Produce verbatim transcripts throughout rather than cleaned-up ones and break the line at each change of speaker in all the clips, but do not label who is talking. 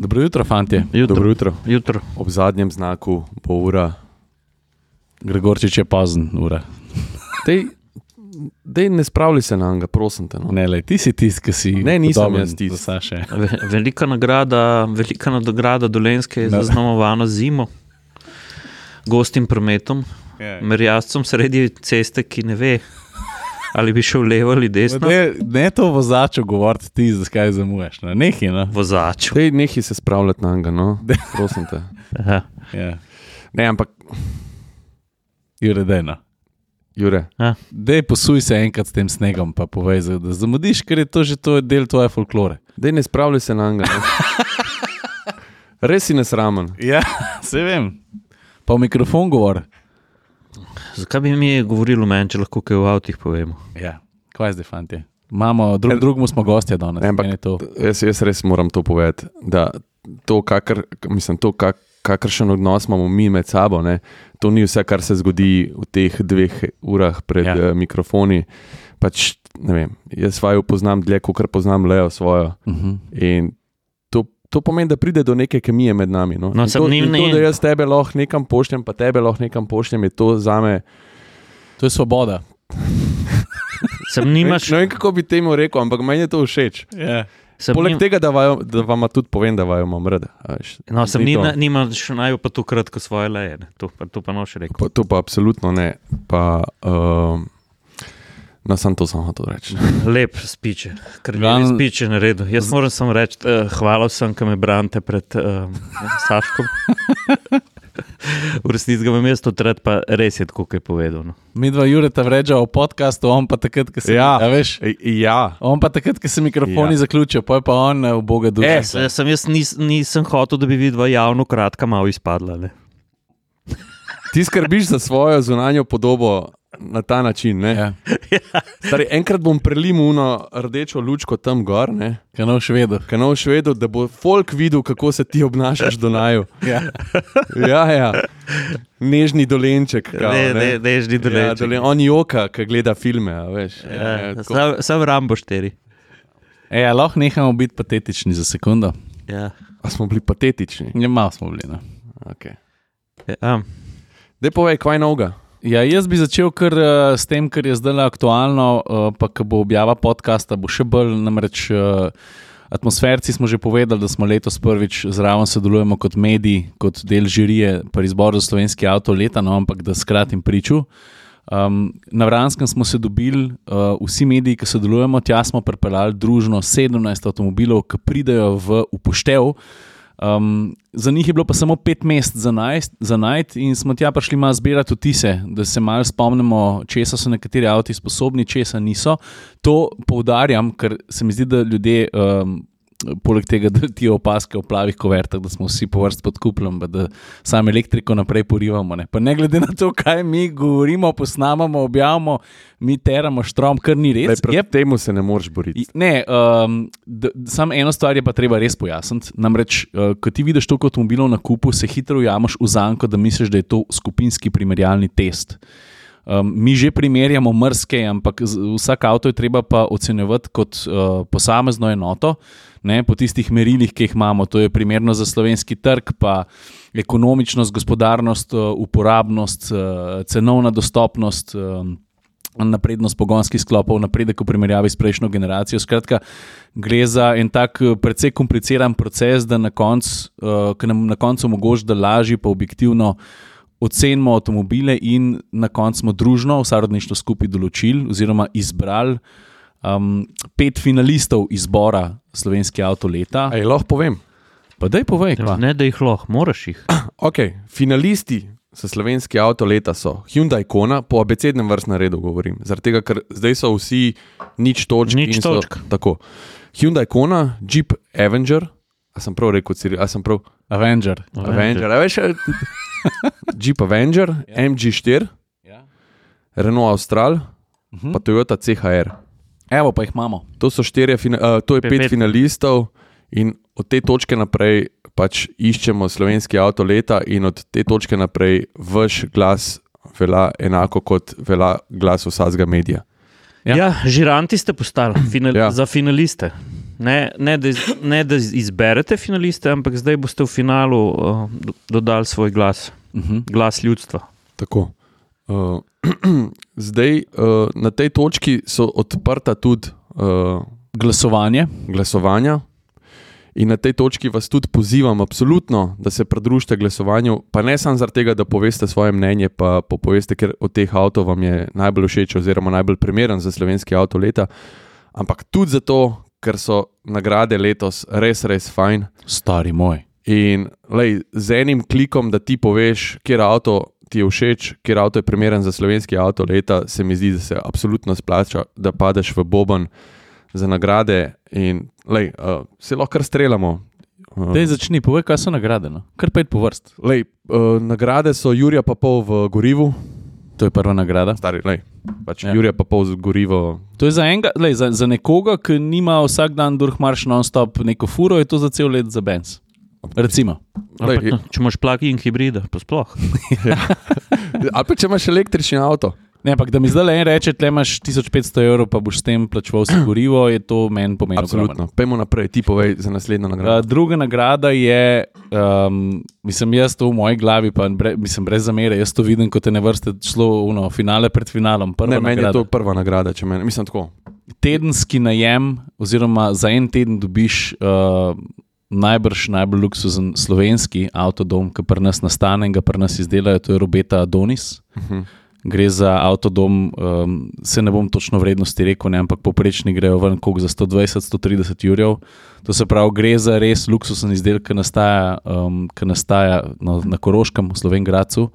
Dobro jutro, fantje.
Jutro.
Dobro jutro.
Jutro.
Ob zadnjem znaku bo ura.
Gregorčič je pozen ura.
Dej, dej ne spravljaj se na njega, prosim te. No.
Ne, lej, ti si tist, ki si...
Ne, nisem
podoben
jaz tist.
do Saše.
Ve- Velika nagrada, velika nagrada Dolenjske je
Da.
zaznamovana zimo, gostim prometom, merjascem sredi ceste, ki ne ve, ali bi šel levo ali desno.
Ne, ne to vozaču govoriti ti, zakaj zamujaš. Ne? Nehi, no.
Vozaču.
Dej nehi se spravljati na njega, no. Prosim te.
Aha.
Ja.
Ne, ampak,
Jure, dej, no.
Jure,
Dej, posuj se enkrat s tem snegom, pa povej, za- da zamudiš, ker je to že to del tvoje folklore.
dej ne spravljaj se na njega. No. Res si nesramen.
Ja, se vem. Pa v mikrofon govor.
Zakaj bi mi govorilo meni, če lahko kaj v avtih povemo?
Ja, kaj je zdaj, fantje? Imamo, drug, drugmu smo gostja danes.
Ne, ampak
meni je to.
jaz, jaz res moram to povedati, da to, kakr, mislim, to kak, kakršen odnos imamo mi med sabo, ne, to ni vse, kar se zgodi v teh dveh urah pred
Ja.
ja. uh, mikrofoni. Pač, ne vem, jaz svojo poznam dlje, kot poznam Leo svojo.
Uh-huh.
In to, to pomeni, da pride do neke kemije med nami. No?
No,
In
sem
to,
njim
in to,
ne-
da jaz tebe lahko nekam pošljem, pa tebe lahko nekam pošljem, je to zame.
To je svoboda.
Sem nimaš,
Ne vem, kako bi temu rekel, ampak meni je to všeč.
Ja.
sem
Poleg
nim,
tega, da, vaju, da vam tudi povem, da vaju imam rad. a veš.
no, sem
Ni to.
nima, nimaš naj pa to kratko svoje leje, ne. To, pa, to pa noš rekel.
Pa, to pa absolutno ne. Pa, um, no, sem to samo to reči.
Lep spiče, kar
Glavno-
lepi spiče naredil. Jaz moram samo reči, uh, hvala vsem, ki me branite pred uh, Saškom. V resnici ga imam jaz to tret, pa res je tako, kot je povedal. No.
Mi dva Jureta vreča v podcastu, on pa takrat, ko se...
Ja.
A veš,
E, ja,
on pa takrat, ko se mikrofoni
Ja.
zaključijo, pa je pa on eh, v Boga duša.
Eh,
Jaz, jaz, sem, jaz nis, nisem hotel, da bi vidva javno kratka malo izpadla. Ne.
ti skrbiš za svojo zunanjo podobo na ta način. Ne?
Ja.
Stari, enkrat bom prelimal uno rdečo lučko tam gor, ne?
Kanal švedo.
Kanal švedo, da bo folk videl, kako se ti obnašaš do naju.
Ja.
Ja, ja. Nežni dolenček. Kao,
Ne, ne, nežni
Ja,
dolenček.
dolen, on joka, ki gleda filme. a Veš.
Ja,
Ja, tako.
sam, sam Rambo štiri.
E, a lahko nehamo biti patetični za sekundo.
Ja.
A smo bili patetični.
Ja, malo smo bili. No.
Okay.
Ja.
Dej povej, kaj novega.
Ja, jaz bi začel kar uh, s tem, kar je zdaj aktualno, uh, pa ko bo objava podcasta, bo še bolj, namreč uh, atmosferci smo že povedali, da smo letos prvič zraven sodelujemo kot medij, kot del žirije pri izboru za slovenski avto leta, no, ampak da skratim priču. Um, na Vranskem smo se dobili, uh, vsi mediji, ki sodelujemo, tja smo pripeljali družno sedemnajst avtomobilov, ki pridejo v upoštev. Um, za njih je bilo pa samo pet mest za, najst, za najti in smo tja prišli malo zbirati vtise, da se malo spomnimo, česa so nekateri avti sposobni, česa niso. To poudarjam, ker se mi zdi, da ljudje, um, poleg tega, da ti opaske v plavih kovertah, da smo vsi po vrst pod kuplom, pa da samo elektriko naprej porivamo. Ne. Pa ne glede na to, kaj mi govorimo, posnamamo, objavimo, mi teramo štrom, kar ni res.
Lej, proti temu se ne moreš boriti.
Ne, um, samo eno stvar je pa treba res pojasniti. Namreč, uh, ko ti vidiš toliko avtomobilov na kupu, se hitro ujameš v zanko, da misliš, da je to skupinski primerjalni test. Um, mi že primerjamo mrske, ampak z- vsak avto je treba pa ocenjevati kot uh, posamezno enoto, ne, po tistih merilih, ki jih imamo. To je primerno za slovenski trg, pa ekonomičnost, gospodarnost, uh, uporabnost, uh, cenovna dostopnost, um, naprednost pogonskih sklopov, napredek v primerjavi s prejšnjo generacijo. Skratka, gre za en tak eh, precej kompliciran proces, da na koncu, uh, ki nam na koncu omogoča, da lažje pa objektivno ocenimo avtomobile in na koncu smo družno, v sorodništvu skupaj določili oziroma izbrali um, pet finalistov izbora slovenski avto leta.
Ej, lahko povem.
Pa daj povej, kva.
Ne, da jih lahko, moraš jih.
Ok, finalisti za slovenski avto leta so Hyundai Kona, po abecednem vrstnem redu govorim, zaradi tega, ker zdaj so vsi nič točk.
Nič
in so,
točk.
Tako. Hyundai Kona, Jeep Avenger, a sem prav rekel, Ciri, a sem prav
Avenger.
Avenger, a veš, Jeep Avenger,
Ja.
M G štiri,
Ja.
Renault Austral,
Mhm.
pa Toyota C H R.
Evo, pa jih imamo.
To so štirje, fina, uh, to je
Pet-
pet,
pet.
pet finalistov in od te točke naprej pač iščemo slovenski avto leta in od te točke naprej vaš glas velja enako kot velja glas vsakega medija.
Ja.
Ja, ja žiranti ste postali final,
Ja.
ja. za finaliste. Ne, ne, da, iz, ne da izberete finaliste, ampak zdaj boste v finalu uh, dodali svoj glas, uh-huh. glas ljudstva.
Tako. Uh, zdaj, uh, na tej točki so odprta tudi uh,
glasovanje.
glasovanja. In na tej točki vas tudi pozivam absolutno, da se pridružite glasovanju, pa ne samo zaradi tega, da poveste svoje mnenje, pa poveste, ker od teh avtov vam je najbolj všeč oziroma najbolj primeren za slovenski avto leta, ampak tudi zato, ker so nagrade letos res, res fajn.
Stari moj.
In lej, z enim klikom, da ti poveš, kjer avto ti je všeč, kjer avto je primeren za slovenski avto leta, se mi zdi, da se absolutno splača, da padeš v boben za nagrade in lej, uh, se lahko kar streljamo. Uh,
Dej začni, povej, kaj so nagrade, no? Kar pet po vrst.
Lej, uh, nagrade so Jurija pa pol v gorivu.
To je prva nagrada.
Stari, lej, pač
Ja.
Jurija pa pol z gorivo.
To je za, enega, lej, za, za nekoga, ki nima vsak dan durhmarš non-stop neko furo, je to za cel let za Benz. Recimo.
Lej,
Pa, če imaš plug-in hibrida, pa sploh.
ali pa če imaš električni avto.
Ne, ampak da mi zdaj le en reče, tle imaš tisoč petsto evrov, pa boš s tem plačeval si gorivo, je to meni pomeni.
Absolutno. Pejmo naprej, ti povej za naslednjo nagrado.
Uh, druga nagrada je, um, mislim, jaz to v moji glavi, pa bre, mislim, brez zamere, jaz to vidim kot ene vrste šlo v finale pred finalom. Prva
Ne, meni je
nagrada.
to prva nagrada, če meni, mislim tako.
Tedenski najem, oziroma za en teden dobiš uh, najbrž najbolj luksuzen slovenski avtodom, ki pri nas nastane in ga pri nas izdelajo, to je Robeta Adonis.
Uh-huh.
Gre za avtodom, um, se ne bom točno vrednosti rekel, ne, ampak poprečni grejo ven koliko za sto dvajset do sto trideset jurjev. To se pravi, gre za res luksusen izdelek, ki nastaja, um, ki nastaja no, na Koroškem, v Slovenj Gradcu.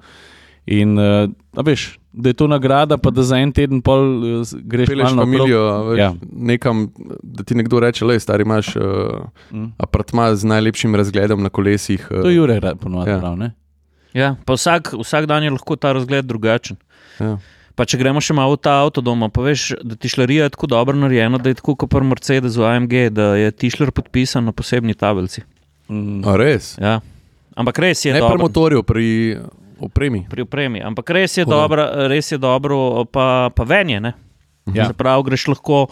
In uh, a veš, da je to nagrada, pa da za en teden pol uh, greš
Peleš
malo
familijo,
naokrog.
veš,
Ja.
nekam, da ti nekdo reče, lej, stari, imaš uh,
Mm.
apartma z najlepšim razgledom na kolesih. Uh,
To je Jure ponovadi
Ja.
prav, ne?
Ja, pa vsak, vsak dan je lahko ta razgled drugačen.
ja.
Pa če gremo še malo v ta avtodom, pa veš, da tišlerija je tako dobro narejena, da je tako kot pri Mercedesu A M G, da je tišler podpisan na posebni tabelci.
Mm.
A res?
Ja. Ampak res je
Ne pri
dobro.
motorju, pri opremi.
Pri opremi. Ampak res je,
Hudo.
dobro, res je dobro, pa, pa venje. Ne?
Ja.
Se pravi, greš lahko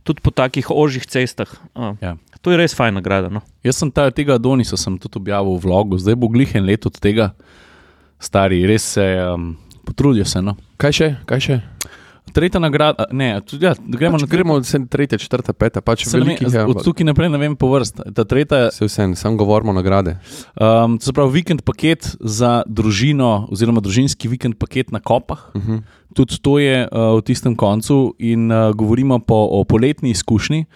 tudi po takih ožjih cestah. A,
Ja.
To je res fajn nagrada. No?
Jaz sem ta, tega Adonisa sem tudi objavil v vlogu, zdaj bo glih en let od tega, stari, res se um, potrudijo se. No.
Kaj še? Kaj še?
Tretja nagrada, ne, tudi, ja, gremo
Pač
na
gremo od tretja, četrta, peta, pač
Se ne vem,
velikih. Ja,
od tukaj naprej ne vem po vrst. Ta tretja,
se vse, sam govorimo nagrade.
um, to se pravi vikend paket za družino, oziroma družinski vikend paket na Kopah.
Uh-huh.
Tudi to je uh, v tistem koncu in uh, govorimo po, o poletni izkušnji.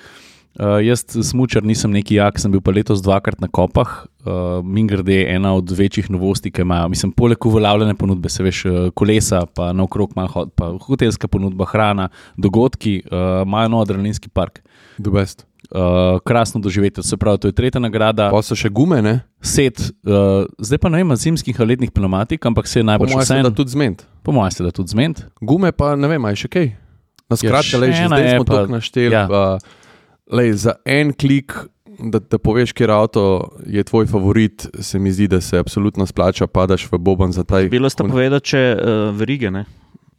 Uh, jaz, smučar, nisem neki jak, sem bil pa letos dvakrat na Kopah. Uh, Mingrde je ena od večjih novosti, ki imajo. Mislim, poleg uveljavljene ponudbe, se veš, kolesa, pa naokrog malo hod, pa hotelska ponudba, hrana, dogodki, uh, imajo nov adrenalinski park.
The best.
Uh, krasno doživeti, se pravi, to je tretja nagrada.
Pa so še gume, ne?
Set, uh, zdaj pa ne vem, zimskih ali letnih pneumatik, ampak se je
Po
najbolj
mojem se da tudi zment.
Po mojem se da tudi zment.
Gume pa ne vem, a je še kaj. Na skratke,
Ja,
lej, že
še ena
zdaj
je
smo
pa-
toliko našteli.
ja.
Pa, lej, za en klik, da, da poveš, kjer avto je tvoj favorit, se mi zdi, da se absolutno splača, padaš v boban za taj.
Bilo sta povedati, če uh, verige. Ne?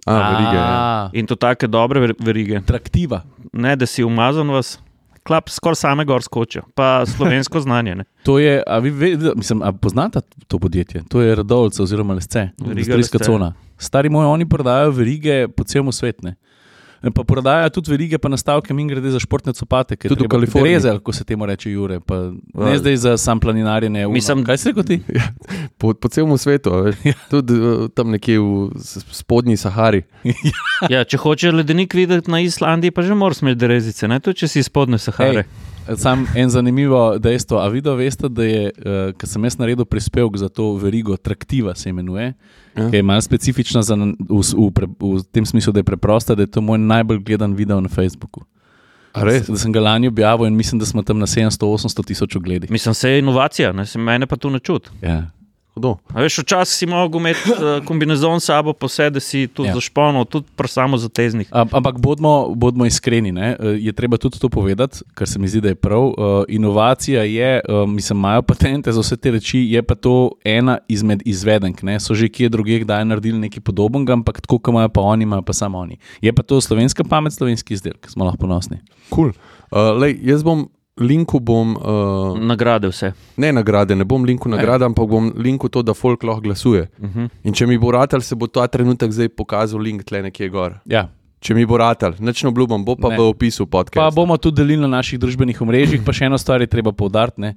A, verige, ja.
In to take dobre ver- verige.
Traktiva.
Ne, da si umazan vas, klap skoraj same gor skočijo. Pa slovensko znanje. Ne?
To je, a vi vedete, mislim, a poznate to podjetje? To je Radovljica oziroma Lesce,
Veriga
industrijska
Lesce.
cona. Stari moji, oni prodajajo verige po celem svetu. ne. Pa prodajajo tudi verige, pa nastavke in grede za športne copate, ki
Tudi v Kaliforniji.
Rezel, ko se temu reče Jure. Pa ne
Ja.
zdaj za sam planinarjenje.
Mislim-
Kaj si rekel ti?
Po, po celem svetu, a veš. Tudi uh, tam nekje v s- spodnji Sahari.
Ja, če hočeš ledenik videti na Islandiji, pa že moraš imeti derezice, ne? Tudi če si izpodne Sahare.
Ej, sam en zanimivo dejstvo. A vi da veste, da je, uh, ko sem jaz naredil prispevek za to verigo, Traktiva se imenuje,
Ja.
ki je malo specifična za, v, v, v, v tem smislu, da je preprosta, da je to moj najbolj gledan video na Facebooku.
A res?
Da sem ga lani objavil in mislim, da smo tam na sedemsto do osemsto tisoč ogledih.
Mislim, se je inovacija, ne? Se mene pa tu ne čuti.
Ja.
Hudo.
A veš, včasih si mogel imeti uh, kombinezon s sabo, posebej, da si tudi
Ja.
ja. zašponil, tudi pri samozateznih.
Am- Ampak bodimo, bodimo iskreni, ne? E, je treba tudi to povedati, kar se mi zdi, da je prav. Uh, inovacija je, uh, mislim, imajo patente za vse te reči, je pa to ena izmed izvedenk. Ne? So že kje drugje kdaj naredili nekaj podobnega, ampak tako, kot imajo pa oni, imajo pa samo oni. Je pa to slovenska pamet, slovenski izdelek, smo lahko ponosni.
Cool. Uh, lej, jaz bom linku bom... Uh,
Nagrade vse.
Ne nagrade, ne bom linku nagrade, ampak bom linku to, da folk lahko glasuje.
Uh-huh.
In če mi bo ratal, se bo ta trenutek zdaj pokazal link tle nekje gor.
Ja.
Če mi bo ratal, nič ne obljubam, bo pa
Ne.
v opisu podcasta.
Pa bomo tudi delili na naših družbenih omrežjih, pa še eno stvar je treba poudariti. Ne.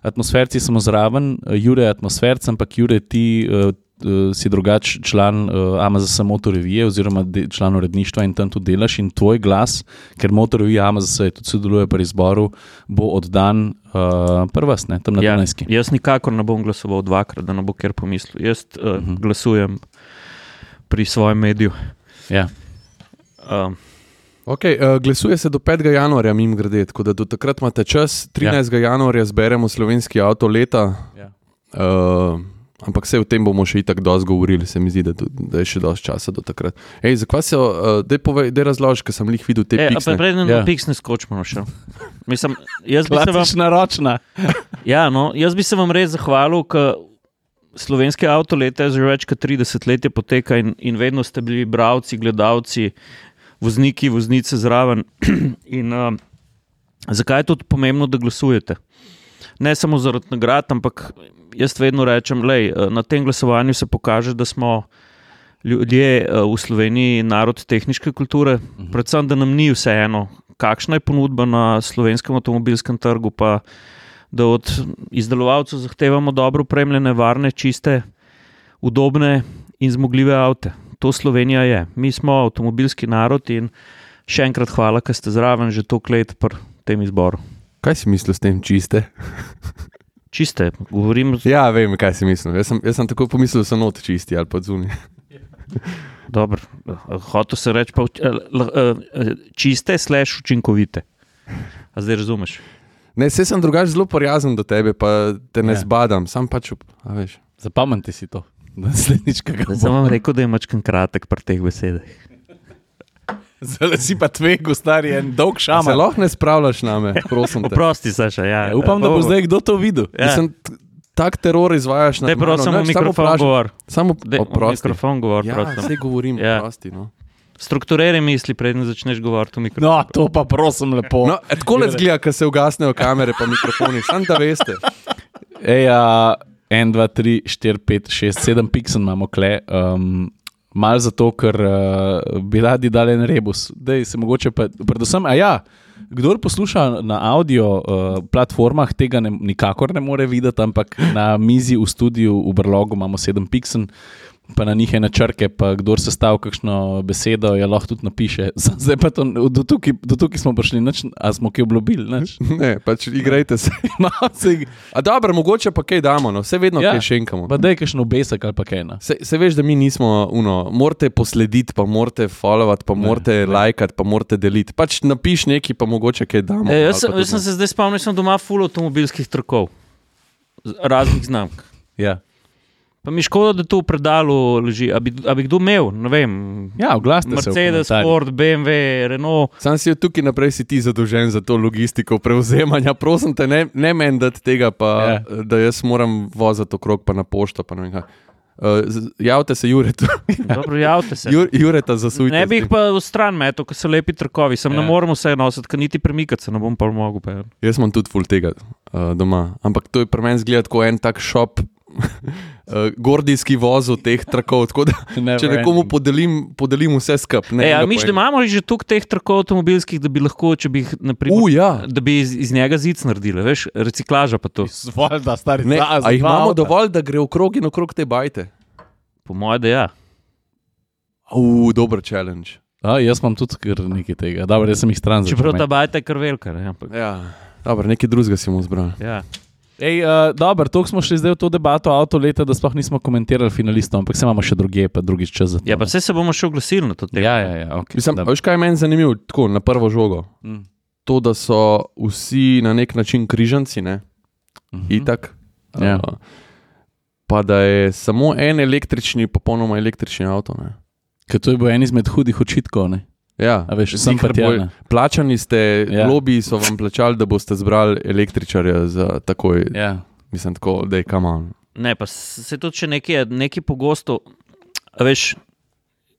Atmosferci smo zraven, Jure je atmosferc, ampak Jure, ti uh, uh, si drugač član uh, A M Z S Motorevije oziroma de, član uredništva in tam tudi delaš in tvoj glas, ker Motorevija A M Z S tudi sodeluje pri izboru, bo oddan uh, prvas, ne, tam na
Ja,
Dunajski.
jaz nikakor ne bom glasoval dvakrat, da ne bo kjer pomislil. Jaz uh, uh-huh. glasujem pri svojem mediju.
Ja.
Um,
Okay, uh, glasuje se do petega januarja, mimo grede, tako da do takrat imate čas. trinajstega januarja zberemo slovenski avto leta,
Ja.
uh, ampak vse o tem bomo še itak dosti govorili, se mi zdi, da, da je še dosti časa do takrat. Ej, zakaj se, uh, dej povej, dej razloži, ker sem lih videl te
e,
piksne.
Preden
Ja.
na piksne skočimo no še. Mislim, jaz bi se vam,
Klasična ročna.
ja, no, jaz bi se vam res zahvalil, ker slovenski avto leta je že več kot trideset let poteka in, in vedno ste bili bralci, gledalci, vozniki, voznice zraven. In uh, zakaj je tudi pomembno, da glasujete? Ne samo zaradi nagrad, ampak jaz vedno rečem, lej, na tem glasovanju se pokaže, da smo ljudje uh, v Sloveniji narod tehniške kulture, uh-huh. predvsem, da nam ni vseeno, kakšna je ponudba na slovenskem avtomobilskem trgu, pa da od izdelovalcev zahtevamo dobro opremljene, varne, čiste, udobne in zmogljive avte. To Slovenija je. Mi smo avtomobilski narod in še enkrat hvala, ker ste zraven že toliko let pri tem izboru.
Kaj si mislil s tem čiste?
Čiste, govorim...
Ja, vem, kaj si mislil. Jaz sem, jaz sem tako pomislil, da so not čisti ali pa zunaj.
Dobro, hotel se reči pa čiste slash učinkovite. A zdaj razumeš?
Ne, saj sem drugače zelo prijazen do tebe, pa te ne
Ja.
zbadam, sam pač, a veš.
Zapomnite si to. Naslednjič, kaj ga
Zdaj sem vam rekel, da je mačkan kratek pri teh besedah.
Zdaj si pa tvegu, stari, en dolg
Se
šamar.
lahko ne spravljaš name, prosim te.
Oprosti, Saša, ja.
Ja, upam, da bo zdaj kdo to videl.
Ja.
Mislim, t- tak teror izvajaš na
Daj prav samo mikrofon govor.
Samo
Daj,
oprosti.
mikrofon govor,
Ja,
prosim.
saj govorim,
Ja.
oprosti, no.
Strukturiraj misli, preden začneš govoriti v mikrofon.
No, to pa prosim lepo.
No, e, tako le zgleda, ko se ugasnejo kamere pa mikrofoni, samo da veste.
Ej, a, en, dva, tri, štiri, pet, šest, sedem piksel imamo kle. Um, Mal zato, ker uh, bi radi dali en rebus. Dej, se mogoče pa, predvsem, a ja, kdor posluša na audio uh, platformah, tega ne, nikakor ne more videti, ampak na mizi v studiu v Brlogu imamo sedem piksel, pa na njih ene črke, pa kdor se stavi kakšno besedo, je lahko tudi napiše. Zdaj pa to, do tukaj, do tukaj smo prišli, nič, a smo kaj obljubili, nič.
Ne, pač igrajte se.
No, se,
A dobro, mogoče pa kaj damo, no, vse vedno
Ja.
kaj šenkamo.
pa daj kakšno besek ali pa kaj. No.
Se, se veš, da mi nismo, uno, morate poslediti, pa morate followati, pa morate lajkati, pa morate deliti. Pač napiš nekaj, pa mogoče kaj damo.
E, jaz,
ali pa
jaz sem
tudi
se zdaj spomnil, da sem doma ful avtomobilskih trkov. Z- Raznih znamk.
Ja.
Pa mi škoda, da to v predalu leži. A bi, a bi kdo imel, ne vem,
Ja, oglasite se v
Mercedes,
komentarjih.
Ford, B M W, Renault.
Sam si od tukaj naprej si ti zadolžen za to logistiko prevzemanja. Prosim te, ne, ne meni dati tega, pa,
Ja.
yeah. da jaz moram voziti okrog pa na pošto. Pa ne vem kaj. Uh, z- javite se Juretu,
Dobro, javite se.
Jur, Jureta zasujte.
Ne bi
s
jih
tem.
pa v stran metal, ker so lepi trkovi. Sem
Ja.
ne morem vse nositi, ker niti premikati se ne bom pa mogel. Pa.
Jaz imam tudi ful tega uh, doma. Ampak to je pri meni zgleda kot en tak šop, uh, gordijski voz teh trakov. Tako da, če nekomu podelim, podelim vse skupaj.
E, a miš, da imamo že toliko teh trkov avtomobilskih, da bi lahko, če bi jih, naprimer,
Uh, ja.
da bi iz, iz njega zic naredili, veš, reciklaža pa to.
Valjda, stari,
Ne,
za- za
a jih
dva
imamo
avta.
dovolj, da gre okrog in okrog te bajte?
Po mojem, da ja.
Uh, dober challenge.
A, jaz imam tudi kar nekaj tega. Dobro, jaz sem jih stran začel
Čeprav ta
imeti.
bajta je kar velika. Ne, ampak,
Ja. Dobro, nekaj drugega si mu zbral.
ja.
Ej, uh, dobro, toliko smo šli zdaj v to debato avto leta, da sploh nismo komentirali finalistov, ampak se imamo še druge, pa drugič čas za to.
ja, pa vse se bomo še oglasili na to temo.
Ja, ja, ja, okay.
Mislim, a veš, kaj je meni zanimivo, tako na prvo žogo?
Mm.
To, da so vsi na nek način križanci, ne?
Mhm.
Itak.
Ja.
Uh, pa da je samo en električni, popolnoma električni avto. Ne?
Ker to je bil en izmed hudih očitkov, ne?
Ja,
A veš, sem
ziher
pa tja,
bolj-
ne.
plačani ste,
Ja.
ja. lobiji so vam plačali, da boste zbrali električarja za takoj. Ja.
Ja.
Mislim, tako, da je kaman.
Ne, pa se tudi še nekaj, nekaj pogosto, a veš,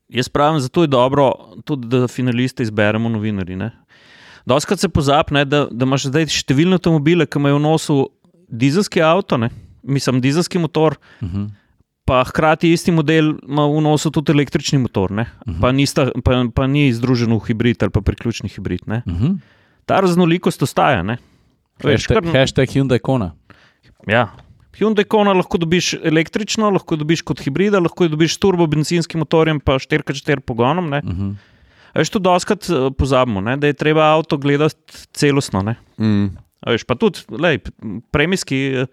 jaz pravim, zato je dobro tudi, da finaliste izberemo novinarji. Ne? Doskrat se pozabi, ne, da, da imaš zdaj številne avtomobile, ki imajo v nosu dizelski avto, ne, mislim, dizelski motor, uh-huh. pa hkrati isti model ima v nosu tudi električni motor, ne, uh-huh. pa, nista, pa, pa ni združen v hibrid ali pa priključni hibrid. Ne.
Uh-huh.
Ta raznolikost ostaja. Ne.
Hashtag, kar... hashtag Hyundai Kona.
Ja. Hyundai Kona lahko dobiš električno, lahko dobiš kot hibrida, lahko dobiš s turbo benzinskim motorjem pa štiri krat štiri pogonom. Ne. Uh-huh. Veš, tu doskrat pozabimo, ne, da je treba avto gledati celostno. Ne.
Mm.
Veš, pa tudi, lej, premijski,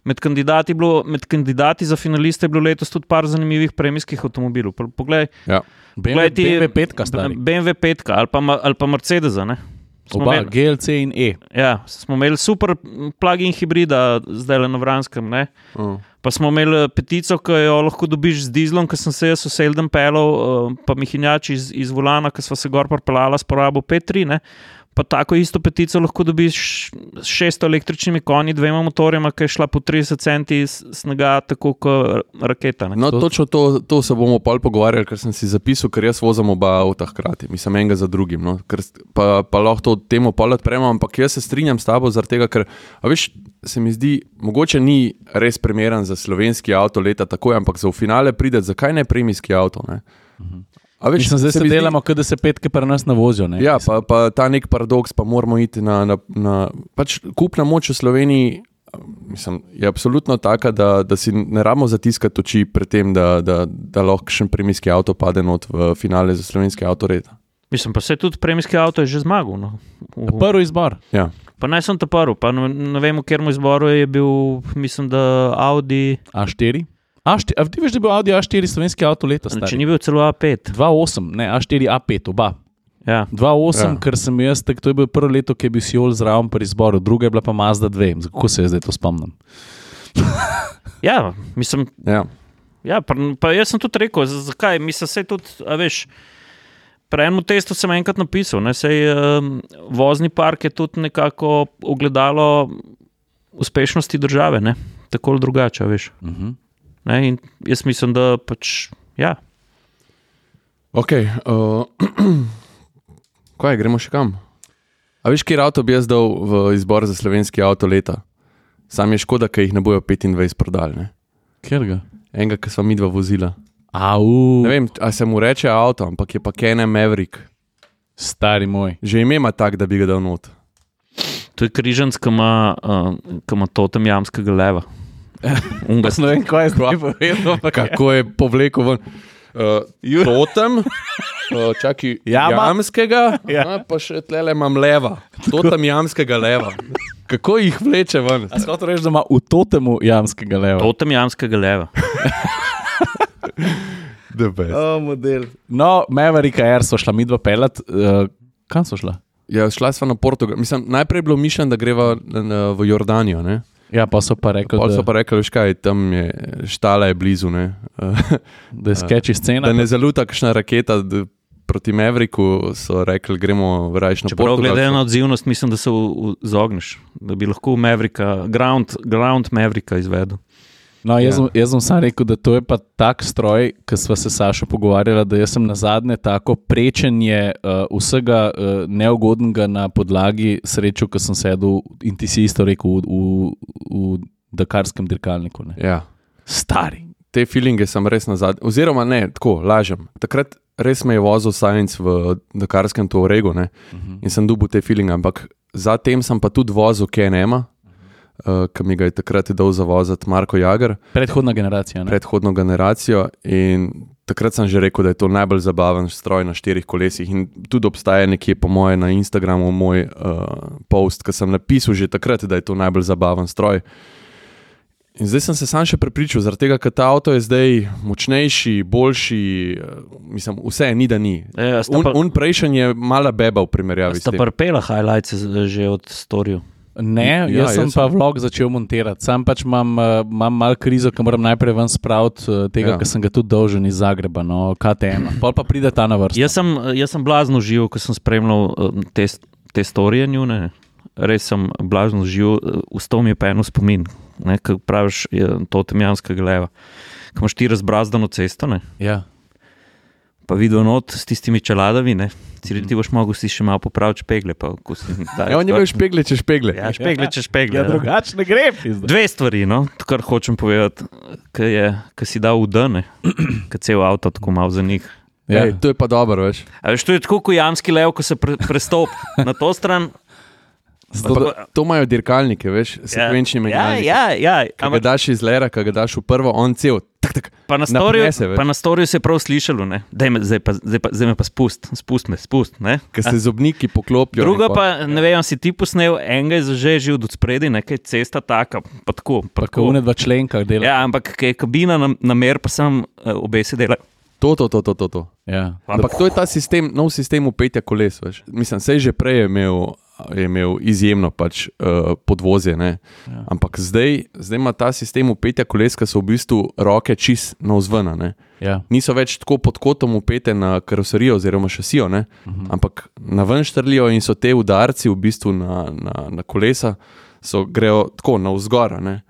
med kandidati, bilo, med kandidati za finaliste je bilo letos tudi par zanimivih premijskih avtomobilov. Poglej,
ja. B M W petka stari.
B M W petka ali pa, ali pa Mercedesa, ne. Smo
Oba,
imeli,
G L C in E.
Ja, smo imeli super plug-in hibrida zdaj na Vranskem, ne.
Uh.
Pa smo imeli petico, ki jo lahko dobiš z dizlom, ki sem se jaz v Seldem pelal, pa Mihinjač iz, iz volana, ki sva se gor parpelala s porabo pet tri, ne. Pa tako isto petico lahko dobiš s šeststo električnimi konji, dvema motorjema, ki je šla po trideset centi snega, tako kot raketa. Ne?
No, točno to, to se bomo pol pogovarjali, ker sem si zapisal, ker jaz vozim oba avta hkrati, mislim enega za drugim. No? Ker, pa, pa lahko to temo pol odpremo, ampak jaz se strinjam s tabo zaradi tega, ker a veš, se mi zdi, mogoče ni res primeren za slovenski avto leta takoj, ampak za v finale pride, zakaj ne premijski avto, ne?
Mhm. A veš, Mislim, zdaj se, se delamo, zdi... da se petke pri nas navozijo. Ne?
Ja, pa, pa ta nek paradoks, pa moramo iti na, na, na pač kupna moč v Sloveniji, mislim, je absolutno taka, da, da si ne rabimo zatiskati oči pred tem, da, da, da lahko še premijski avto pade not v finale za slovenski avto leta.
Mislim, pa se tudi premijski avto je že zmagal. No.
Uh. Prvi izbor.
Ja.
Pa ne sem to prvi, pa ne, ne vem, v katerem izboru je bil, mislim, da Audi
A štiri. A štiri, a ti veš, da je bil Audi A štiri slovenski avto leta? Stari?
Če ni bil celo A pet.
dva osem, ne, A štiri, A pet, oba.
Ja.
dva osem,
ja.
Ker sem jaz, tak, to je bil prvo leto, ki je bil Siol zraven pri izboru, druga je bila pa Mazda dve. Kako se je zdaj to spomnim?
Ja, mislim...
Ja,
ja pa, pa jaz sem tudi rekel, zakaj? Mislim, se tudi, a veš, pri enem testu sem enkrat napisal, ne, sej um, vozni park je tudi nekako ogledalo uspešnosti države, ne, tako ali drugače, veš.
Uh-huh.
Ne, in jaz mislim, da pač, ja.
Ok, uh, kaj, gremo še kam? A veš, kjer avto bi jaz dal v izbor za slovenski avto leta? Sam je škoda, ker jih ne bojo petindvajset prodali, ne?
Kjer ga?
Enega, ki sva midva vozila.
Au.
Ne vem, a se mu reče avto, ampak je pa Can-Am Maverick.
Stari moj.
Že ime ima tak, da bi ga dal not.
To je križanc, ki ima, uh, ki ima totem jamskega leva.
Unga, ne vem, kaj je zdaj povedal.
Kako je povlekel ven. Uh, totem, uh, čaki,
Jama.
jamskega,
Ja.
a, pa še tlele imam leva. Totem jamskega leva. Kako jih vleče ven?
A skoro reči, da ima v totemu jamskega leva.
Totem jamskega leva.
The best.
Oh, model. No, Maverick Air so šla midva pelat. Uh, kam so šla?
Ja, šla sva na Portugal. Mislim, najprej je bilo mišljeno, da greva na, v Jordanijo, ne?
Ja, pa so pa rekli,
Pol
da,
so pa rekli, veš kaj, tam je, štala je blizu, ne?
da je sketchy scena.
Da ne zaluta kakšna raketa d- proti Mavericku, so rekli, gremo rajš na
Čeprav
Portugal.
glede na odzivnost, mislim, da se izogneš, da bi lahko Mavericka, ground, ground Mavericka izvedel.
No, jaz,
Ja.
ja. jaz sem sam rekel, da to je pa tak stroj, ki sva se Sašo pogovarjala, da jaz sem nazadnje tako prečenje uh, vsega uh, neugodnega na podlagi srečo, ko sem sedel in ti si isto rekel v, v, v dakarskem dirkalniku. Ne.
Ja.
Stari.
Te feelinge sem res nazadnje, oziroma ne, tako, lažem. Takrat res me je vozil Sainz v dakarskem Touaregu, ne,
Uh-huh.
in sem dobil te feelinge, ampak zatem sem pa tudi vozil Can-Ama, uh, ki mi ga je takrat dal zavoziti Marko Jager,
Predhodna generacija. Ne?
predhodno generacijo, in takrat sem že rekel, da je to najbolj zabaven stroj na štirih kolesih, in tudi obstaja nekje po moje na Instagramu moj uh, post, ki sem napisal že takrat, da je to najbolj zabaven stroj. In zdaj sem se sam še prepričal, zaradi tega, ker ta avto je zdaj močnejši, boljši, uh, mislim, vse je ni, da ni.
E,
Un, un prejšen je mala beba v primerjavi s
Sta
tem.
prpela highlights že od storju.
Ne,
Ja,
jaz sem
jaz
pa
sem-
vlog začel montirati. Sam pač imam, uh, imam malo krizo, ker moram najprej ven spraviti uh, tega,
Ja.
ja. ker sem ga tudi dolžen iz Zagreba, no, K T M. Pol pa pride ta na vrsto.
Jaz sem, jaz sem blazno živel, ko sem spremljal uh, te, te storije njune. Res sem blazno živel, uh, ustal mi je pa eno spomin, ne, ko praviš je, to temjanskega leva. Ko imaš ti razbrazdano cesto, ne,
Ja.
pa videl not s tistimi čeladami, ne. Ciri, ti boš mogel si še malo popraviti špegle. Pa, si,
ja, on je imel špegle, če špegle.
Ja, špegle, če špegle.
Ja, drugače ne gre. Pizda.
Dve stvari, no, to, kar hočem povedati, ki si dal v dane, ki cel avto tako malo za njih.
Ja. Ej, to je pa dobro, veš.
A veš, to je tako, ko jamski lev, ko se pre, prestop na to stran.
To, to imajo dirkalnike, veš, sekvenčni
ja,
menjalniki.
Ja, ja, ja.
Ko ga daš iz lera, ko ga daš v prvo, on cel, tak, tak,
pa na storju, pa na storju se je prav slišalo, ne, daj me, zdaj pa, zdaj pa, zdaj me pa spust, spust me, spust, ne.
Ko se zobniki poklopijo.
Druga pa, ne vem, si ti posnel, enega je zažežil od spredi, nekaj cesta taka, pa tako.
Pa tako une dva členka dela.
Ja, ampak kaj je kabina na, na mer, pa sem uh, obe se dela.
To, to, to, to, to. to.
Ja.
Ampak to je ta sistem, nov sistem upetja koles, veš. Mislim, sej že prej je imel je imel izjemno pač uh, podvozje, ne. Ja. Ampak zdaj, zdaj ima ta sistem upetja koles, ki so v bistvu roke čist navzvena, ne.
Ja.
Niso več tako pod kotom upete na karoserijo oziroma šasijo, ne. Uh-huh. Ampak na ven štrlijo in so te udarci v bistvu na, na, na kolesa, so grejo tako navzgora, ne.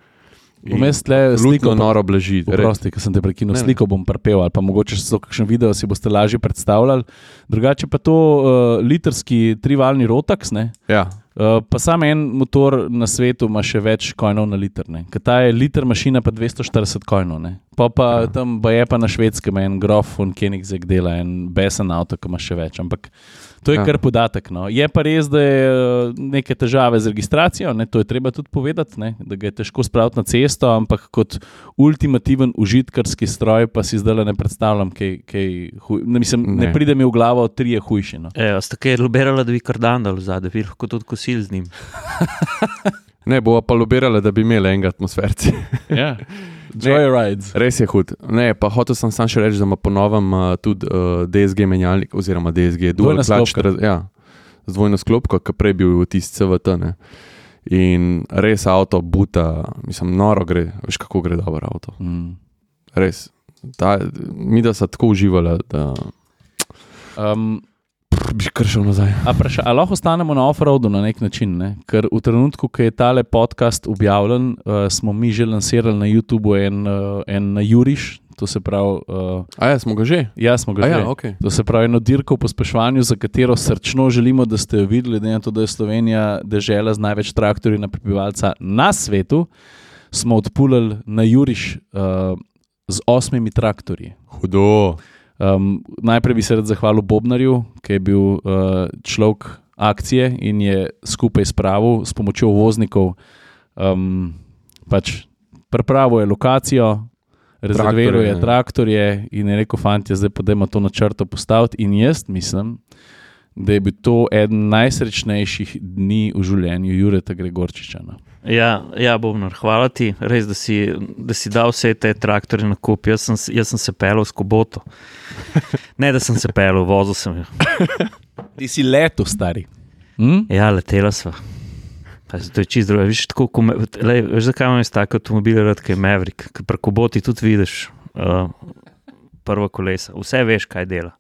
Vmes tle sliko
noro blaži.
Prosti, ker sem te prekinul, sliko bom prepel ali pa mogoče so kakšen video, si boste lažje predstavljali. Drugače pa to uh, litrski trivalni Rotax, ne?
Ja.
Uh, pa sam en motor na svetu ima še več kojnov na liter, ne? Ker ta je liter mašina pa dvesto štirideset kojnov, ne? Pa pa ja. Tam ba je pa na Švedskem en Grof von Koenigsegg dela, en besen avto, ki ima še več, ampak to je ja. Kar podatek, no. Je pa res, da je neke težave z registracijo, ne? To je treba tudi povedati, ne? Da ga je težko spraviti na cesto, ampak kot ultimativen užitkarski stroj pa si zdaj ne predstavljam, kaj, kaj huj... ne, mislim, ne. ne pride mi v glavo tri je hujši, no.
Evo, sta kaj lobirala, da bi kardandal vzade, bi lahko tudi kosil z njim.
Ne, bova pa lobirala, da bi imeli enega atmosferci.
Ja. Joyrides.
Res je hud. Ne, pa hotel sem sam še reči, da ima po novem uh, tudi uh, D S G menjalnik, oziroma D S G dual clutch, ja, z dvojno sklopko, ki prej bil tisti C V T, ne. In res avto buta, mislim, noro gre, veš kako gre dobro avto. Mm. Res. Ta, mi da so tako uživala, da um, bi kar šel nazaj.
A, praša, a lahko ostanemo na off-roadu na nek način, ne? Ker v trenutku, ko je tale podcast objavljen, uh, smo mi že lansirali na YouTubeu en, uh, en Juriš, to se pravi... Uh,
a ja, smo ga že?
Ja, smo ga
a
že.
Ja, okay.
To se pravi eno dirko v pospeševanju, za katero srčno želimo, da ste jo videli, da je to, da je Slovenija dežela z največ traktorji na prebivalca na svetu, smo odpulali na Juriš uh, z osmimi traktorji.
Hudo.
Um, najprej bi se rad zahvalil Bobnarju, ki je bil uh, človek akcije in je skupaj spravil s pomočjo voznikov, um, pač pripravil je lokacijo, rezerviral je traktorje in je rekel, fantje, zdaj pa dajmo to na črto postaviti in jaz mislim, da je bil to eden najsrečnejših dni v življenju Jureta Gregorčiča. No.
Ja, ja, Bobnar, hvala ti, res, da si, da si dal vse te traktorje na kup. Jaz sem, jaz sem se pelil s Koboto. Ne, da sem se pelil, vozil sem jo.
Ti si leto, stari. Hm?
Ja, letela sva. Pa, to je čist drugo. Viš, tako, me, lej, veš, zakaj imam jaz tako avtomobile rad, kaj je Maverick, ker pri Koboti tudi vidiš uh, prva kolesa. Vse veš, kaj dela.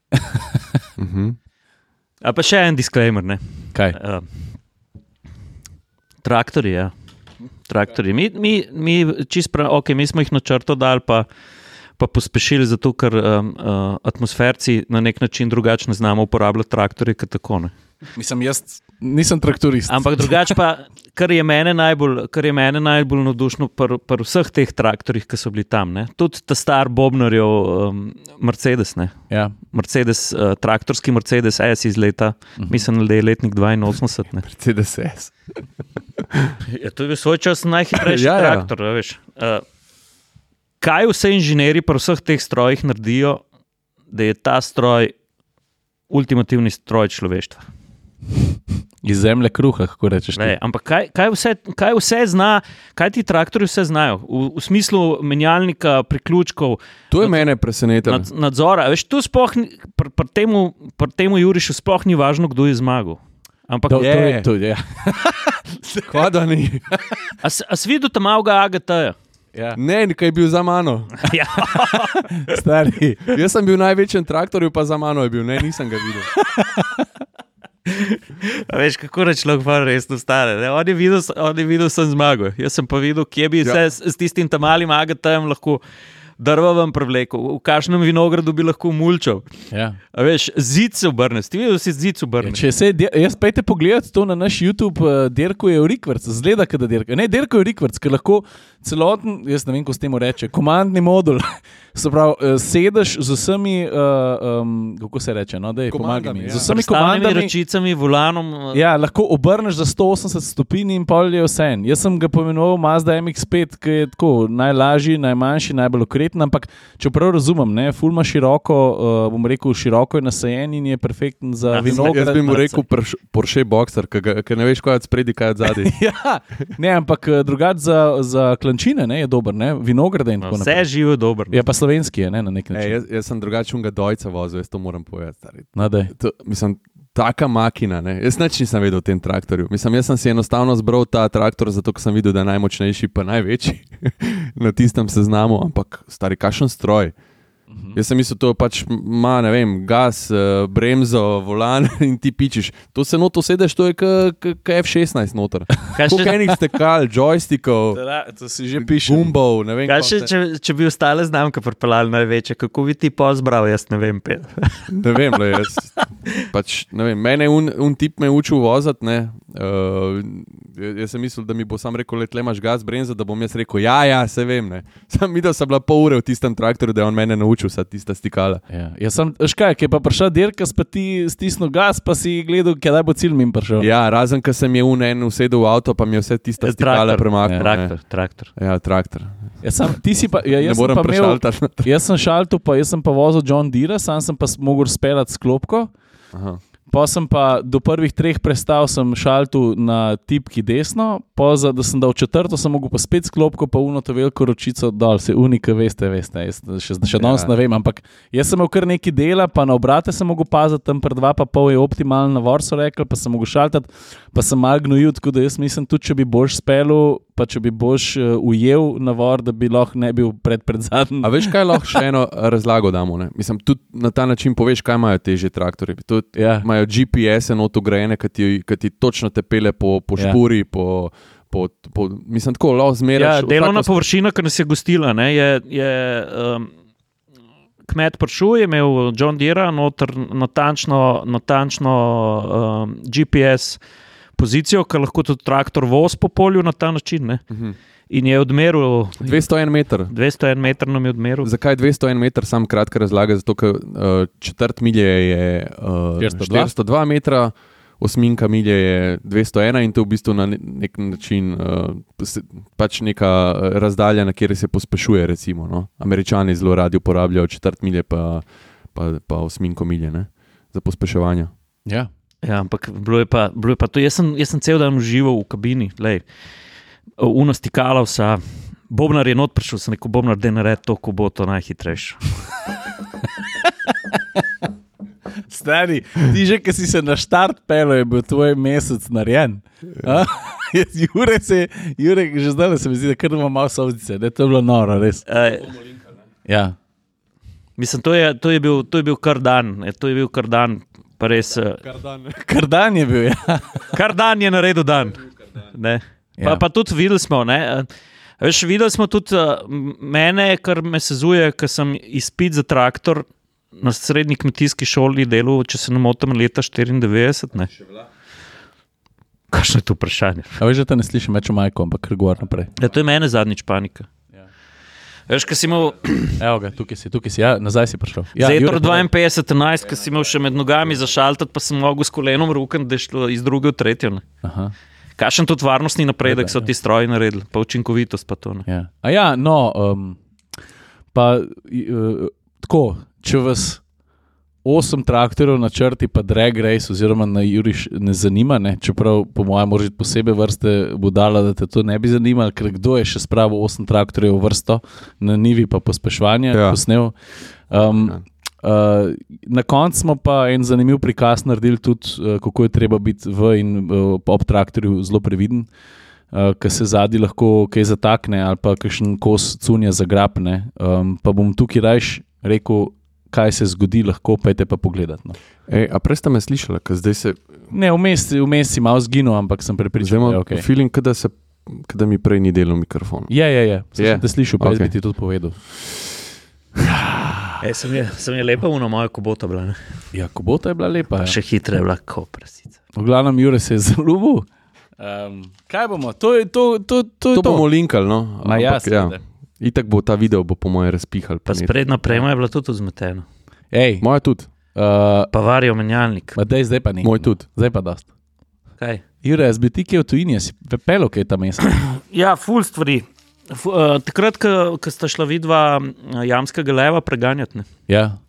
uh-huh.
A pa še en disclaimer, ne?
Kaj?
Uh, traktorji, ja. Traktorji. Mi, mi, mi, čist prav, ok, mi smo jih na črto dali, pa, pa pospešili zato, ker um, uh, atmosferci na nek način drugače ne znamo uporabljati traktorje, kot tako, ne.
Mislim, jaz nisem traktorist.
Ampak drugače pa, kar je mene najbolj, kar je mene najbolj navdušno pri, pri vseh teh traktorjih, ki so bili tam, ne. Tudi ta star Bobnarjev um, Mercedes, ne.
Ja.
Mercedes, uh, traktorski Mercedes S iz leta, uh-huh. Mislim, da je letnik dvainosemdeset, ne.
Mercedes S.
Ja, to je bil svoj čas najhitrejši
ja,
traktor,
ja.
Veš. Uh, kaj vse inženirji pri vseh teh strojih naredijo, da je ta stroj ultimativni stroj človeštva?
Iz zemlje kruha, kako rečeš.
Le, ampak kaj, kaj, vse, kaj vse zna, kaj ti traktorji vse znajo? V, v smislu menjalnika, priključkov.
To je nad, mene presenetilo.
Nad, nadzora. Veš, tu sploh, pri pr temu, pr temu Jurišu sploh ni važno, kdo je zmagal. Ampak
to, to je to, ja.
Kva da ni?
A, a si videl tam malega A G T-ja?
Ja. Ne, nekaj je bil za mano.
Ja.
Stari. Jaz sem bil v največjem traktorju, pa za mano je bil. Ne, nisem ga videl.
A veš, kako reč lahko pa resno stane. Ne? On je videl, on je videl sem zmagal. Jaz sem pa videl, kje bi ja. se s, s tistim tam malim A G T-jem lahko drva vam prevlekel, v kakšnem vinogradu bi lahko mulčal.
Ja.
A veš, zid se obrneš, ti vidiš, da si zid obrneš.
Ja, če se, jaz pejte pogledati to na naš YouTube, uh, Derko je v Rikvrc, zgleda, kada Derko. Ne, Derko je v Rikvrc, ker lahko celoten, jaz ne vem, ko s temu reče, komandni modul, se pravi, uh, sedeš z vsemi, uh, um, kako se reče, no, daj, pomagaj mi,
ja.
z vsemi
komandami,
komandami,
ročicami, volanom.
ja, lahko obrneš za sto osemdeset stopinj in pol je vse. Jaz sem ga pomenoval Mazda M X pet, ki je tako najlažji, najmanjši, najbolj okreten, ampak če prav razumem, ne, ful ima široko, uh, bom rekel, široko je nasajen in je perfekten za
Ja,
vinograd.
Jaz bi mu rekel Porsche, Porsche Boxer, ker ne veš, kaj je od spredi, kaj je od zadaj.
Ja, ne, ampak drugače za, za klančine, ne, je dober, ne, vinograde in tako
Vse
naprej.
živo dobro.
Je pa slovenski, je, ne, na nek
E,
način.
jaz, jaz sem drugačnega dojca vozil, jaz to moram povedati. Stari.
No, daj.
To, mislim, taka makina, ne? Jaz nič nisem vedel o tem traktorju. Mislim, jaz sem si enostavno zbral ta traktor, zato ker sem videl, da je najmočnejši pa največji na tistem seznamu, ampak stari, kakšen stroj. Uh-huh. Jaz sem mislil, to pač ima, ne vem, gas, bremzo, volan in ti pičiš. To se noto sedeš, to je kot F šestnajst noter. Koliko enih stekal, joystikov,
To si že piše.
gumbov, ne vem.
Kaj še,
koliko
če, če bi ostale znamke pripeljali največje, kako bi ti pozbral, jaz ne vem. Pet.
Ne vem, le, jaz, pač, ne vem, mene un, un tip me je učil voziti, ne. Uh, jaz sem mislil, da mi bo sam rekel, le imaš gas, bremzo, da bom jaz rekel, ja, ja, se vem, ne. Sam videl sem bila pol ure v tistem traktorju, da je on mene naučil vsa tista stikala.
Ja, jaz sem, škaj, ki je pa prišla Derka, pa ti stisnil gas, pa si gledal, kdaj bo cilj mi prišel.
Ja, razen, ker sem je un en usedel v avto, pa mi je vse tista
Ja,
stikala
traktor.
premaknil.
Traktor, traktor.
Ja, traktor.
Ja, sam, ti si pa, ja,
Ne
jaz sem
moram
pa imel,
prešaltati.
jaz sem šaltil, pa jaz sem pa vozil John Deere, sam sem pa mogel speljati s klopko.
Aha.
Pa sem pa do prvih treh prestav sem šaltil na tipki desno, pa za, da sem dal četrto, sem mogel pa spet sklopko, pa uno to veliko ročico dol, se unika, veste, veste, jaz še, še danes
Ja.
ne vem, ampak jaz sem imel kar nekaj dela, pa na obrate sem mogel paziti, tam pred dva pa pol je optimalen navor, so rekli, pa sem mogel šaltati, pa sem malo gnojil, tako da jaz mislim tudi, če bi boš spelil, pa če bi boš uh, ujel navor, da bi lahko ne bil pred, pred zadnjim.
A veš, kaj lahko še eno razlago damo? Ne? Mislim, tudi na ta način poveš, kaj imajo težje traktorje. Tudi
Ja.
imajo G P S-e not ugrajene, ki ti, ki ti točno te pele po, po
Ja.
špuri, po, po, po, mislim, tako lahko zmeraš.
Ja, delovna
vsako-
površina, ki nas je gostila, ne, je, je um, kmet prišel, je imel John Deere noter natančno, natančno um, G P S pozicijo, ki lahko tudi traktor voz po polju na ta način. Ne.
Mhm.
In je odmeril,
dvesto en meter.
dvesto en meter nam je odmeril.
Zakaj dvesto en meter, sam kratka razlaga, zato ker uh, četrt milje je uh,
štiristo dva.
štiristo dva metra, osminka milje je dvesto ena in to je v bistvu na ne- nek način uh, se- pač neka uh, razdalja, na kjer se pospešuje, recimo. No? Američani zelo radi uporabljajo četrt milje pa, pa, pa osminko milje, ne? Za pospeševanje.
Ja.
Ja, ampak bilo je pa, bilo je pa to. Jaz sem, jaz sem cel dan užival v kabini, lej, uno stikala vsa. Bobnar je not prišel, sem rekel, Bobnar, da naredi to, ko bo to najhitrejše.
Stari, ti že, ki si se na štart pelil, je bil tvoj mesec narejen. A? Jaz, Jure, se, Jure, že zdaj se mi zdi, da kar ima malo solzice, da je to bilo noro, res.
E,
Ja.
mislim, to je, to, je bil, to je bil kar dan, e, to je bil kar dan, pa res. eh,
Kar dan je bil, ja.
Kar dan je naredil dan. Ne. Pa,
Ja.
pa tudi videli smo, ne. eh, Veš, videli smo tudi eh, mene, kar me sezuje, ker sem izpit za traktor na srednji kmetijski šoli delal, če se ne motim, leta štiriindevetdeset. Ne. Kakšno je to vprašanje?
A veš, da te ne slišim več o majku, ampak kar govor naprej.
Ja, to je mene zadnjič panika.
Ja.
Veš, ko si imel
Evo ga, tukaj si, tukaj si, ja, nazaj si prišel. Ja,
Zetro
Jure,
dvainpetdeset enajst, ko si imel še med nogami zašaltati, pa sem mogel s kolenom rukati, da je šlo iz druge v tretjo. Ne.
Aha,
Kakšen tudi varnostni napredek
Ja,
so
ja.
ti stroji naredili, pa učinkovitost pa to. Ne.
ja. A ja, no, um, pa uh, tako, če vas osem traktorjev na črti, pa drag race, oziroma na Juriš ne zanima, ne? Čeprav po mojem moraš biti posebej vrste budala, da te to ne bi zanimalo, ker kdo je še spravil osem traktorjev v vrsto na nivi pa pospeševanje,
Ja.
posnel. Um,
Ja.
Uh, na koncu smo pa en zanimiv prikaz naredili tudi, uh, kako je treba biti v in uh, ob traktorju zelo previden, uh, ker se zadnji lahko kaj zatakne ali pa kakšen kos cunja zagrabne. Um, pa bom tukaj rajš rekel, kaj se zgodi, lahko pejte pa pogledati. No.
Ej, a prej ste me slišali, ker zdaj se
Ne, vmes, vmes si malo zginil, ampak sem
zdaj
prepričan,
imam
da je
okay.
ok.
feeling, da se da mi prej ni delal mikrofon.
Je, je, je. Sem
Je.
te slišal, pa
Ok.
okay. bi ti tudi povedal.
E, sem, je, sem je lepa uno moja kubota bila. Ne?
Ja, kubota je bila lepa.
Pa
Ja.
še hitre je bila kot prasica.
V glavnem, Jure se je zaljubil. Um, kaj bomo? To je to. To, to,
To,
je
to bomo linkali, no.
Ma ja,
Ampak, ja.
seveda.
Itak bo ta video, bo po moje razpihal.
Pa sprednja prema je bila tudi vzmetena.
Ej,
Moja tudi,
uh,
Pa varijo menjalnik.
ma dej, zdaj pa ni.
moj tudi.
Zdaj pa dost.
Kaj?
Jure, jaz bi ti kje v tujini, si pepelo, kaj je ta mesec.
Ja, ful stvari. F, uh, takrat, ko sta šla vidva jamskega leva preganjati, ne.
Ja.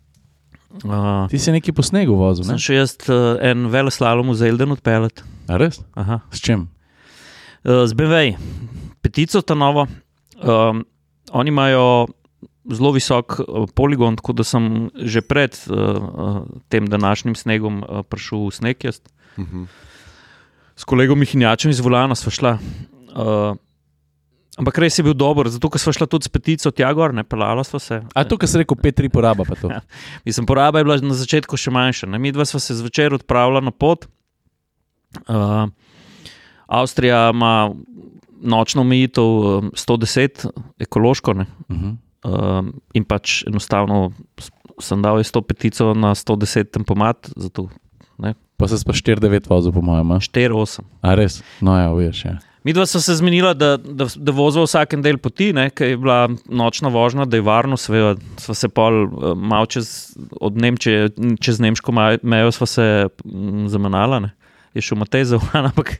Uh,
Ti si neki po snegu vozil, ne?
sem še jaz uh, en veleslalom v Zelden odpeljati.
A res?
Aha.
S čim?
Uh, z B M W, petico ta novo. Um, oni imajo zelo visok uh, poligon, tako da sem že pred uh, uh, tem današnjim snegom uh, prišel v sneg jaz.
Mhm.
S kolegom Mihinjačem iz Volana sva šla. Uh, ampak res je bil dober, zato ker sva šla tudi s petico tja gor, ne pelala sva se.
A to, kar si rekel, pet tri poraba pa to.
Ja. Mislim, poraba je bila na začetku še manjša. Ne? Mi dva sva se zvečer odpravila na pot. Uh, Avstrija ima nočno omejitev um, sto deset, ekološko, ne?
Uh-huh.
Um, in pač enostavno sem dal sto petico na sto deset tempomat, zato
Pa se pa štiri devet vozil, po mojem. a?
štiri osem.
A res? No ja, veš, ja.
Mi dva sva se zmenila, da, da, da vozva vsakem del poti, ker je bila nočna vožnja, da je varno, seveda sva se pol uh, malo čez, od Nemčije, čez nemško maj- mejo sva se mm, zamenjala, ne. Je šel Matej za volan, ampak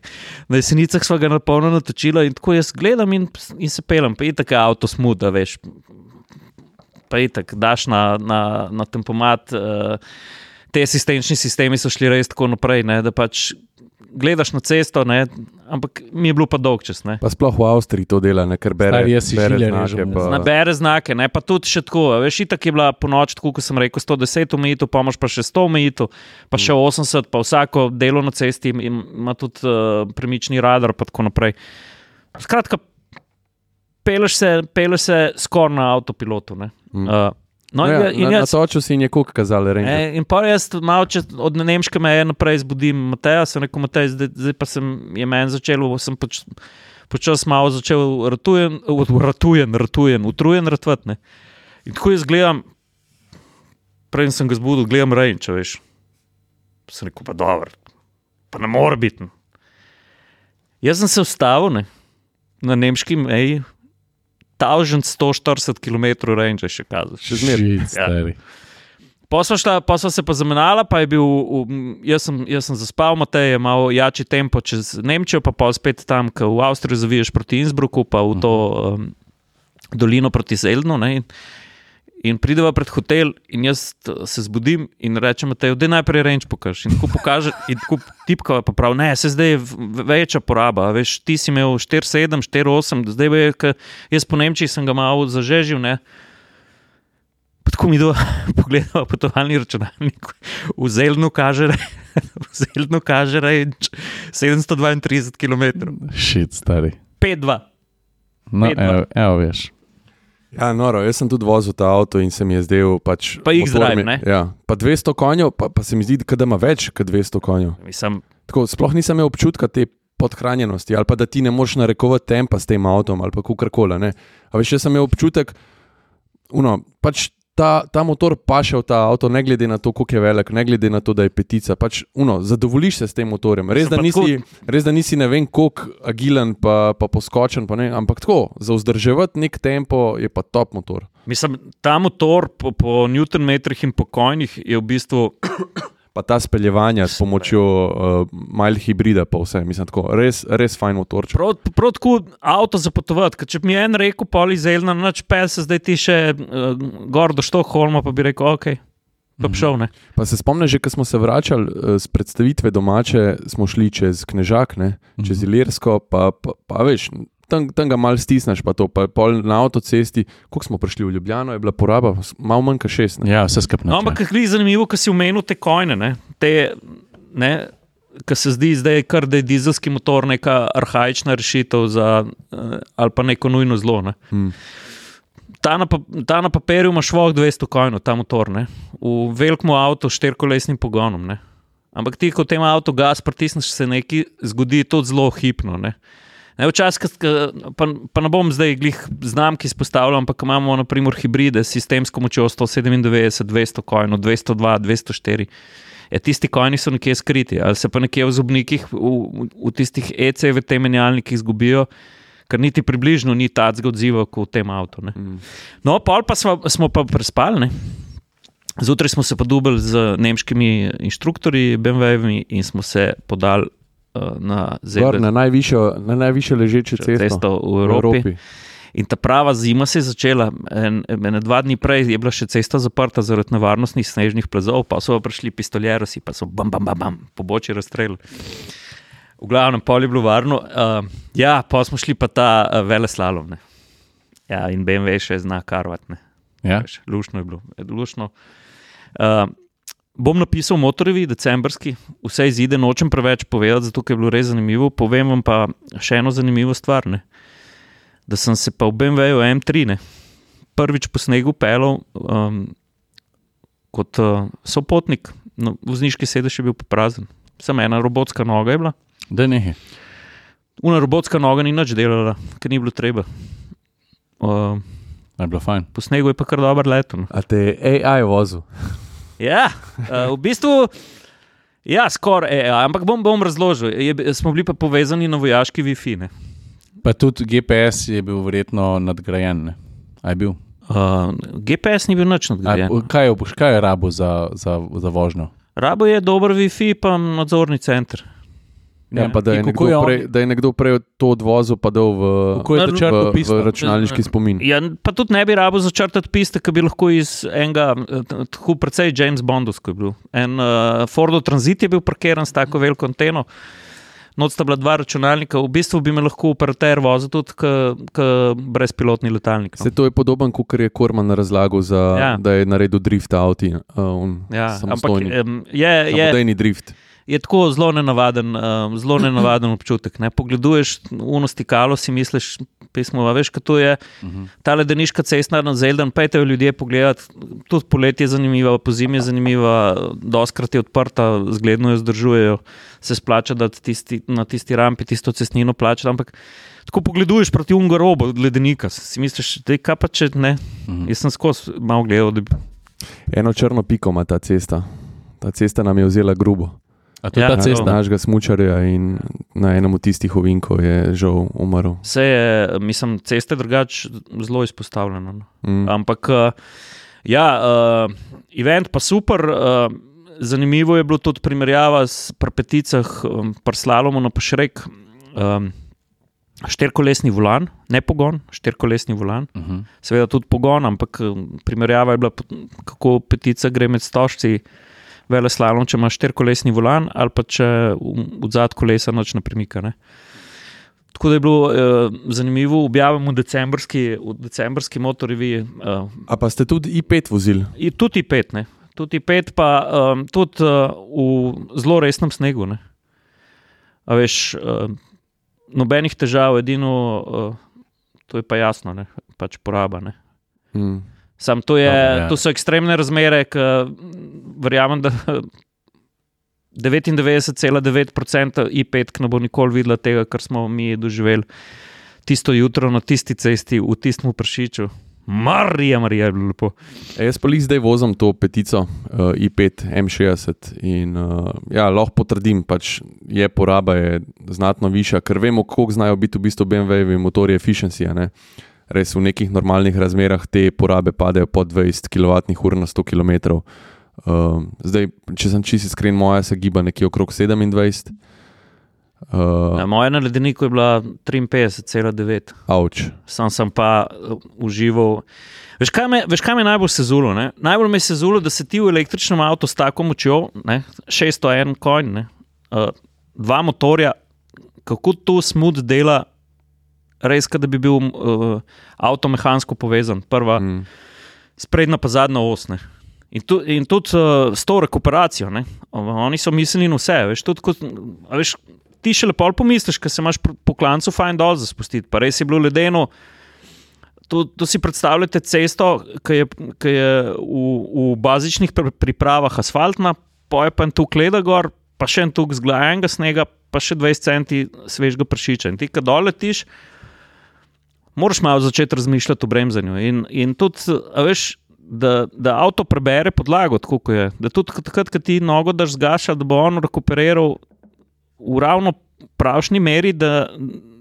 na jesenicah sva ga napolno natočila in tako jaz gledam in, in se pelem, pa itak je avto smut, da veš, pa itak daš na, na, na tempomat, uh, te asistenčni sistemi so šli res tako naprej, ne, da pač gledaš na cesto, ne, ampak mi je bilo pa dolg čas, ne.
Pa sploh v Avstriji to dela, ne, ker bere,
Stari, jaz si
bere
žilje
znake.
režem,
Pa,
Nabere znake, ne, pa tudi še tako, a veš, itak je bila po noč, tako kot sem rekel, sto deset omejitev, pa imaš pa še sto omejitev, pa še osemdeset, pa vsako delo na cesti im- ima tudi uh, premični radar, pa tako naprej. Skratka, peleš se, peleš se skoraj na avtopilotu, ne.
Mm.
Uh, no,
ja,
in, in
na,
jaz,
natočil si in je koliko kazali,
E,
renke.
in pa jaz malo čez, od nemške meje naprej zbudim Mateja, sem rekel, Matej, zdaj, zdaj pa sem, je meni začelo, sem poč, počas malo začel ratujen, ratujen, ratujen, utrujen ratvat, ne. In tako jaz gledam, prej sem ga zbudil, gledam range, če veš. Sem rekel, pa dobro, pa ne more biti. Ne. Jaz sem se vstavil, ne, na nemški meji, tisoč sto štirideset kilometrov range še kazal.
Še zmeraj.
Shit, stari.
Pa sva, šla, pa sva se pa zamenjala, pa je bil, v- jaz sem, jaz sem zaspal, Matej je malo jači tempo čez Nemčijo, pa pol spet tam, ko v Avstriji zaviješ proti Innsbrucku, pa v to um, dolino proti Zeldnu, ne, in, in prideva pred hotel in jaz t- se zbudim in rečem Mateju, daj najprej range pokaž. In tako pokaže, in tako tipkava pa prav, ne, se zdaj je v- večja poraba, a veš, ti si imel štiri sedem, štiri osem, zdaj je, ke jaz po Nemčiji sem ga malo zažežil, ne. Pa tako mi do pogledava potovalni računalnik, v Zeldnu kaže, v Zeldnu kaže range sedemsto dvaintrideset kilometrov,
Shit, stari.
pet dva.
No,
Pet, dva.
evo, evo, veš.
Ja, noro, jaz sem tudi vozil ta avto in se mi je zdel pač...
Pa X-Drive,
motor mi-
ne?
Ja, pa dvesto konjev, pa, pa se mi zdi, da ima več kot dvesto konjev.
Mislim,
Tako, sploh nisem imel občutka te podhranjenosti ali pa da ti ne moreš narekovati tempa s tem avtom ali pa kakorkoli, ne. A veš, jaz sem imel občutek, uno, pač ta, ta motor paše v ta avto, ne glede na to, koliko je velik, ne glede na to, da je petica, pač, uno, zadovoljiš se s tem motorjem. Res, da
pa
nisi, res, da nisi ne vem koliko agilen pa, pa poskočen, pa ne, ampak tako, za vzdrževati nek tempo je pa top motor.
mislim, ta motor po, po newtonmetrih in po konjih je v bistvu
Pa ta speljevanja s pomočjo uh, mild hibrida, pa vse, mislim, tako, res, res fajn motor.
prav, prav tako avto za potovati. Ker če bi mi en rekel, poli Zeljna, noč pel se zdaj ti še uh, gor do Štokholma, pa bi rekel, ok, pa bi šel, ne.
Pa se spomniš, že ko smo se vračali uh, z predstavitve domače, smo šli čez Knežak, ne, čez Ilirsko, pa, pa, pa veš, tam, tam ga malo stisneš, pa to, pa pol na avtocesti, koliko smo prišli v Ljubljano, je bila poraba malo manj kot šest. Ne.
Ja, vse skupno.
No, ampak je zanimivo, ko si omenil te kojne, ne, te, ne, ko se zdi zdaj kar, da je dizelski motor neka arhaična rešitev za, uh, ali pa neko nujno zlo, ne.
Hmm.
Ta na, pa, ta na papirju ima švoh dvesto konjev, ta motor, ne, v velikem avtu s štirikolesnim pogonom, ne. Ampak ti, ko v tem avtu gas pritisneš, se nekaj zgodi tudi zelo hipno, ne. Ne, včasih, pa, pa ne bom zdaj glih znamki izpostavljal, ampak imamo na primer hibride s sistemsko močjo sto sedemindevetdeset, dvesto kojnov, dvesto dva, dvesto štiri. Ja, tisti kojni so nekje skriti, ali se pa nekje v zobnikih, v, v tistih E C V T menjalnikih zgubijo, ker niti približno ni tacga odziva kot v tem avtu. Ne. Mm. No, pol pa smo, smo pa prespali, ne. Zjutraj smo se pa dubili z nemškimi inštruktorji B M W-ji in smo se podali uh, na
Gor, na najvišjo, na najvišjo ležeče cesto,
cesto v Evropi. v Evropi. In ta prava zima se je začela. En, en, dva dni prej je bila še cesta zaprta zaradi nevarnostnih snežnih plazov, pa so pa prišli pistoljerosi, pa so bam, bam, bam, bam, po boči razstrelili. V glavnem pol je bilo varno. Uh, ja, pa smo šli pa ta uh, veleslalom. Ne. Ja, in B M W še zna karvat. Ne.
Ja.
Lušno je bilo. Lušno. Uh, bom napisal motorjevi, decembrski, vse izide, nočem preveč povedati, zato je bilo res zanimivo. Povem vam pa še eno zanimivo stvar, ne? Da sem se pa v B M W M tri ne? Prvič po snegu pelal um, kot uh, sopotnik, no, vozniški sedež je bil pa prazen. Samo ena robotska noga je bila.
Da ne.
Una robotska noga ni nič delala, ker ni bilo treba. Uh,
je bilo fajn.
Po snegu je pa kar dober leto. No.
A te je A I vozil?
Ja, uh, v bistvu, ja, skoraj, ampak bom, bom razložil. Je, smo bili pa povezani na vojaški Wi-Fi, ne.
Pa tudi G P S je bil verjetno nadgrajen, ne. A je bil?
Uh, G P S ni bil nič nadgrajen.
A, kaj je, kaj je rabo za, za, za vožnjo?
Rabo je dober Wi-Fi pa nadzorni center.
Ja, pa da je, nekdo je, prej, da je nekdo prej to odvozil pa dal v, v, v, v računalniški spomin.
Ja, pa tudi ne bi rabo začrtati piste, ki bi lahko iz enega, tako precej James Bondovsko je bil. En uh, Fordov Transit je bil parkiran s tako veliko anteno, noc sta bila dva računalnika, v bistvu bi me lahko operater vozil tudi k brezpilotni letalnik. No.
Se to je podoben, kot je Korman razlagal, za, ja. Da je naredil drift avti. Uh,
ja, ampak um, je...
Samodejni drift.
Je tako zelo nenavaden, uh, zelo nenavaden občutek. Ne? Pogleduješ uno stikalo, si misliš, pismo, veš, kaj to je. Uh-huh. Ta ledeniška cesta na Zeldan, pejte jo ljudje pogledati. Tudi poletje je zanimiva, pozimi je zanimiva, doskrat je odprta, zgledno jo zdržujejo, se splača, da tisti, na tisti rampi tisto cestnino plača, ampak tako pogleduješ proti unga robo od ledenika, si misliš, da je kaj pa če ne. Uh-huh. Jaz sem skozi malo gledal. Da bi...
Eno črno piko ima ta cesta. Ta cesta nam je vzela grubo.
A to je ja, ta cesta?
Našega smučarja in na enem od tistih ovinkov je žal umrl.
Vse je, mislim, ceste drugač zelo izpostavljeno. Mm. Ampak, ja, uh, event pa super. Uh, zanimivo je bilo tudi primerjava s prpeticah um, prslalomov na Pašrek. Um, štirkolesni volan, ne pogon, štirkolesni volan. Uh-huh. Seveda tudi pogon, ampak primerjava je bila, kako petica gre med stožci. Veleslalom, če imaš štirkolesni volan ali pa če v zad kolesa noč ne premika. Ne? Tako da je bilo eh, zanimivo, objavimo v decembrski, v decembrski motorjevi. Eh,
A pa ste tudi I pet vozili?
Tudi I pet, ne. Tudi I pet pa eh, tudi eh, v zelo resnem snegu. Ne. A veš, eh, nobenih težav, edino, eh, to je pa jasno, ne. Pač poraba. Ne. Hmm. Sam to, je, no, ja. To so ekstremne razmere, ki verjamem, da devetindevetdeset celih devet procent I pet ne bo nikoli videla tega, kar smo mi doživeli tisto jutro na tisti cesti v tistem Pršiču. Marija, Marija je bilo lepo.
E, jaz pa li zdaj vozim to petico uh, I pet M šestdeset in uh, ja, lahko potrdim, pač je poraba je znatno višja, ker vemo, koliko znajo biti v bistvu B M W-jevi motorji efficiency, ne? Res v nekih normalnih razmerah te porabe padejo pod dvajset kilovatnih ur na sto kilometrov. Uh, zdaj, če sem čisto iskren, moja se giba nekje okrog sedemindvajset. Uh,
ja, moja na ledeniku je bila triinpetdeset celih devet.
Avč.
Sam sem pa uh, užival. Veš, kaj me, veš, kaj me najbolj sezulo? Ne? Najbolj me sezulo, da se ti v električnem avtu s tako močjo, ne? šeststo en konj, ne? Uh, dva motorja, kako to smut dela, res, da bi bil uh, avto mehansko povezan. Prva, mm. sprednja pa zadnja os. Ne. In, tu, in tudi uh, s to rekuperacijo. Ne. Oni so mislili na vse. Veš, tudi, ko, veš, ti še lepo pomisliš, ker se imaš po klancu fajn dol za spustiti. Pa res je bilo ledeno. To, to si predstavljate cesto, ki je, ki je v, v bazičnih pripravah asfaltna, poje pa en tu kleda gor, pa še en tuk zglajenega snega, pa še dvajset centi svežega pršiča. In ti, kad dol letiš, moraš malo začeti razmišljati o bremzanju. In, in tudi, a veš, da, da avto prebere podlago, tako kot je. Da tudi takrat, kad ti nogo daš zgaša, da bo on rekuperiral v ravno pravšni meri, da,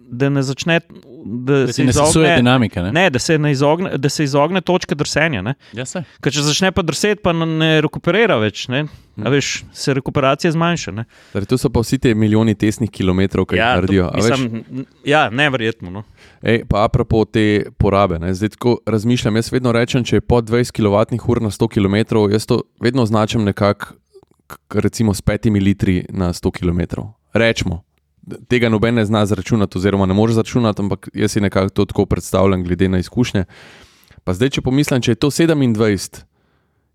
da ne začne, da,
Da
se
ti ne sesuje
izogne,
dinamike, ne?
ne, da se ne izogne, da se izogne točke drsenja, ne.
Ja, se.
Ker če začne pa drseti, pa ne rekuperira več, ne. A veš, se rekuperacija zmanjša, ne.
Torej, to so pa vsi te milijoni tesnih kilometrov, ki jih naredijo.
to, mislim, ja, neverjetno, no.
Ej, pa apropo te porabe, ne, zdaj tako razmišljam, jaz vedno rečem, če je pod dvajset kilovatnih ur na sto kilometrov, jaz to vedno označam nekako, recimo s petimi litri na sto kilometrov. Rečemo, tega noben ne zna zračunati, oziroma ne more zračunati, ampak jaz si nekako to tako predstavljam, glede na izkušnje. Pa zdaj, če pomislim, če je to sedemindvajset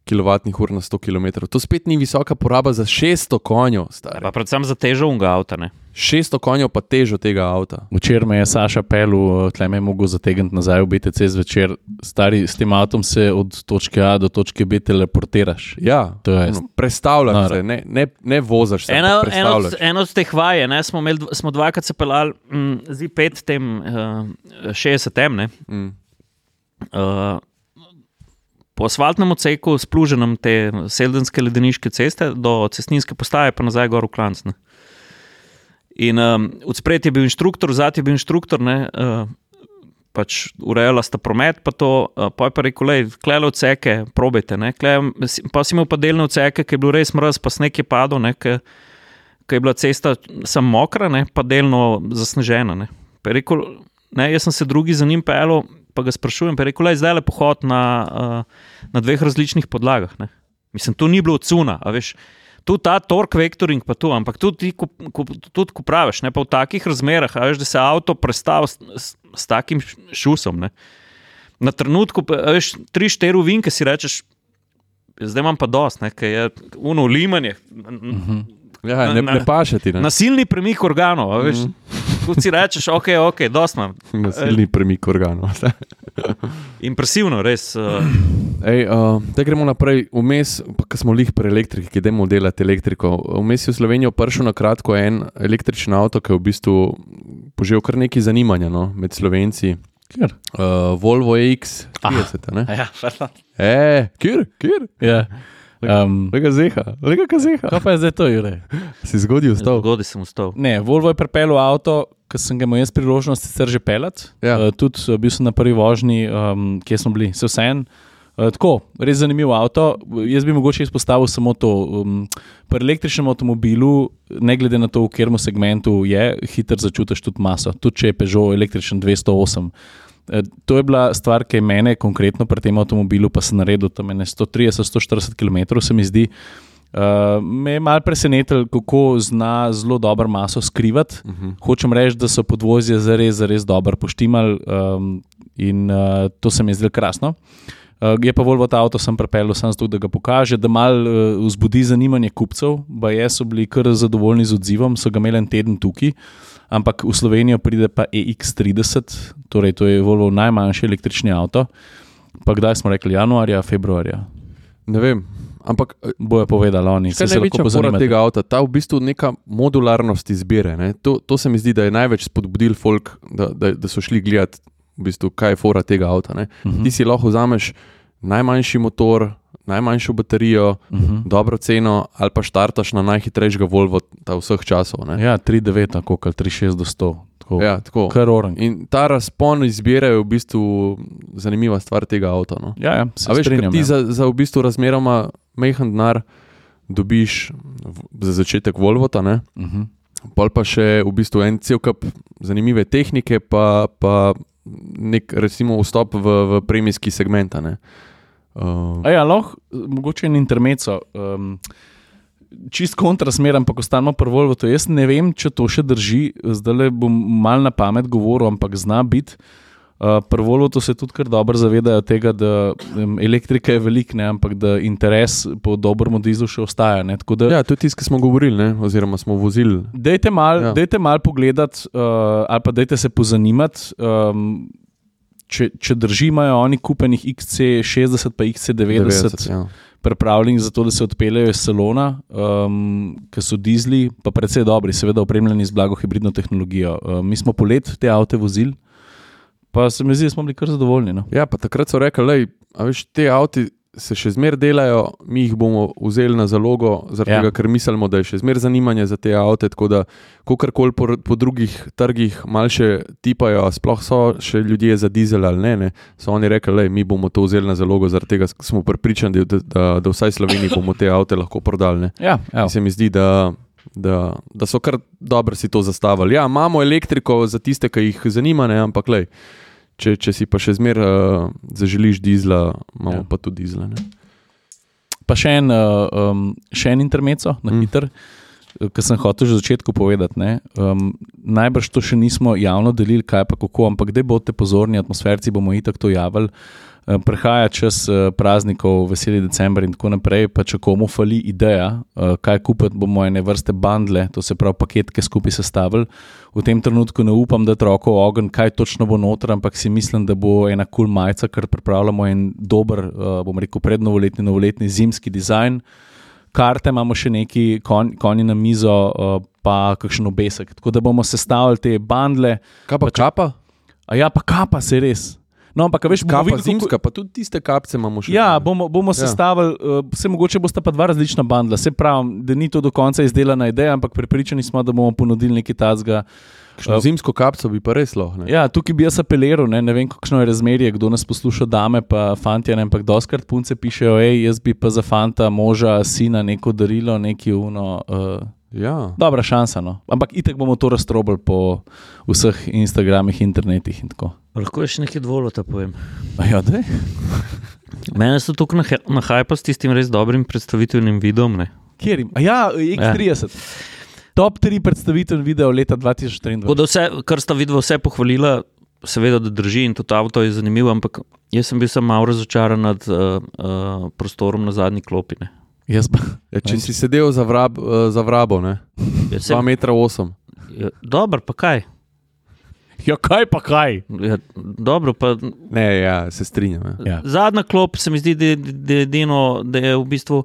kilovatnih ur na sto kilometrov, to spet ni visoka poraba za šeststo konjev, stari.
Pa predvsem za težo unga avta, ne.
šeststo konjev pa težo tega avta.
Včeraj me je Saša pelil, tle me je mogel zategniti nazaj v B T C zvečer. Stari, s tem avtom se od točke A do točke B teleportiraš.
Ja,
To je-
no, prestavljaš
Noro.
se, ne, ne, ne vozaš se,
Eno,
ampak
eno, od,
prestavljaš.
eno od teh vaj, ne, smo, imeli, dv- smo dvakrat se pelali mm, Z pet tem uh, šestdeset M, ne.
Mm.
Uh, po asfaltnem odseku, spluženem te seldenske ledeniške ceste do cestninske postaje, pa nazaj gor v Klanc. Ne. In um, od spred je bil inštruktor, zad je bil inštruktor, ne, uh, pač urejala sta promet, pa to, uh, pa je pa rekel, lej, klele odseke, probajte, ne, klele, pa si imel pa delne odseke, ki je bil res mraz, pa sneg je padel, ne, ki je bila cesta sam mokra, ne, pa delno zasnežena, ne. Pa je rekel, ne, jaz sem se drugi za njim pelil, pa ga sprašujem, pa je rekel, lej, zdaj le pohod na, uh, na dveh različnih podlagah, ne. Mislim, tu ni bilo odsuna, a veš, tu ta torque vectoring pa tu, ampak tudi, ko, ko, tudi ko praviš, ne, pa v takih razmerah, a veš, da se avto prestavi s, s, s takim šusom, ne. Na trenutku, pa, a veš, tri, štiri vinke si rečeš, zdaj imam pa dost, ne, ker je uno limanje,
Mhm.
Ja, ne,
Na-
ne paše ti, ne.
nasilni premik organov, a veš, ko si rečeš, ok, ok, dost imam.
Nasilni premik organov.
Impresivno, res. Uh,
Ej, uh, da gremo naprej. Vmes, pa ko smo lih pri elektriki, ki idemo delati elektriko, vmes je v Slovenijo prišel na kratko en električen avto, ki je v bistvu požel kar nekaj zanimanja, no, med Slovenci.
Kjer?
Uh, Volvo E X trideset, ne?
ja,
E, kjer, kjer?
Ja. Um,
Lega zeha, lega kazeha.
kaj pa je zdaj to, Jure?
Si zgodil vstal.
Zgodi sem vstal.
Ne, Volvo je pripeljal avto, ki sem ga imel jaz priložnost sicer že peljati.
Ja.
Uh, tudi uh, bil sem na prvi vožnji, um, kje smo bili, se vseeno. Uh, tako, res zanimiv avto. Jaz bi mogoče izpostavil samo to. Um, pri električnem avtomobilu, ne glede na to, v katerem segmentu je, hitro začutiš tudi maso. Tudi če je Peugeot električen dvesto osem. Uh, to je bila stvar, ki je mene konkretno pri tem avtomobilu, pa sem naredil tam sto trideset do sto štirideset kilometrov, se mi zdi. Uh, me je malo presenetilo, kako zna zelo dobro maso skrivati.
Uh -huh.
Hočem reči, da so podvozje zares, zares dobro poštimali um, in uh, to se mi je zdelo krasno. Uh, je pa Volvo ta avto sem pripeljal samo zato, da ga pokaže, da malo uh, vzbudi zanimanje kupcev. Baje so bili kar zadovoljni z odzivom, so ga imeli en teden tukaj, ampak v Slovenijo pride pa E X trideset, torej to je Volvo najmanjši električni avto. Pa kdaj smo rekli, januarja, februarja?
Ne vem, ampak
Bojo povedali oni,
kaj
se
je
se lahko
največja fora
pozanimate.
tega avta? Ta v bistvu neka modularnost izbire. Ne? To, to se mi zdi, da je največ spodbudil folk, da, da, da so šli gledati, v bistvu, kaj je fora tega avta. Ne?
Mhm.
Ti si lahko vzameš najmanjši motor, najmanjšo baterijo,
Mhm.
dobro ceno, ali pa štartaš na najhitrejšega Volvo ta vseh časov. Ne?
Ja, tri devet, tako kot tri šest do sto. Tako.
Ja, tako.
Kar orang.
In ta razpon izbire je v bistvu zanimiva stvar tega avta. No?
Ja, ja, se
A veš, ker
strinjam.
ti
ja.
za, za v bistvu razmeroma majhen denar dobiš v, za začetek Volvota, ne?
Mhm.
Pol pa še v bistvu en cel kup zanimive tehnike, pa, pa nek recimo vstop v, v premijski segment. a ne. Uh,
A ja, lahko, mogoče en intermezzo. Um, čist kontrasmer, ampak ostanemo pri Volvotu. Jaz ne vem, če to še drži, zdaj bom mal na pamet govoril, ampak zna biti. Uh, pri Volvotu se tudi kar dobro zavedajo tega, da um, elektrika je velik, ne, ampak da interes po dobrem dizlu še ostaja. Ne, tako da,
ja, to je tisto, ki smo govorili, ne? Oziroma smo vozili.
dajte mal,
Ja.
dajte mal pogledati, uh, ali pa dajte se pozanimati. Um, Če, če drži, imajo oni kupenih X C šestdeset pa X C devetdeset
ja.
pripravljeni za to, da se odpeljejo iz salona, um, ki so dizli, pa predvsej dobri, seveda opremljeni z blago hibridno tehnologijo. Uh, mi smo polet te avte vozili, pa se mi zdi, da smo bili kar zadovoljni. No?
Ja, pa takrat so rekli, lej, a veš, te avti se še zmer delajo, mi jih bomo vzeli na zalogo, zaradi
Ja.
tega, ker mislimo, da je še zmer zanimanje za te avte, tako da kakorkoli po, po drugih trgih malo še tipajo, a sploh so še ljudje za dizel ali ne, ne, so oni rekli, lej, mi bomo to vzeli na zalogo, zaradi tega smo prepričani, da, da, da vsaj Sloveniji bomo te avte lahko prodali. Ne.
Ja,
In se mi zdi, da, da, da so kar dobro si to zastavili. Ja, imamo elektriko za tiste, ki jih zanima, ne, ampak lej, Če, če si pa še zmer uh, zaželiš dizla, imamo ja. pa tudi dizla. Ne?
Pa še en, uh, um, še en intermezzo na
Mm.
hiter, ki sem hotel že v začetku povedati. Ne? Um, najbrž to še nismo javno delili, kaj pa kako, ampak kdaj boste pozorni, atmosferci bomo itak to javili. Uh, Prehaja čas uh, praznikov, veseli december in tako naprej, pa če komu fali ideja, uh, kaj kupiti, bomo ene vrste bandle, to se pravi paketke skupaj sestavili. V tem trenutku ne upam, da troko ogen, kaj točno bo noter, ampak si mislim, da bo ena kul cool majica, ker pripravljamo en dober, uh, bom rekel, prednovoletni, novoletni zimski dizajn. Karte imamo še neki konj, konji na mizo, uh, pa kakšen obesek. Tako da bomo sestavili te bandle.
Kaj pa kapa?
A ja, pa kapa se res. No, ampak veš, bomo
Kapa
videli, kako-
zimska, pa tudi tiste kapce imamo še.
Ja, bomo, bomo
Ja.
sestavili, uh, vse mogoče bosta pa dva različna bandla. Se pravim, da ni to do konca izdelana ideja, ampak prepričani smo, da bomo ponudili nekaj tazga.
Kakšno zimsko kapco bi pa res lahko. ne.
Ja, tukaj bi jaz apeliral, ne, ne vem, kakšno je razmerje, kdo nas posluša, dame pa fantje, ne, ampak doskrat punce pišejo, ej, jaz bi pa za fanta, moža, sina neko darilo, neki uno. Uh,
Ja.
dobra šansa, no. Ampak itek bomo to raztrobili po vseh Instagramih, internetih in tako.
Lahko je še nekaj dvolota povem.
A ja, daj.
Mene so tukaj na, na hajpa s tistim res dobrim predstavitvenim videom. Ne?
Kjer im? A ja, X trideset. Top tri predstavitev video leta dva tisoč
Tako
triindvajset.
da vse, kar sta vidva vse pohvalila, seveda, da drži in tudi avto je zanimivo, ampak jaz sem bil sem malo razočaran nad uh, uh, prostorom na zadnji klopi. Ne?
Jaz pa.
Ja, če si sedel za, vrab, uh, za vrabo, ne?
Ja,
dva metra osem.
ja, dobro, pa kaj?
Ja, kaj pa kaj?
Ja, dobro, pa
Ne, ja, se strinjam. Ja.
Ja.
zadnja klop se mi zdi, da, da, edino, da je v bistvu,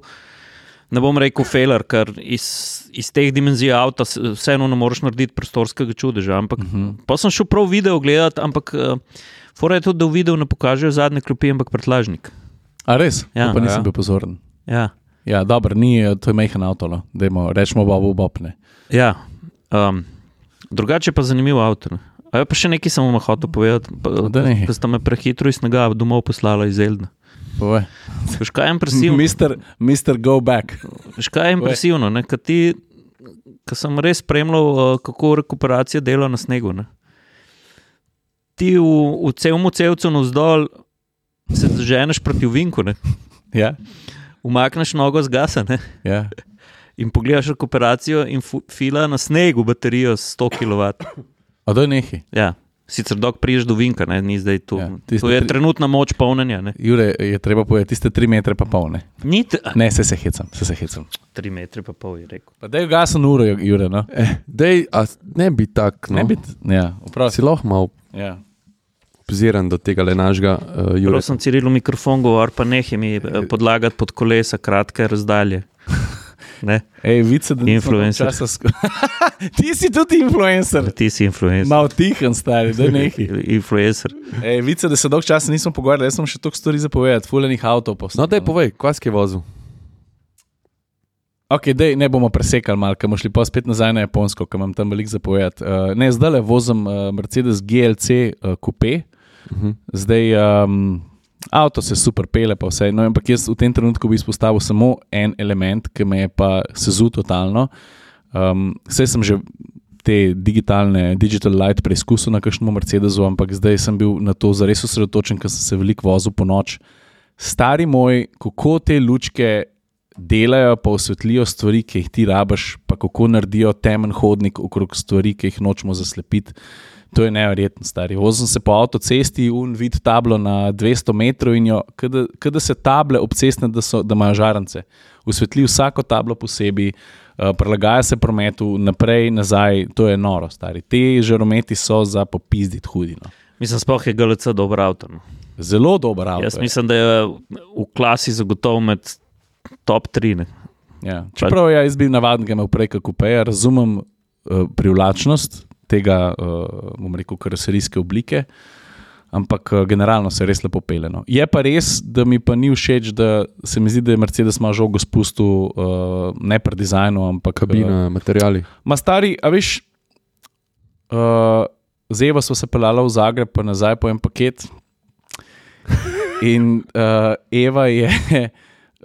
ne bom rekel failer, ker iz, iz teh dimenzij avta s- vseeno ne moreš narediti prostorskega čudeža. Ampak
Uh -huh.
pa sem šel prav video gledati, ampak uh, fora je tudi, da v videu ne pokažejo zadnje klopi, ampak prtljažnik.
A res?
Ja.
Ja, pa nisem
Ja.
bil pozoren.
Ja,
Ja, dobro, ni, to je majhen avto, no. Dajmo, rečemo Bobu Bobne.
ja. Um, drugače pa zanimivo avto. Ne. A je pa še nekaj sem vam hotel povedati, pa,
Da nehaj.
da sta me prehitro iz snega domov poslala iz Eldna.
Povej.
Veš, kaj je impresivno?
mister mister Go Back.
Veš, kaj je impresivno, ne? Kad ti, ko sem res spremljal, uh, kako rekuperacija dela na snegu. Ne? Ti v, v celom celcu navzdol se zaženeš proti ovinku, ne?
Ja,
Umakneš nogo z gasa, ne?
ja.
In pogledaš rekuperacijo in fu, fila na snegu baterijo s sto kilovatov.
A to je nekaj.
Ja. Sicer dok priješ do vinka, ne? Ni zdaj tu.
Ja,
Ja,
tiste
to je
tri-
trenutna moč polnjenja. Ne?
Jure, je treba povedati, tiste tri metre pa pol, ne.
Ni t-
Ne, se se hecam, se se hecam.
tri metre pa pol, je rekel.
Pa daj gasen uro, Jure, no.
Eh, dej, a ne bi tak, no.
Ne biti, ja,
Si
vprašaj.
lahko malo
Ja.
obziran do tega le našega uh,
Prav
Jure.
sem Cirilu mikrofon govor, pa nehaj mi eh, podlagati pod kolesa kratke razdalje. Ne?
Ej, vice, da nisem
Influencer.
časa sk- Ti si tudi influencer.
Ti si influencer.
Mal tihen, stari, da nekaj.
Influencer.
Ej, vice, da se dolg časa nismo pogovarjali, jaz sem še toliko stvari zapovedati, fuljenih avtov postal.
No, daj povej, kva si vozil?
Ok, dej, ne bomo presekali malo, ker bomo šli pa spet nazaj na Japonsko, ker imam tam veliko zapovedati. Uh, ne, zdaj le vozim uh, Mercedes G L C uh, Coupe,
Uh -huh.
zdaj um, avto se super pele, pa vse. No, ampak jaz v tem trenutku bi izpostavil samo en element, ki me je pa sezul totalno. Um, vse sem že te digitalne, digital light preizkusil na kakšnem Mercedesu, ampak zdaj sem bil na to zares osredotočen, ker sem se veliko vozil po noč. Stari moj, kako te lučke delajo, pa osvetlijo stvari, ki jih ti rabiš, pa kako naredijo temen hodnik okrog stvari, ki jih nočemo zaslepiti. To je neverjetno, stari. Vozim se po avtocesti, un vid tablo na dvesto metrov in jo, kada se table obcestne, da, so, da imajo žarance. Osvetli vsako tablo posebej, uh, prilagaja se prometu naprej, nazaj, to je noro, stari. Te žarometi so za popizditi hudino.
Mislim, sploh je G L C dober avto. No.
Zelo dober avto.
Jaz
je.
mislim, da je v klasi zagotovo med top tri. Ne.
Ja. Čeprav ja, jaz bi navaden, ga imel prej kot kupeja, razumem uh, privlačnost tega, uh, bom rekel, karoserijske oblike, ampak uh, generalno se res lepo pele. No. Je pa res, da mi pa ni všeč, da se mi zdi, da je Mercedes ima žogo spustil, uh, ne pri dizajnu, ampak
kabina, uh, materiali.
Ma stari, a veš, uh, z Evo smo se pelala v Zagreb, pa nazaj po en paket in uh, Eva je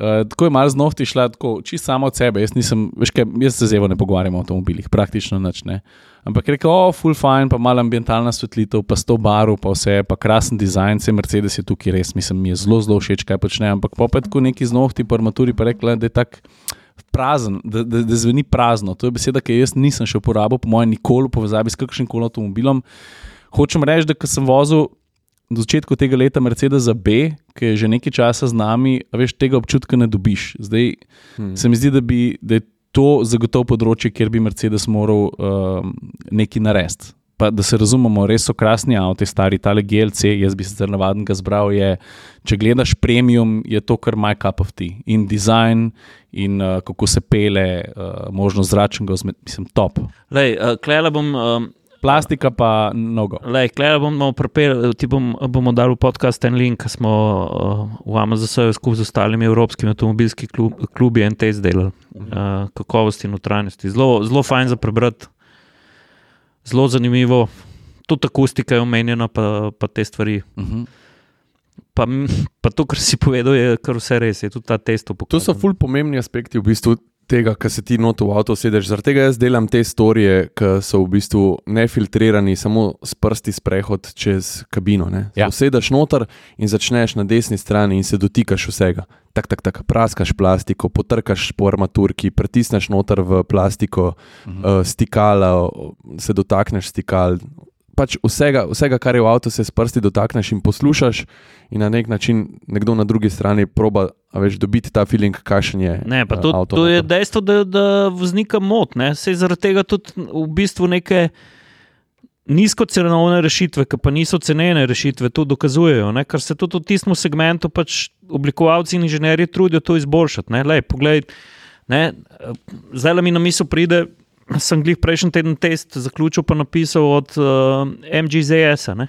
Uh, tako je malo z nohti šla, tako čisto samo od sebe. Jaz nisem, veš kaj, jaz se z Evo ne pogovarjam o avtomobilih, praktično nič ne. Ampak je rekel, o, full fine, pa malo ambientalna svetlitev, pa sto barv, pa vse, pa krasen dizajn, se Mercedes je tukaj res, mislim, mi je zelo, zelo všeč, kaj počne, ampak pa je tako neki z nohti po armaturi pa rekla, da je tak prazen, da, da, da zveni prazno. To je beseda, ki jaz nisem še uporabil, po mojem nikoli v povezavi s kakšnim koli avtomobilom. Hočem reči, da ko sem vozil do začetku tega leta Mercedesa B, ki je že nekaj časa z nami, a veš, tega občutka ne dobiš. Zdaj hmm. se mi zdi, da, bi, da je to zagotovo področje, kjer bi Mercedes moral uh, nekaj narediti. Pa da se razumemo, res so krasni avti, stari tale G L C, jaz bi se zelo navaden ga zbral, je, če gledaš premium, je to kar my cup of tea. In dizajn, in uh, kako se pele, uh, možnost zračnega, mislim, top.
Lej, uh, klejla bom... Um...
Plastika pa mnogo.
Lej, klej bomo prepeli, ti bom, bomo dali v podcast en link, ki smo uh, v Amazonu skupaj z ostalimi evropskimi avtomobilskimi klub, klubi en test delali. Uh, kakovosti in utrajnosti. Zelo, zelo fajn za prebrati. Zelo zanimivo. Tudi akustika je omenjena, pa, pa te stvari.
Uh-huh.
Pa, pa to, kar si povedal, je kar vse res. Je tudi ta test
upokazan. To so ful pomembni aspekti v bistvu tega, ko se ti not v avto sedeš. Zaradi tega jaz delam te storije, ki so v bistvu nefiltrirani, samo s prsti sprehod čez kabino. Ja. Sedeš noter in začneš na desni strani in se dotikaš vsega. Tak, tak, tak, praskaš plastiko, potrkaš po armaturki, pritisneš noter v plastiko, uh-huh. uh, stikala, se dotakneš stikal. Pač vsega, vsega, kar je v avtu, se s prsti dotakneš in poslušaš in na nek način nekdo na drugi strani proba, a veš, dobiti ta feeling, kakšen je
ne, pa to,
avto.
To je dejstvo, da, da voznika mot, ne, sej zaradi tega tudi v bistvu neke nizkocenovne rešitve, ki pa niso cenene rešitve, to dokazujejo, ne, ker se tudi v tistem segmentu pač oblikovalci in inženirji trudijo to izboljšati, ne, lej, poglej, ne, zdaj mi na misel pride, sem glih prejšnji teden test zaključil pa napisal od uh, M G Z S-a, ne.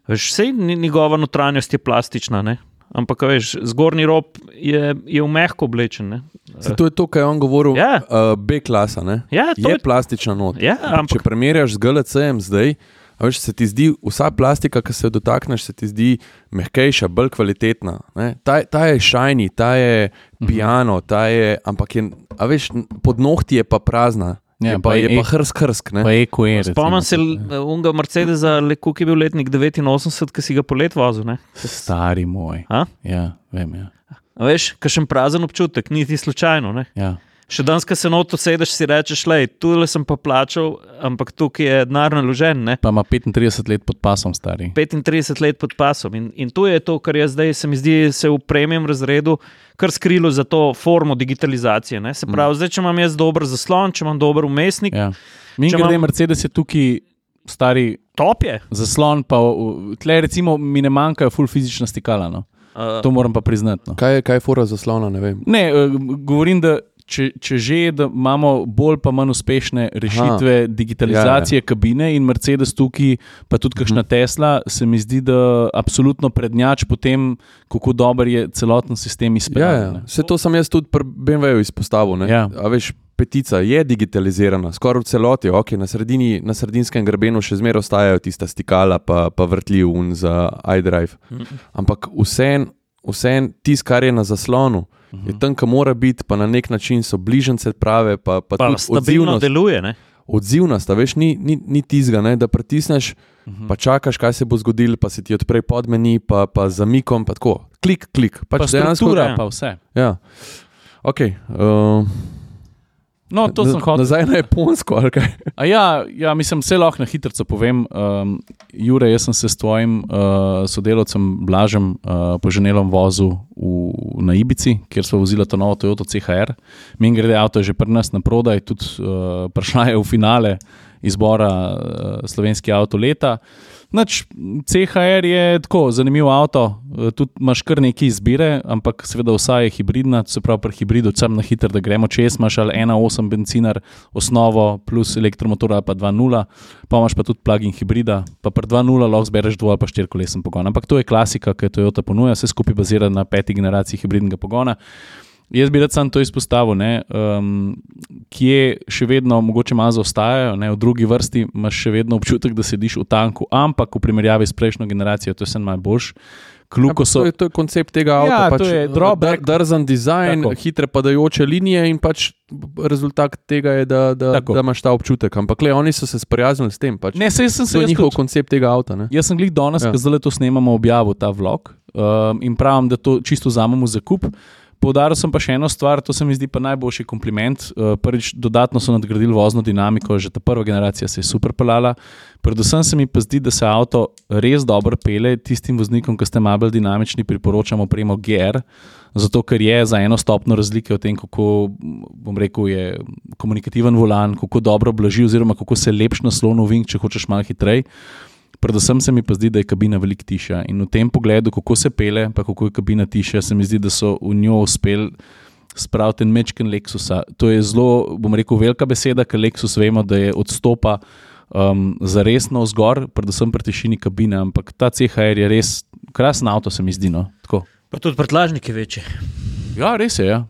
Veš, sej njegova notranjost je plastična, ne. Ampak, veš, zgornji rob je, je v mehko oblečen, ne.
Se to je to, kaj je on govoril,
ja.
uh, B-klasa, ne.
Ja,
je, je plastična not.
Ja, ampak...
Če primerjaš z G L C-em zdaj, a veš, se ti zdi, vsa plastika, ki se jo dotakneš, se ti zdi mehkejša, bolj kvalitetna. Ne? Ta, ta je shiny, ta je piano, ta je, ampak je, a veš, pod nohti je pa prazna. Ja, je pa, je pa hrsk, hrsk. Ne?
Pa eko je.
Spomnim se unga Mercedesa, koliko je bil letnik devetinosemdeset, ki si ga polet vozil, ne?
Stari moj.
A?
Ja, vem, ja.
A veš, kakšen prazen občutek, niti slučajno, ne?
Ja.
Še danes, ko se noto sedeš, si rečeš, lej, tule sem pa plačal, ampak tukaj je denar naložen, ne?
Pa ima petintrideset let pod pasom, stari.
petintrideset let pod pasom in, in to je to, kar je zdaj, se mi zdi, se v premium razredu kar skrilo za to formo digitalizacije, ne? Se pravi, mm. zdaj, če imam jaz dober zaslon, če imam dober umestnik...
Ja. Mi grede imam... Mercedes je tukaj stari...
Top je.
Zaslon, pa tle recimo mi ne manjkajo ful fizična stikala, no. Uh, to moram pa priznati, no.
Kaj je, kaj je fora zaslona, ne vem.
Ne, uh, govorim, da Če, če že, da imamo bolj pa manj uspešne rešitve Aha, digitalizacije ja, ja. kabine in Mercedes tukaj, pa tudi kakšna uh-huh. Tesla, se mi zdi, da absolutno prednjač po tem, kako dober je celoten sistem izpeljan.
Ja, ja. Vse to sem jaz tudi pri B M W-ju izpostavil. Ne? Ja. A veš, petica je digitalizirana, skoraj v celoti, ok, na, sredini, na sredinskem grebenu še zmeraj ostajajo tista stikala pa, pa vrtljiv un za iDrive. Uh-huh. Ampak vsem, vsem tis, kar je na zaslonu, Uh-huh. je tam, ka mora biti, pa na nek način so bližnce prave, pa, pa, pa tudi odzivnost.
Deluje, ne?
Odzivnost, a veš, ni, ni, ni tizga, ne, da pritisneš, uh-huh. pa čakaš, kaj se bo zgodilo, pa se ti odpre podmeni, pa, pa zamikom, pa tako, klik, klik.
Pač pa struktura, pa vse.
Ja, ok. Uh,
no, to sem hotel.
Nazaj na Japonsko, ali kaj?
A ja, ja, mislim, vse lahko na hitrico povem. Um, Jure, jaz sem se s tvojim uh, sodelavcem Blažem uh, po ženelom vozil v, na Ibici, kjer smo vozili to novo Toyota C H R. Min grede avto je že pri nas na prodaj, tudi uh, prišla je v finale izbora uh, slovenski avto leta. Nač, C H R je tako zanimiv avto, tudi imaš kar nekaj izbire, ampak seveda vsa je hibridna, se pravi pri hibridu, sam na hiter, da gremo čez, imaš ali ena osem bencinar osnovo plus elektromotor ali pa dva nula, pa imaš pa tudi plug-in hibrida, pa pri dva nula lahko zbereš dvo ali pa štirikolesen pogon. Ampak to je klasika, ki Toyota ponuja, vse skupaj bazira na peti generaciji hibridnega pogona. Jaz bi rad sam to izpostavil, ne, um, kje še vedno mogoče malo zaostajajo, ne, v drugi vrsti imaš še vedno občutek, da sediš v tanku, ampak v primerjavi s prejšnjo generacijo to je sem najboljš. Kluko so...
to, je, to je koncept tega avta,
ja,
pač
drawback,
drzen dizajn, tako. Hitre padajoče linije in pač rezultat tega je, da, da, da imaš ta občutek. Ampak le, oni so se sprijaznili s tem. Pač.
Ne, sej sem se
to je njihov tudi. Koncept tega avta. Ne?
Jaz sem glih danes, ja. Ko zdaj to snemamo, objavil ta vlog um, in pravim, da to čisto vzamemo za kup. Poudaril sem pa še eno stvar, to se mi zdi pa najboljši kompliment. Prvič, dodatno so nadgradili vozno dinamiko, že ta prva generacija se je super pelala. Predvsem se mi pa zdi, da se avto res dobro pele tistim voznikom, ki ste malo bolj dinamični, priporočamo opremo G R, zato ker je za eno stopno razlike v tem, kako, bom rekel, je komunikativen volan, kako dobro blaži oziroma kako se lepš naslon v vink, če hočeš malo hitrej. Predvsem se mi pa zdi, da je kabina veliko tišja in v tem pogledu, kako se pele, pa kako je kabina tišja, se mi zdi, da so v njo uspeli spraviti en mečken Lexusa. To je zelo, bom rekel, velika beseda, ker Lexus vemo, da je odstopa um, zaresno vzgor, predvsem pri tišini kabine, ampak ta C H R je res krasen avto, se mi zdi, no. Tako.
Pa tudi prtljažnik je večji.
Ja, res je, ja.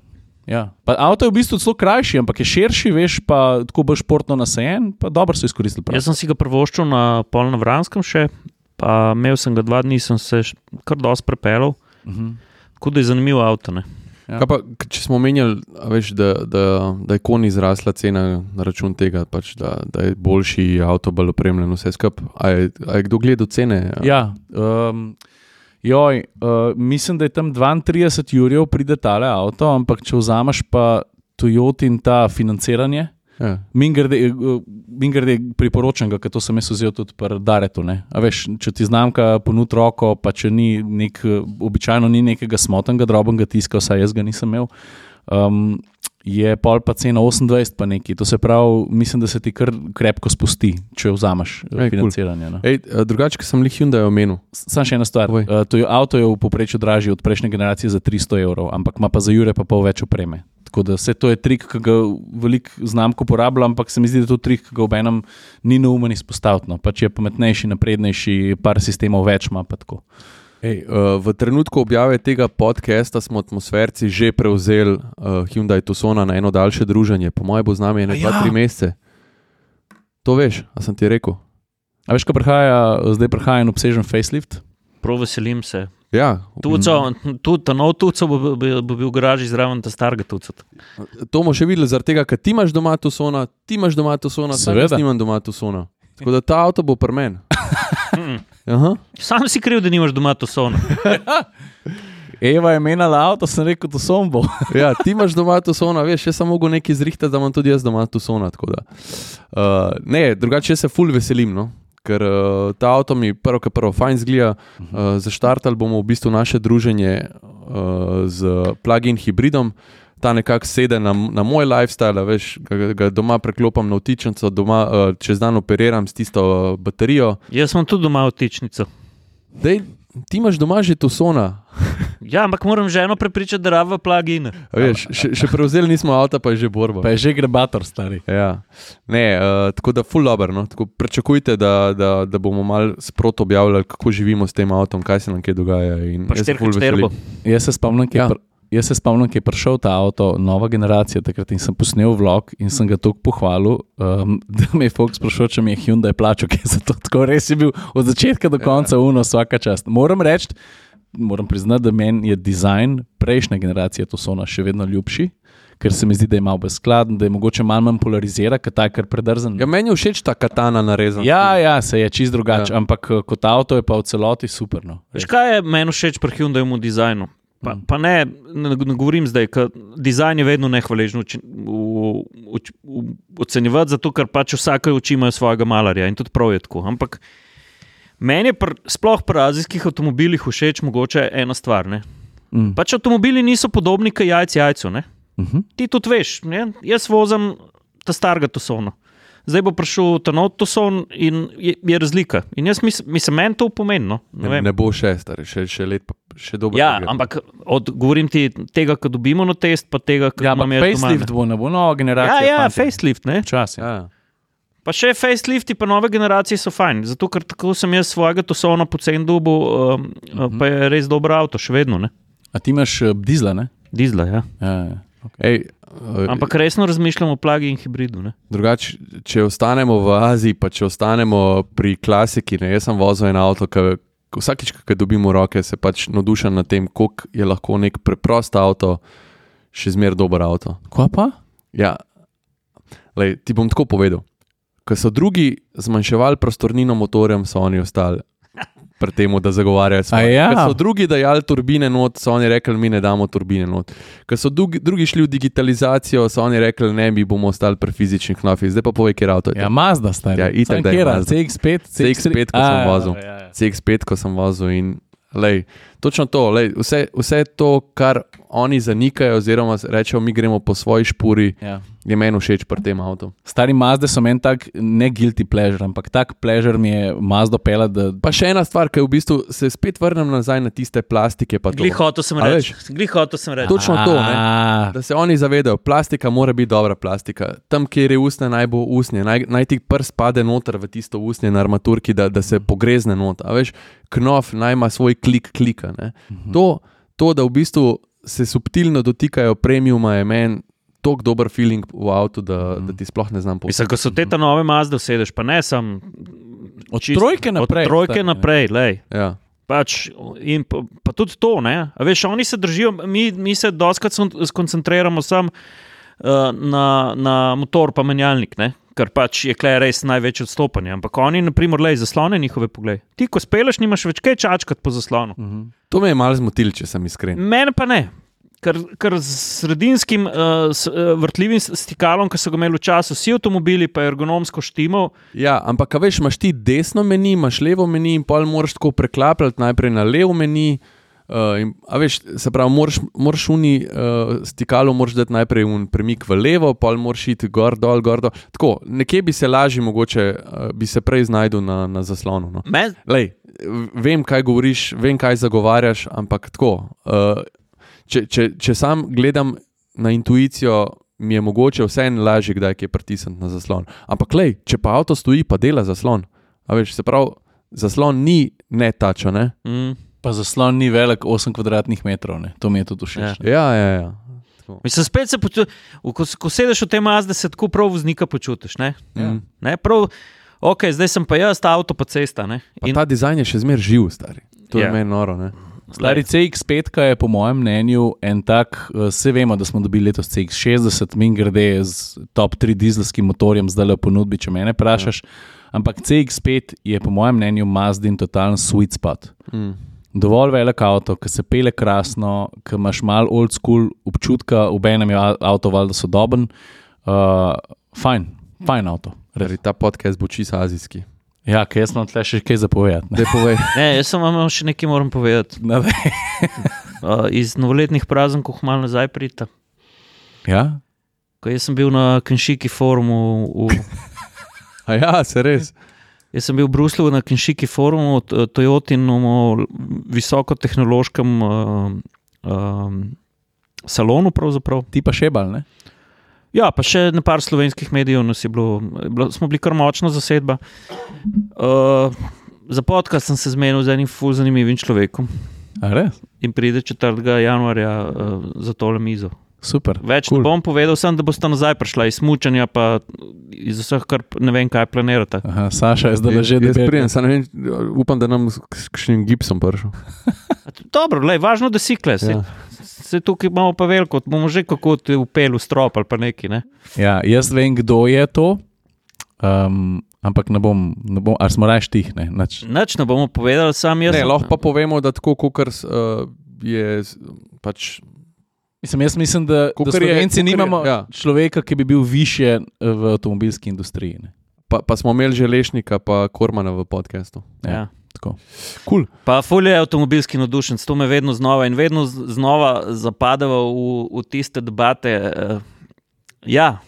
Ja. Pa avto je v bistvu celo krajši, ampak je širši, veš, pa tako bolj športno nasajen, pa dobro so izkoristili. Prav.
Jaz sem si ga prvoščil na pol na Vranskem še, pa imel sem ga dva dni, sem se kar dosti prepelal, uh-huh. Tako da je zanimivo avto, ne.
Ja. Kaj pa, če smo omenjali, veš, da, da, da je koni izrasla cena na račun tega, pač, da, da je boljši avto, bolj opremljen, vse skup. A je, a je kdo gledal cene?
Ja, um, Joj, uh, mislim, da je tam dvaintrideset jurjev pride tale avto, ampak če vzameš pa Toyotin ta financiranje, ja. Mingrde, mingrde priporočam ga, ker to sem jaz vzel tudi pri Daretu, ne. A veš, če ti znamka ponudi roko, pa če ni nek, običajno ni nekega smotnega drobnega tiska, vsaj jaz ga nisem imel, um, je pol pa cena osemindvajset pa neki. To se pravi, mislim, da se ti kar krepko spusti, če vzameš Ej, financiranje.
Cool. No. Ej, drugače, ko sem li Hyundai omenil.
Samo še ena stvar. Uh, to je, avto je v povprečju dražji od prejšnje generacije za tristo evrov, ampak ima pa za jure pa pol več opreme. Tako da vse to je trik, ki ga veliko znamk uporablja, ampak se mi zdi, da to trik, ki ga v enem ni neumen izpostaviti. No. Pač je pametnejši, naprednejši, par sistemov več ima pa tako.
Ej, uh, v trenutku objave tega podcasta smo atmosferci že prevzeli uh, Hyundai Tucsona na eno daljše druženje. Po moje bo z nami ene dva, tri mesece. To veš, a sem ti rekel?
A veš, ko prihaja, zdaj prihaja en obsežen facelift?
Prav veselim se.
Ja.
Tuco, tudi ta nov Tuco bo, bo, bo bil v garaži zraven ta starega Tuca.
To bomo še videli, zaradi tega, ker ti imaš doma Tucsona, ti imaš doma Tucsona, sam jaz nimam doma Tucsona. Tako da ta avto bo pri meni. Aha.
Sam si kriv, da nimaš doma Tucsona.
Eva je menala avto, sem rekel, Tucson bo.
Ja, ti imaš doma Tucsona, veš, jaz sem mogel nekaj zrihtati, da imam tudi jaz doma Tucsona. Tako da. Uh, ne, drugače jaz se ful veselim, no? Ker uh, ta avto mi prvo, kar prvo fajn zgleda. Uh, zaštartali bomo v bistvu naše druženje uh, z plug-in hibridom. Ta nekako sede na, na moj lifestyle, veš, ga, ga doma preklopam na vtičnico, doma uh, čez dan operiram s tisto uh, baterijo.
Jaz imam tudi doma vtičnico.
Dej, ti imaš doma že Tucsona.
Ja, ampak moram ženo prepričati, da rabva plug-in.
Veš, še, še prevzeli nismo avta, pa je že borba.
Pa je že grebator, stari.
Ja. Ne, uh, tako da full dobro, no. Tako pričakujte, da, da, da bomo malo sprot objavljali, kako živimo s tem avtom, kaj se nam kaj dogaja. In
pa štirka šterbo.
Jaz se spomnim, kaj ja. pr- Jaz se spomnim, ki je prišel ta avto, nova generacija, takrat in sem posnel vlog in sem ga toliko pohvalil, um, da me je folk sprašal, če mi je Hyundai plačal, ker je zato tako res je bil od začetka do konca ja. Uno vsaka čast. Moram reči, moram priznati, da meni je dizajn prejšnje generacije Tucsona še vedno ljubši, ker se mi zdi, da je malo bezskladen, da je mogoče malo manj polarizira, ker ta je kar predrzen.
Ja, meni je všeč ta katana narezana.
Ja, ja, se je čist drugače, ja. Ampak kot avto je pa v celoti super. No.
Veš, kaj je meni všeč pri Hyundaiu dizajnu? Pa, pa ne, ne, ne govorim zdaj, ker dizajn je vedno nehvaležno ocenjevati, zato ker pač vsake oči imajo svojega malarja in tudi prav je tako. Ampak meni je pr, sploh pri azijskih avtomobilih všeč mogoče ena stvar. Ne? Mm. Pač avtomobili niso podobni kot jajci jajcu. Ne? Mm-hmm. Ti tudi veš, ne? Jaz vozim ta starega Tucsona. zdaj bo prišel ta nov toson in je, je razlika. In jaz mislim, mislim meni to pomeni. No?
Ne, ne, ne bo še, stari, še, še let, pa še dobro.
Ja, ampak od, govorim ti tega, ko dobimo na test, pa tega, ko
Ja,
imam
ampak
jaz doma,
facelift
ne.
bo, ne bo nova generacija.
Ja, ja,
fantje.
facelift, ne.
Čas, ja.
Ja.
Pa še facelifti, pa nove generacije so fajn, zato ker tako sem jaz svojega tosona pocen dobil, um, uh, pa je res dober avto, še vedno, ne.
A ti imaš uh, dizla, ne?
Dizla, ja.
Ja, ja.
Ej, uh,
Ampak resno razmišljam o plagi in hibridu, ne.
Drugače, če ostanemo v Aziji, pa če ostanemo pri klasiki, ne, jaz sem vozil en avto, ki vsakič, ko dobim v roke, se pač navdušam nad tem, koliko je lahko nek preprost avto še zmer dober avto.
Kva pa?
Ja, lej, ti bom tako povedal. Ko so drugi zmanjševali prostornino motorjem, so oni ostali pri tem, da zagovarjajo svoje.
A ja.
Ko so drugi dajali turbine not, so oni rekli, mi ne damo turbine not. Ko so drugi, drugi šli v digitalizacijo, so oni rekli, ne, mi bomo ostali pri fizičnih knofih. Zdaj pa povej, kjer avto je.
Ja, Mazda, stari.
Ja, itak,
Sam
da je
kjera?
Mazda.
C X pet?
C X pet, ko
A,
sem
ja,
vozil.
ja, ja.
C X pet, ko sem vozil in lej, točno to, lej, vse, vse to, kar oni zanikajo, oziroma rečejo, mi gremo po svoji špuri,
Ja.
je meni všeč pri tem avtu.
Stari Mazde so meni tak ne guilty pleasure, ampak tak pleasure mi je Mazdo pela, da...
Pa še ena stvar, ki je v bistvu se spet vrnem nazaj na tiste plastike. Pa to.
Glih hotel sem
A
reči,
veš?
glih hotel sem reči.
Točno to, ne?
A,
Da se oni zavedajo, plastika mora biti dobra plastika. Tam, kjer je usnje, naj bo usnje, naj, naj ti prst pade noter v tisto usnje na armaturki, da, da se pogrezne not. A veš, knof naj ima svoj klik klika. Ne?
Mhm.
To, to, da v bistvu se subtilno dotikajo premiuma, je meni tako dober feeling v avtu, da, da ti sploh ne znam povedati.
Mislim, ko so te ta nove Mazde vsedeš, pa ne sam...
Od trojke naprej.
Od trojke
stari,
naprej, lej.
Ja.
Pač, in pa, pa tudi to, ne. A veš, oni se držijo, mi, mi se doskrat skoncentriramo sam uh, na, na motor pa menjalnik, ne. Ker pač je klej res največje odstopanje. Ampak oni, na primer, lej, zaslone njihove poglej. Ti, ko speleš, nimaš več kaj čačkat po zaslonu.
Mhm.
To me je malo zmotil, če sem iskren.
Mene pa ne. Ker, ker z sredinskim uh, s, uh, vrtljivim stikalom, ki so ga imeli v času vsi avtomobili, pa je ergonomsko štimal.
Ja, ampak a veš, imaš ti desno meni, imaš levo meni in pol moraš tako preklapljati najprej na levo meni. Uh, in, a veš, se pravi, moraš, moraš uni uh, stikalo, moraš dati najprej un premik v levo, pol moraš iti gor, dol, gor, dol. Tako, nekje bi se lažje mogoče, uh, bi se prej znajdel na, na zaslonu. No.
Me,
Lej, vem, kaj govoriš, vem, kaj zagovarjaš, ampak tako, uh, če, če, če sam gledam na intuicijo, mi je mogoče vseeno lažje, kdaj je pritisniti na zaslon. Ampak lej, če pa avto stoji, pa dela zaslon. A veš, se pravi, zaslon ni netačo, ne?
mm.
Pa zaslon ni velik osem kvadratnih metrov, ne. To mi je tudi všeč.
Ja.
Ja, ja, ja.
Mislim, spet se počutiš, ko, ko sedeš v tej Mazdi, se tako prav voznika počutiš, ne?
Ja.
Ne, prav, ok, zdaj sem pa jaz, ta avto pa cesta, ne?
Pa ta dizajn je še zmer živ, stari. To
Ja.
je meni noro, ne?
Stari C X pet je po mojem mnenju en tak, vse vemo, da smo dobili letos C X šestdeset, min grede z top tri dizelskim motorjem zdaj le v ponudbi, če mene vprašaš, ampak C X pet je po mojem mnenju Mazdin totalen sweet spot.
Mm.
Dovolj velik avto, ki se pele krasno, ki imaš malo old school občutka, obenem je avto valjda sodoben, uh, fajn, fajn avto.
Res. Ta podcast bo čisto azijski.
Ja, kaj jaz imam tle še kaj zapovedati. ne.
Daj povej.
Ne, jaz sem vam še nekaj moram povedati.
Ne, ne.
Uh, iz novoletnih praznikov malo nazaj prita.
Ja?
Ko jaz sem bil na Kenšiki forumu v...
A ja, se res.
Jaz sem bil v Bruslju na Kenšiki forumu, t- Toyotinem visokotehnološkem uh, um, salonu pravzaprav.
Ti pa še bal, ne?
Ja, pa še na par slovenskih medijev nas je bilo, bilo smo bili kar močna zasedba. Uh, za podcast sem se zmenil z enim ful zanimivim človekom
A res?
in pride četrtega januarja uh, za tole mizo.
Super.
Več
cool.
ne bom povedal, sem, da boste nazaj prišla iz smučanja, pa iz vseh, kar ne vem, kaj planirate.
Aha, Saša je zdaj že
Jaz
debel.
prijem, samo ne vem, upam, da nam s kakšnim gipsom prišel.
Dobro, lej, važno, da si kles.
Ja.
Se tukaj imamo pa veliko, bomo že kako te upeli v strop ali pa neki, ne?
Ja, jaz vem, kdo je to, um, ampak ne bom, ne bom, ali smo raje štih, ne? Nač.
Nič ne bomo povedali, sam jaz.
Ne, lahko pa povemo, da tako, kot uh, je pač.
Mislim, jaz mislim, da, da
Kakor je-
Slovenci
kakor je-
nimamo
ja.
človeka, ki bi bil više v avtomobilski industriji. Ne?
Pa, pa smo imeli že Lešnika, pa Kormana v podcastu.
Ja.
Tako.
Cool.
Pa ful je avtomobilski navdušenc, to me vedno znova in vedno z- znova zapadava v, v tiste debate. Uh, ja,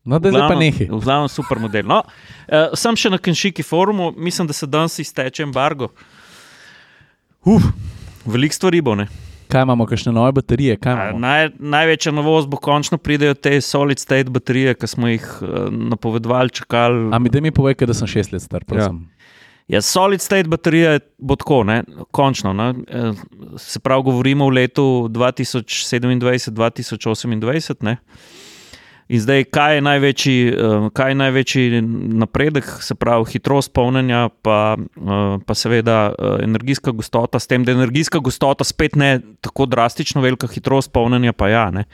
No, da zdaj pa nehi.
V glavnem super model. No, uh, sem še na Kenšiki forumu, mislim, da se danes izteče embargo. Uf, veliko stvari bo, ne?
Kaj imamo, kakšne nove baterije? Kaj imamo?
Naj, največja novost bo končno pridejo te solid state baterije, ki smo jih uh, napovedovali, čakali.
A mi da mi povej, da sem šest let star, prosim.
Ja, ja solid state baterija bo tako, ne? Končno. Ne? Se pravi, govorimo v letu dva tisoč sedemindvajset dva tisoč osemindvajset, ne? In zdaj, kaj je največji, kaj je največji napredek, se pravi hitrost polnjenja, pa, pa seveda energijska gostota, s tem, da je energijska gostota spet ne tako drastično velika, hitrost polnjenja pa ja, ne.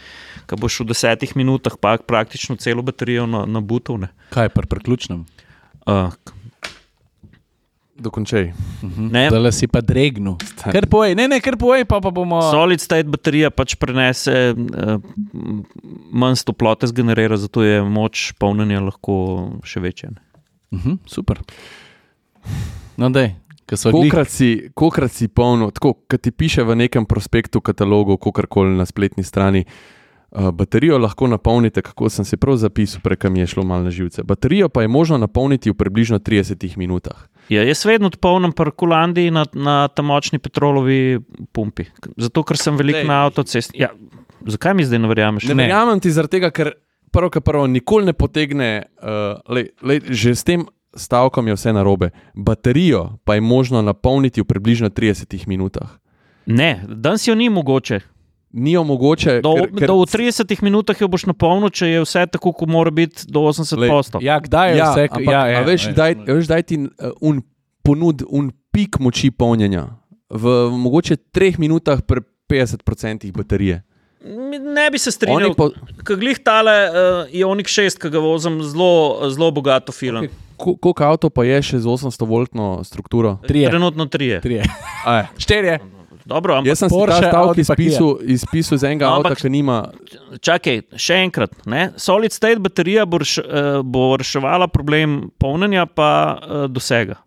Ko boš v desetih minutah pa praktično celo baterijo nabutal, ne.
Kaj je pri priključnem?
Uh,
Dokončaj.
Uh-huh. Dale si pa dregnu. Kar povej, ne, ne, kar povej, pa, pa bomo...
Solid state baterija pač prenese uh, manj toplote zgenerira, zato je moč polnjenja lahko še večja.
Uh-huh, super. No, dej, ko so
Kokrat si, kokrat si polno, tako, kad ti piše v nekem prospektu, katalogu, kokarkoli na spletni strani, uh, baterijo lahko napolnite, kako sem si prav zapisal, preka mi je šlo malo na živce. Baterijo pa je možno napolniti v približno tridesetih minutah.
Ja, jaz vedno polnim pri Kulandiji na, na ta močni petrolovi pumpi. Zato, ker sem veliko na avtocesti. Ja, zakaj mi zdaj ne verjameš?
Ne, ne verjamem ti zaradi tega, ker prvo, kar prvo nikoli ne potegne, uh, lej, lej, že s tem stavkom je vse narobe. Baterijo pa je možno napolniti v približno tridesetih minutah.
Ne, danes jo ni mogoče.
Ni jo mogoče.
Do,
ker, ker...
do v tridesetih minutah jo boš napolnil, če je vse tako, ko mora biti do osemdeset odstotkov.
Ja, kdaj je
ja,
vse?
Ampak,
ja,
a
ja,
veš,
ja,
daj,
ja.
veš, daj ti uh, un ponud, un pik moči polnjenja v, v mogoče treh minutah pri petdeset procentih baterije.
Ne bi se strinjal,
po...
ko glih tale uh, Ioniq šest, ki ga vozim, zelo, zelo bogato filam.
Okay. Koliko avto pa je še z osemsto voltno strukturo?
Trije.
Trenutno trije.
Trije. Štirje.
Dobro, ampak
jaz sem
Porsche,
si ta stavk
Audi,
izpisal, izpisal z enega
no,
avta, ki nima...
Čakaj, še enkrat. Ne? Solid state baterija bo, reš, uh, bo reševala problem polnjenja pa uh, dosega.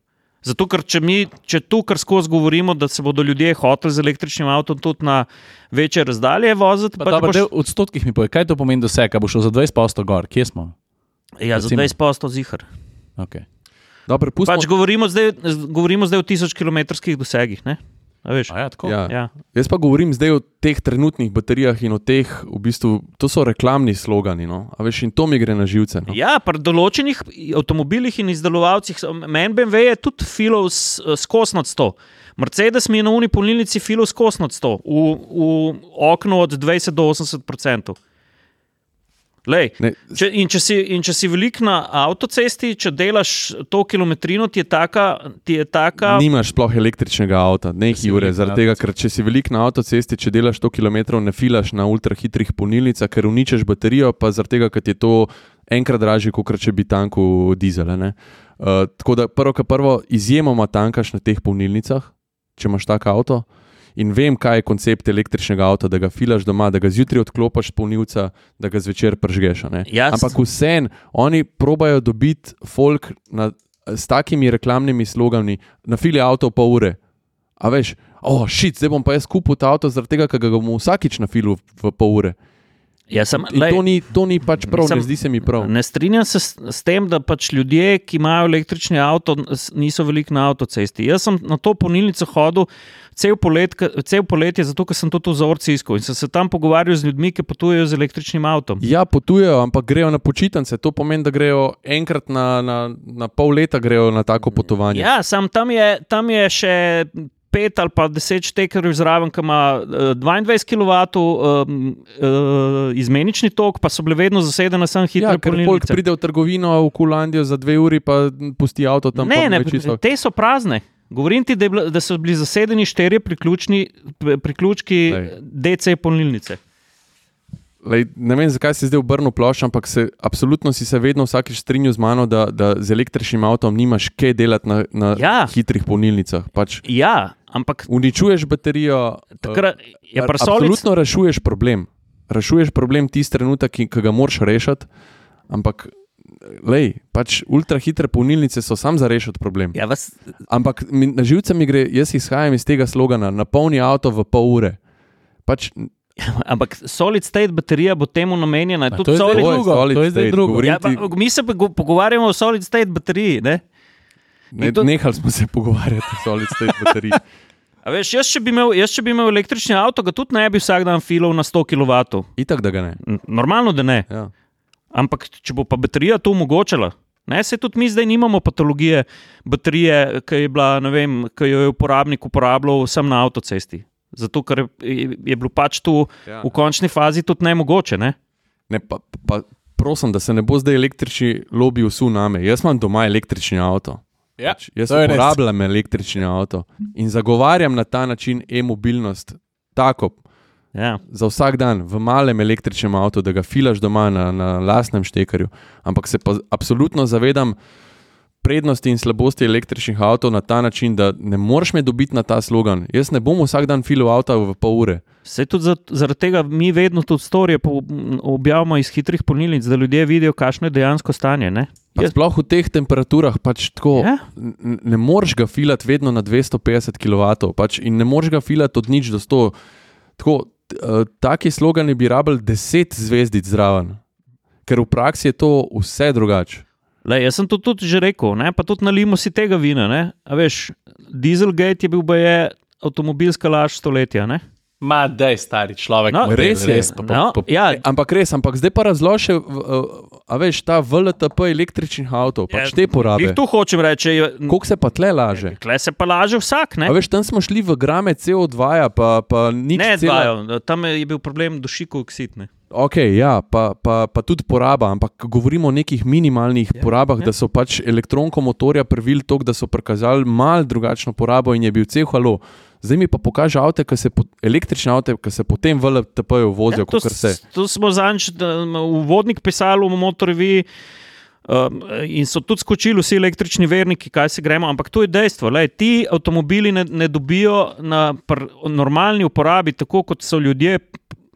Zato, ker če mi, če tu kar skozi govorimo, da se bodo ljudje hoteli z električnim avtom tudi na večje razdalje voziti...
Pa dobro, boš... v odstotkih mi povej, kaj to pomeni dosega? Bo šel za dvajset odstotkov gor, kje smo?
Ja, za dvajset odstotkov zihar.
Ok.
Dobre, pustimo...
Pač govorimo zdaj, govorimo zdaj o tisočkilometrskih dosegih, ne? A veš?
A ja, tako?
Ja.
Ja.
Jaz pa govorim zdaj o teh trenutnih baterijah in o teh, v bistvu, to so reklamni slogani, no? A veš, in to mi gre na živce. No?
Ja, pri določenih avtomobilih in izdelovalcih, meni B M W je tudi filov skos nad sto. Mercedes mi je na uni polnilnici filov skos nad sto, v, v okno od dvajset do osemdeset procentov. Lej, če, in, če si, in če si velik na avtocesti, če delaš to kilometrino, ti je taka... Ti je taka...
Nimaš sploh električnega avta, nekaj ure, zaradi tega, ker če si velik na avtocesti, če delaš sto kilometrov, ne filaš na ultrahitrih polnilnicah, ker uničeš baterijo, pa zaradi tega, ker ti je to enkrat dražje, kot če bi tanku dizele. Ne? Uh, tako da prvo, kar prvo, izjemoma tankaš na teh polnilnicah, če imaš tak avto. In vem, kaj je koncept električnega avta, da ga filaš doma, da ga zjutraj odklopiš polnilca, da ga zvečer pržgeš. Ampak vseeno, oni probajo dobiti folk na, s takimi reklamnimi slogani, na fili avto v pol ure. A veš, oh, shit, zdaj bom pa jaz kupil ta avto, zaradi tega, ker ga bom vsakič na filu v pol ure.
Ja, sem,
in
lej,
to, ni, to ni pač prav,
sem,
ne zdi se mi prav.
Ne strinjam se s, s tem, da pač ljudje, ki imajo električni avto, niso veliko na avtocesti. Jaz sem na to polnilnico hodil cel, polet, cel poletje, zato ker sem to v vzorci iskal in sem se tam pogovarjal z ljudmi, ki potujejo z električnim avtom.
Ja, potujejo, ampak grejo na počitnice. To pomeni, da grejo enkrat na, na, na pol leta grejo na tako potovanje.
Ja, sam tam je, tam je še pet ali pa deset štekerjev zraven, ki ima dvaindvajset kilovatov um, uh, izmenični tok, pa so bile vedno zasedene samo hitre
ja,
polnilnice.
Ja, ker pride v trgovino v Kulandijo za dve uri, pa pusti avto tam.
Ne, ne, te so prazne. Govorim ti, da, je, da so bili zasedeni štirje priključki D C polnilnice.
Lej, ne vem, zakaj si zdaj obrnil plošč, ampak se, absolutno si se vedno vsakič strinjal z mano, da, da z električnim avtom nimaš kaj delati na, na
ja.
hitrih polnilnicah. Pač
ja, ampak...
Uničuješ baterijo,
takrat, je
uh, absolutno rešuješ problem. Rešuješ problem tisti trenutek, ki, ki ga moraš rešiti, ampak lej, pač ultrahitre polnilnice so sam za rešiti problem.
Ja, vas...
Ampak mi, na živce mi gre, jaz izhajam iz tega slogana, napolni avto v pol ure. Pač
Ampak solid state baterija bo temu namenjena.
To je, solid,
drugo,
to je zdaj drugo.
Ja, pa, mi se pogovarjamo o solid state bateriji. Ne?
Ne, to... Nehali smo se pogovarjati o solid state bateriji.
A veš, jaz če bi imel, jaz, če bi imel električni avto, ga tudi ne bi vsak dan filal na sto kilovatov.
Itak, da ga ne.
Normalno, da ne.
Ja.
Ampak če bo pa baterija to omogočala, ne, se tudi mi zdaj nimamo patologije baterije, ki je bila, ne vem, ki jo je uporabnik uporabljal sem na avtocesti. Zato, ker je, je bilo pač tu ja. v končni fazi tudi nemogoče, ne?
Ne, pa, pa prosim, da se ne bo zdaj električni lobby vsul name. Jaz imam doma električni avto.
Ja,
pač, jaz uporabljam električni avto in zagovarjam na ta način e-mobilnost tako
ja.
za vsak dan v malem električnem avtu, da ga filaš doma na, na lastnem štekarju. Ampak se pa absolutno zavedam prednosti in slabosti električnih avtov na ta način, da ne moreš me dobiti na ta slogan. Jaz ne bom vsak dan filal avta v pol ure.
Se tudi zaradi tega mi vedno tudi storije objavimo iz hitrih polnilnic, da ljudje vidijo, kakšno je dejansko stanje, ne?
Sploh v teh temperaturah pač tako,
ja?
n- ne moreš ga filati vedno na dvesto petdeset kilovatov pač in ne moreš ga filati od nič do sto. Tako, t- uh, taki slogani bi rabili deset zvezdic zraven, ker v praksi je to vse drugače.
Lej, jaz sem to tudi že rekel, ne? Pa tudi nalimo si tega vina. Ne? A veš, Dieselgate je bil baje avtomobilska laž stoletja. Ne?
Ma, daj, stari človek.
No,
res je.
Res, pa,
No,
pa, pa,
ja,
Ampak res, ampak zdaj pa razloži, a veš, ta V L T P električnih avtov, pač te porabe.
Jih tu hočem reči.
Koliko se pa tle laže?
Tle se pa laže vsak, ne?
A veš, tam smo šli v grame C O dva, pa, pa nič
Ne,
cela...
dvajo. Tam je bil problem dušikov oksid, ne?
Ok, ja, pa, pa, pa tudi poraba, ampak govorimo o nekih minimalnih ja, porabah, ja. da so pač elektronko motorja privili toliko, da so prikazali mal drugačno porabo in je bil cel halo. Zdaj mi pa pokaže avte, se po, električne avte, ki se potem v L T P-ju vozijo,
ja, to,
kakor se.
To smo zanč uvodnik pisali v Motorreviji um, in so tudi skočili vsi električni verniki, kaj se gremo, ampak to je dejstvo. Lej, ti avtomobili ne, ne dobijo na pr, normalni uporabi, tako kot so ljudje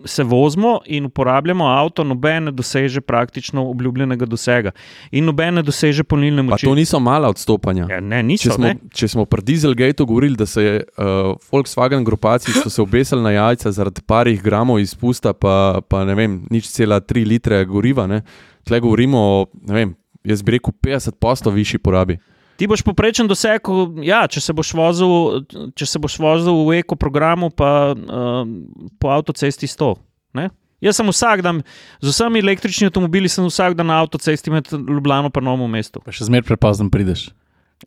se vozimo in uporabljamo avto, noben ne doseže praktično obljubljenega dosega in noben ne doseže polnilne moči.
Pa to niso mala odstopanja.
Ja, ne, niso,
če, smo,
ne?
če smo pri Dieselgateu govorili, da se je uh, Volkswagen grupaciji so se obesili na jajca zaradi parih gramov izpusta, pa, pa ne vem, nič cela tri litre goriva, ne? Tle govorimo o, ne vem, jaz bi rekel petdeset posto višji porabi.
Ti boš poprečen doseg, ja, če se boš vozil, če se boš vozil v eko programu, pa uh, po avtocesti sto. Ne? Jaz sem vsak dan, z vsemi električnimi avtomobili sem vsak dan na avtocesti med Ljubljano pa Novem mestu.
pa še zmer prepozno prideš.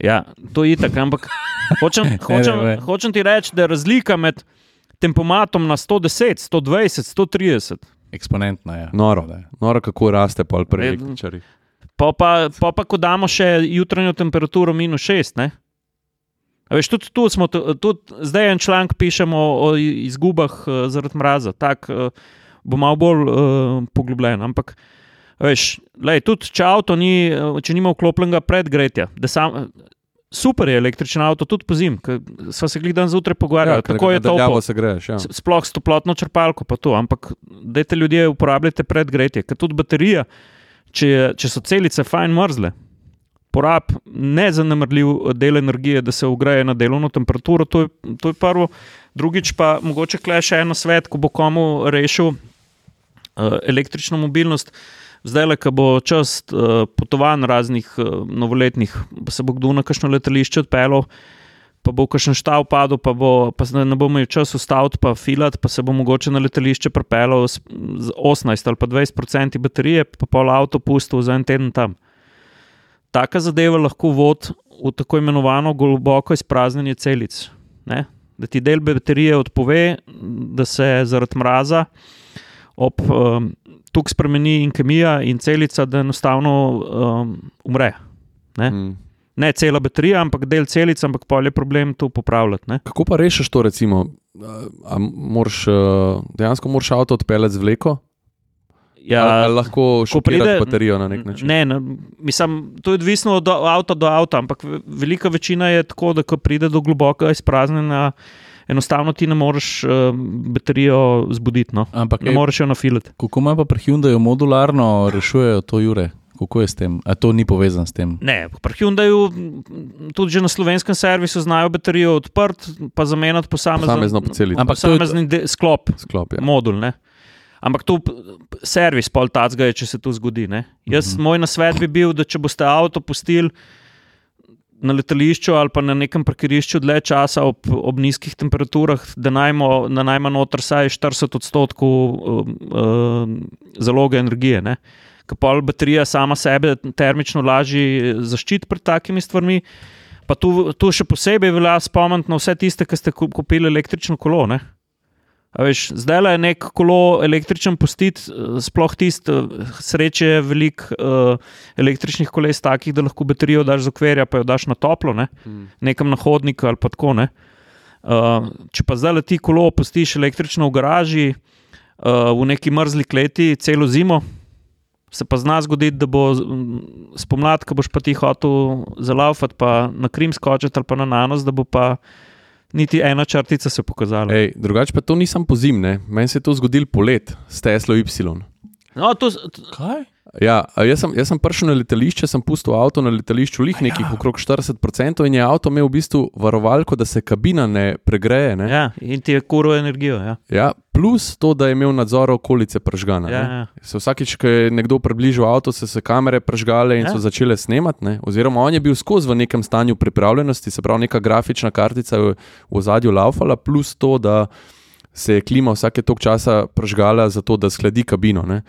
Ja, to je itak, ampak hočem, hočem,
ne, ne.
hočem ti reči, da je razlika med tempomatom na sto deset, sto dvajset, sto trideset.
Eksponentna, ja.
Noro,
Da je.
noro kako raste pol pri
Ne,
električarjih.
Pa pa, pa, pa ko damo še jutranjo temperaturo minus šest, ne? A veš, tudi tu smo, tudi zdaj en članek pišemo o izgubah uh, zaradi mraza, tak uh, bo malo bolj uh, poglobljen, ampak a veš, lej, tudi če avto ni, uh, če nima vklopljenega predgretja, da sam, super je električen avto, tudi po zim, sva se glih dan zjutraj pogovarjali,
Ja, ker
kako je to
daljavo se greš, ja.
sploh s toplotno črpalko pa to, ampak dajte ljudje uporabljajte predgretje, ker tudi baterija, če, če so celice fajn mrzle, porab nezanemrljiv del energije, da se ogreje na delovno temperaturo, to je, to je prvo. Drugič pa mogoče kle še eno svet, ko bo komu rešil uh, električno mobilnost. Zdaj, ko bo čas uh, potovanj raznih uh, novoletnih, pa se bo kdo na kakšno letališče odpeljal, pa bo kakšen štav padel, pa, bo, pa ne bo imel čas ustaviti pa filati, pa se bo mogoče na letališče pripeljal z osemnajst ali pa dvajset procentov baterije, pa pol avto pustil za en teden tam. Taka zadeva lahko vodi v tako imenovano globoko izpraznjenje celic. Ne? Da ti del baterije odpove, da se zaradi mraza ob um, tuk spremeni in kemija in celica, da enostavno um, umre. Ne?
Mm.
Ne cela baterija, ampak del celic, ampak pol je problem to popravljati. Ne?
Kako pa rešiš to, recimo, a moraš, dejansko moraš avto odpeljati z vleko?
Ja,
ali, ali lahko šokirati
pride,
baterijo na nek način?
Ne, ne, mislim, to je odvisno od avta do avta, ampak velika večina je tako, da ko pride do globokega izpraznjenja, enostavno ti ne moreš uh, baterijo zbuditi, no?
Ampak
ne
ej,
moreš jo nafilati.
Kako ima pa pri Hyundaiu modularno rešujejo to, Jure? Kako je s tem? A to ni povezano s tem?
Ne, pri Hyundaiu tudi že na slovenskem servisu znajo baterijo odprt, pa zamenjati
Posamezno po celi.
Ampak posamezni de- sklop,
Sklop, ja.
modul, ne. Ampak tu servis pol tacga je, če se to zgodi, ne. Jaz,
Mhm.
moj nasvet bi bil, da če boste avto pustili na letališču ali pa na nekem parkirišču dlje časa ob, ob nizkih temperaturah, da najmo, da najma noter saj štirideset odstotkov uh, uh, zaloge energije, ne. Ker pol baterija sama sebe termično lažje zaščiti pred takimi stvarmi. Pa tu, tu še posebej velja spomniti na vse tiste, ki ste kupili električno kolo. Ne? A veš, zdaj je nek kolo električen pustiti, sploh tisti, sreče je veliko uh, električnih koles takih, da lahko baterijo daš z okvirja, pa jo daš na toplo, ne? hmm. nekam na hodnik ali pa tako. Ne? Uh, če pa zdaj ti kolo pustiš električno v garaži, uh, v neki mrzli kleti celo zimo, se pa zna zgoditi, da bo spomlad, ko boš pa ti hotel zalaufati, pa na Krim skočiti ali pa na Nanos, da bo pa niti ena črtica se pokazala.
Ej, drugače pa to nisem po zim, ne? Meni se je to zgodil polet s Teslo Y.
No, to...
Kaj?
Ja, jaz sem, jaz sem prišel na letališče, sem pustil avto na letališču lih nekih ja. okrog štirideset procentov in je avto imel v bistvu varovalko, da se kabina ne pregreje. Ne?
Ja, in ti je kuril energijo. Ja.
Ja, plus to, da je imel nadzor okolice pržgana.
Ja,
ne?
ja.
Se vsakič, ko je nekdo približal avto, so se kamere pržgale in ja. so začele snemati. Ne? Oziroma on je bil skozi v nekem stanju pripravljenosti, se pravi neka grafična kartica v, v ozadju laufala, plus to, da se je klima vsake tok časa pržgala zato, da skladi kabino. Ne?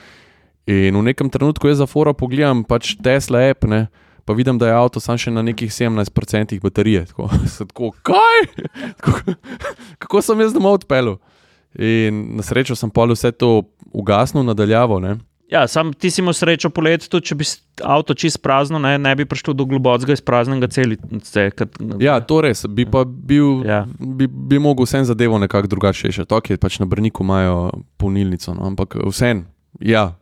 In v nekem trenutku jaz za fora pogledam pač Tesla app, ne, pa vidim, da je avto sam še na nekih sedemnajst procentov baterije. Tako, tako kaj? Tako, kako sem jaz domov odpeljal? In na srečo sem pol vse to ugasnil nadaljavo, ne.
Ja, sam ti si imel srečo poleti, tudi če bi avto čist prazno, ne, ne bi prišlo do globokega izpraznjenega celice. Kad...
Ja, to res, bi pa bil,
ja.
bi, bi mogel vsem zadevo nekako drugače rešiti. Ok, pač na Brniku imajo polnilnico, no, ampak vsem, ja.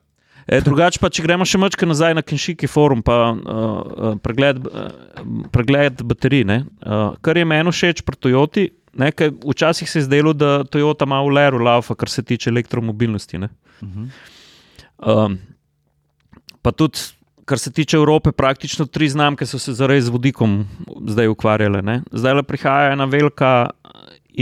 E, drugače pa, če gremo še mačke nazaj na Kenshiki forum, pa uh, pregled, uh, pregled baterij, ne, uh, kar je meni všeč pri Toyoti, ne, kaj včasih se je zdelo, da Toyota ima v leru laufa, kar se tiče elektromobilnosti, ne.
Uh-huh.
Um, pa tudi, kar se tiče Evrope, praktično tri znamke so se zares z vodikom zdaj ukvarjale, ne. Zdaj le prihaja ena velika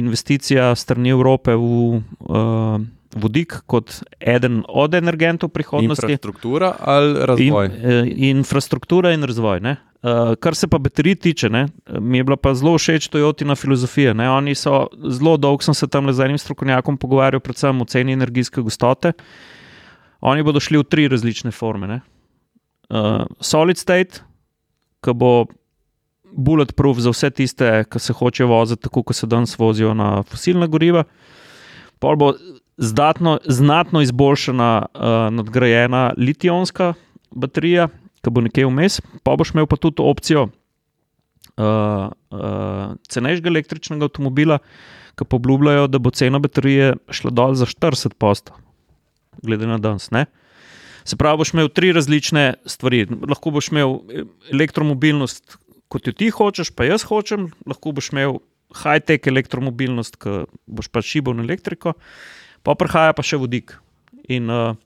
investicija strani Evrope v uh, vodik kot eden od energentov prihodnosti.
Infrastruktura ali razvoj?
In, eh, infrastruktura in razvoj. Ne? Uh, kar se pa baterij tiče, ne? Mi je bila pa zelo všeč Toyotina filozofija. Ne? Oni so zelo dolgo, sem se tam le z enim strokovnjakom pogovarjal, predvsem o ceni energijske gostote. Oni bodo šli v tri različne forme. Ne? Uh, solid state, ki bo bulletproof za vse tiste, ki se hočejo voziti tako, kot se danes vozijo na fosilna goriva. Pol bo Zdatno, znatno izboljšana, uh, nadgrajena litij-ionska baterija, ki bo nekje vmes, pa boš imel pa tudi opcijo uh, uh, cenejšega električnega avtomobila, ki pa obljubljajo, da bo cena baterije šla dol za štirideset odstotkov, glede na danes. Ne? Se pravi, boš imel tri različne stvari. Lahko boš imel elektromobilnost, kot jo ti hočeš, pa jaz hočem, lahko boš imel high-tech elektromobilnost, ki boš pa šibal na elektriko, pa prihaja pa še vodik. In, uh...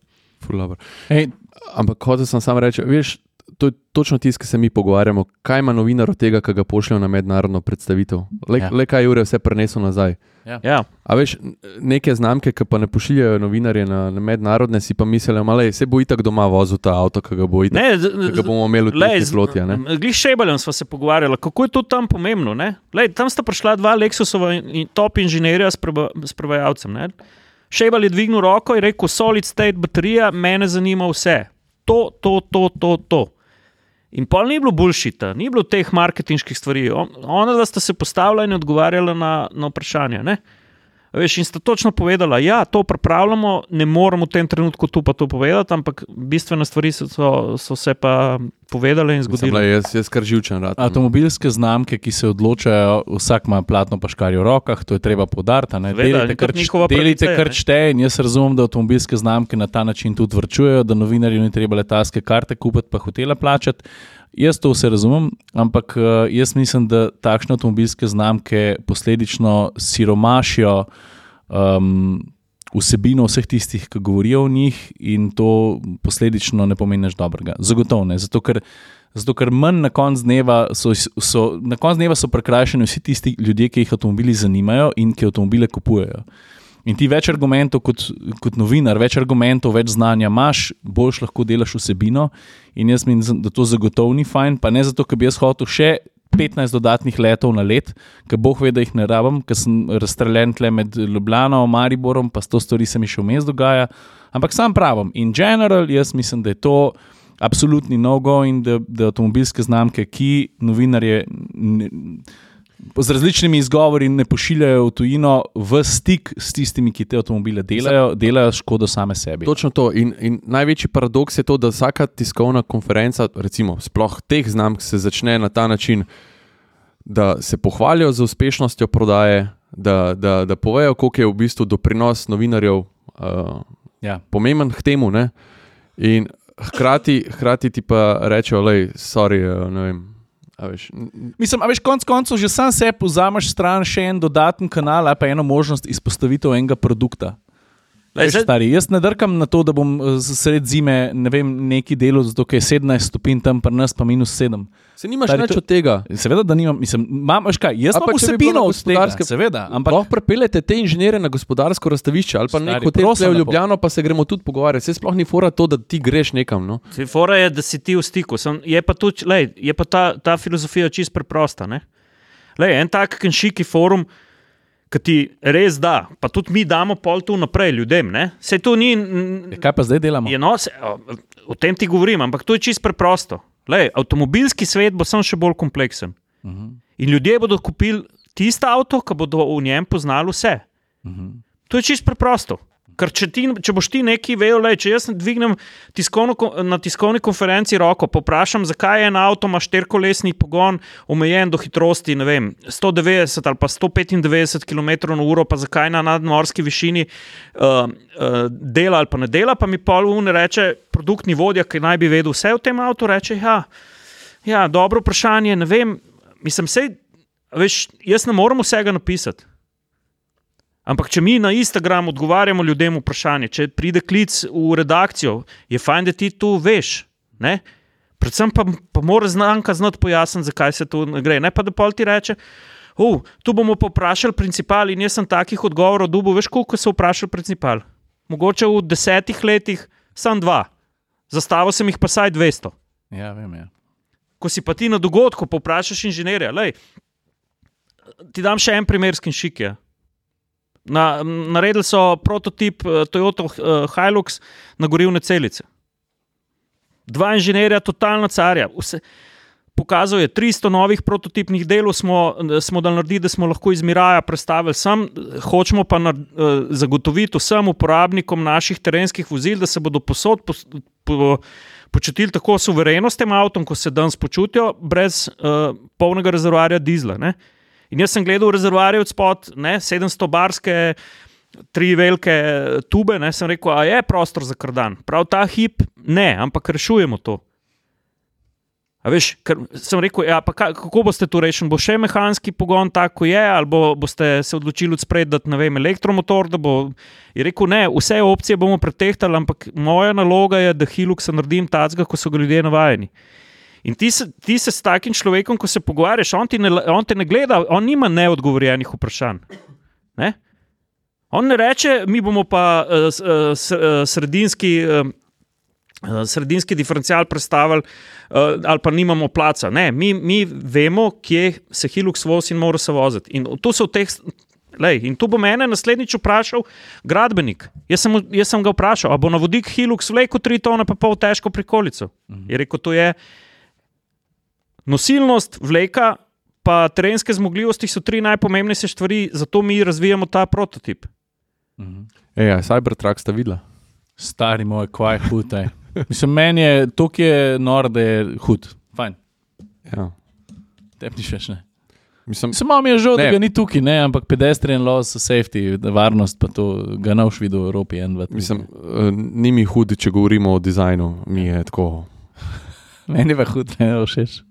Ej, ampak hotel sem samo reči, veš, to je točno tisto, ki se mi pogovarjamo, kaj ima novinar od tega, ki ga pošljajo na mednarodno predstavitev. Le, ja. le kaj ure vse prenesel nazaj.
Ja.
Ja.
A veš, neke znamke, ki pa ne pošiljajo novinarje na, na mednarodne, si pa mislijo, da se bo itak doma vozil ta avto, ki ga, bo itak, ne, z, ki ga bomo imeli v tej floti.
Glih Šebaljem sva se pogovarjala, kako je to tam pomembno. Lej, tam sta prišla dva Lexusova in top inženirja s, preba, s prevajalcem. Ne? Šebal je dvignil roko in rekel, solid state baterija, mene zanima vse. To, to, to, to, to. In pol ni bilo bullshita, ni bilo teh marketinških stvari. On, ona da sta se postavila in odgovarjala na, na vprašanja. Ne? Veš, in sta točno povedala, ja, to pripravljamo, ne moramo v tem trenutku tu pa to povedati, ampak bistvene stvari so, so, so se pa povedale in zgodile.
Jaz, jaz kar živčen rad.
Avtomobilske znamke, ki se odločajo, vsak ima platno pa škarje v rokah, to je treba poudariti. Delite, kar, delite kar šteje in jaz razumem, da avtomobilske znamke na ta način tudi vrčujejo, da novinarju ni treba letalske karte kupiti pa hotela plačati. Jaz to vse razumem, ampak jaz mislim, da takšne avtomobilske znamke posledično siromašijo um, vsebino vseh tistih, ki govorijo o njih, in to posledično ne pomeni nič dobrega. Zagotovo ne, zato ker, zato ker manj na koncu dneva so, so, na koncu dneva so prekrajšani vsi tisti ljudje, ki jih avtomobili zanimajo in ki avtomobile kupujejo. In ti več argumentov kot, kot novinar, več argumentov, več znanja imaš, boljš lahko delaš vsebino, in jaz mislim, da to zagotovo ni fajn, pa ne zato, ker bi jaz hotel še petnajst dodatnih letov na let, ker Bog ve, da jih ne rabim, ker sem razstreljen tle med Ljubljano, Mariborom, pa sto stvari se mi še vmes dogaja, ampak sam pravim, in general, jaz mislim, da je to absolutni no-go in da, da avtomobilske znamke, ki novinarje ne, z različnimi izgovori ne pošiljajo v tujino v stik s tistimi, ki te avtomobile delajo, delajo škodo same sebi.
Točno to. In, in največji paradoks je to, da vsaka tiskovna konferenca, recimo sploh teh znamk, se začne na ta način, da se pohvalijo z uspešnostjo prodaje, da, da, da povejo, koliko je v bistvu doprinos novinarjev uh,
ja.
pomemben k temu. Ne? In hkrati, hkrati ti pa rečejo, lej, sorry, uh, ne vem, A veš,
Mislim, a veš, konc koncev že sam sebi vzameš stran še en dodaten kanal ali pa eno možnost izpostavitev enega produkta.
Lej,
Veš, stari, jaz ne drkam na to, da bom sred zime ne vem, neki delo, zato ker je sedemnajst stopinj tam pri nas pa minus sedem.
se nimaš
Stari,
nič
to-
od tega.
Seveda, da nimam, mislim, imam, veš kaj, jaz
A pa
imam
če bi bilo
vsebino
na
od tega,
gospodarske-
seveda, ampak
Lahko prepeljete te inženirje na gospodarsko razstavišče ali pa
Stari,
nek hotel
prosim
tle v
lepo.
Ljubljano, pa se gremo tudi pogovarjati. Se sploh ni fora to, da ti greš nekam. No?
Saj fora je, da si ti v stiku. Sem, je pa, tudi, lej, je pa ta, ta filozofija čisto preprosta. Ne? Lej, en tak kenšiki forum, ki ti res da, pa tudi mi damo pol tu naprej ljudem. Ne? Sej to ni. n-
kaj pa zdaj delamo?
Je no, se, o, o tem ti govorim, ampak to je čisto preprosto. Lej, avtomobilski svet bo sam še bolj kompleksen.
Uh-huh.
In ljudje bodo kupili tisto avto, ki bodo v njem poznali vse.
Uh-huh.
To je čisto preprosto. Ker če, ti, če boš ti nekaj vedel, lej, če jaz dvignem tiskovno, ko- na tiskovni konferenci roko, poprašam, zakaj je en avto ima štirikolesni pogon omejen do hitrosti, ne vem, sto devetdeset ali pa sto petindevetdeset kilometrov na uro, pa zakaj na nadmorski višini uh, uh, dela ali pa ne dela, pa mi pol un reče, produktni vodja, ki naj bi vedel vse o tem avtu, reče, ja, ja, dobro vprašanje, ne vem, mislim, sej, veš, jaz ne morem vsega napisati. Ampak, če mi na Instagramu odgovarjamo ljudem vprašanje, če pride klic v redakcijo, je fajn, da ti to veš. Ne? Predvsem pa, pa mora znanka znati pojasniti, zakaj se to ne gre. Ne pa da pol ti reče, oh, tu bomo poprašali principal in jaz sem takih odgovorov dobil, veš, koliko so vprašali principal. Mogoče v desetih letih sam dva. Zastavil sem jih pa saj dvesto.
Ja, vem, ja.
Ko si pa ti na dogodku poprašaš inženirja, lej, ti dam še en primer s Kenšikija. Na, naredili so prototip uh, Toyota uh, Hilux na gorivne celice. Dva inženirja, totalna carja. Vse, pokazal je tristo novih prototipnih delov, smo, smo dali narediti, da smo lahko iz Miraja prestavili sem, hočemo pa na, uh, zagotoviti vsem uporabnikom naših terenskih vozil, da se bodo posod pos, po, počutili tako suvereno s tem avtom, ko se danes počutijo, brez uh, polnega rezervoarja dizla. Ne? In jaz sem gledal rezervoarje od spod, ne, sedemsto barske, tri velike tube, ne, sem rekel, a je prostor za kardan. Prav ta hip, ne, ampak rešujemo to. A veš, ker sem rekel, ja, pa kako boste to rešili? Bo še mehanski pogon tako je, ali bo, boste se odločili odspred dati, ne vem, elektromotor, da bo... Je rekel, ne, vse opcije bomo pretehtali, ampak moja naloga je, da Hiluxa naredim tacga, ko so ga ljudje navajeni. In ti se, ti se s takim človekom, ko se pogovarjaš, on, ti ne, on te ne gleda, on nima neodgovorjenih vprašanj. Ne? On ne reče, mi bomo pa uh, uh, sredinski, uh, sredinski diferencial predstavili uh, ali pa nimamo placa. Ne, mi, mi vemo, kje se Hilux vozi in mora se voziti. In to so v teh... Lej, in tu bo mene naslednjič vprašal gradbenik. Jaz sem, jaz sem ga vprašal, a bo na vodik Hilux vlekel tri tone pa pol težko prikolico. Mhm. Je rekel, to je... Nosilnost, vleka, pa terenske zmogljivosti so tri najpomembnejše stvari, zato mi razvijamo ta prototip.
Uh-huh.
Ej, a Cybertruck sta videla?
Stari moj, kvaj hud. ej. Mislim, meni je to, ki je nor, da je hud. Fajn.
Ja.
Tebi ni več, ne.
Mislim,
Samo mi je žal, da
Ne.
ga ni tukaj, ne, ampak pedestrian laws, safety, varnost, pa to ga ne boš videl v Evropi. En, dva, tri.
mislim uh, ni mi hud, če govorimo o dizajnu. Mi je tako...
Meni je pa hud, ne všeč.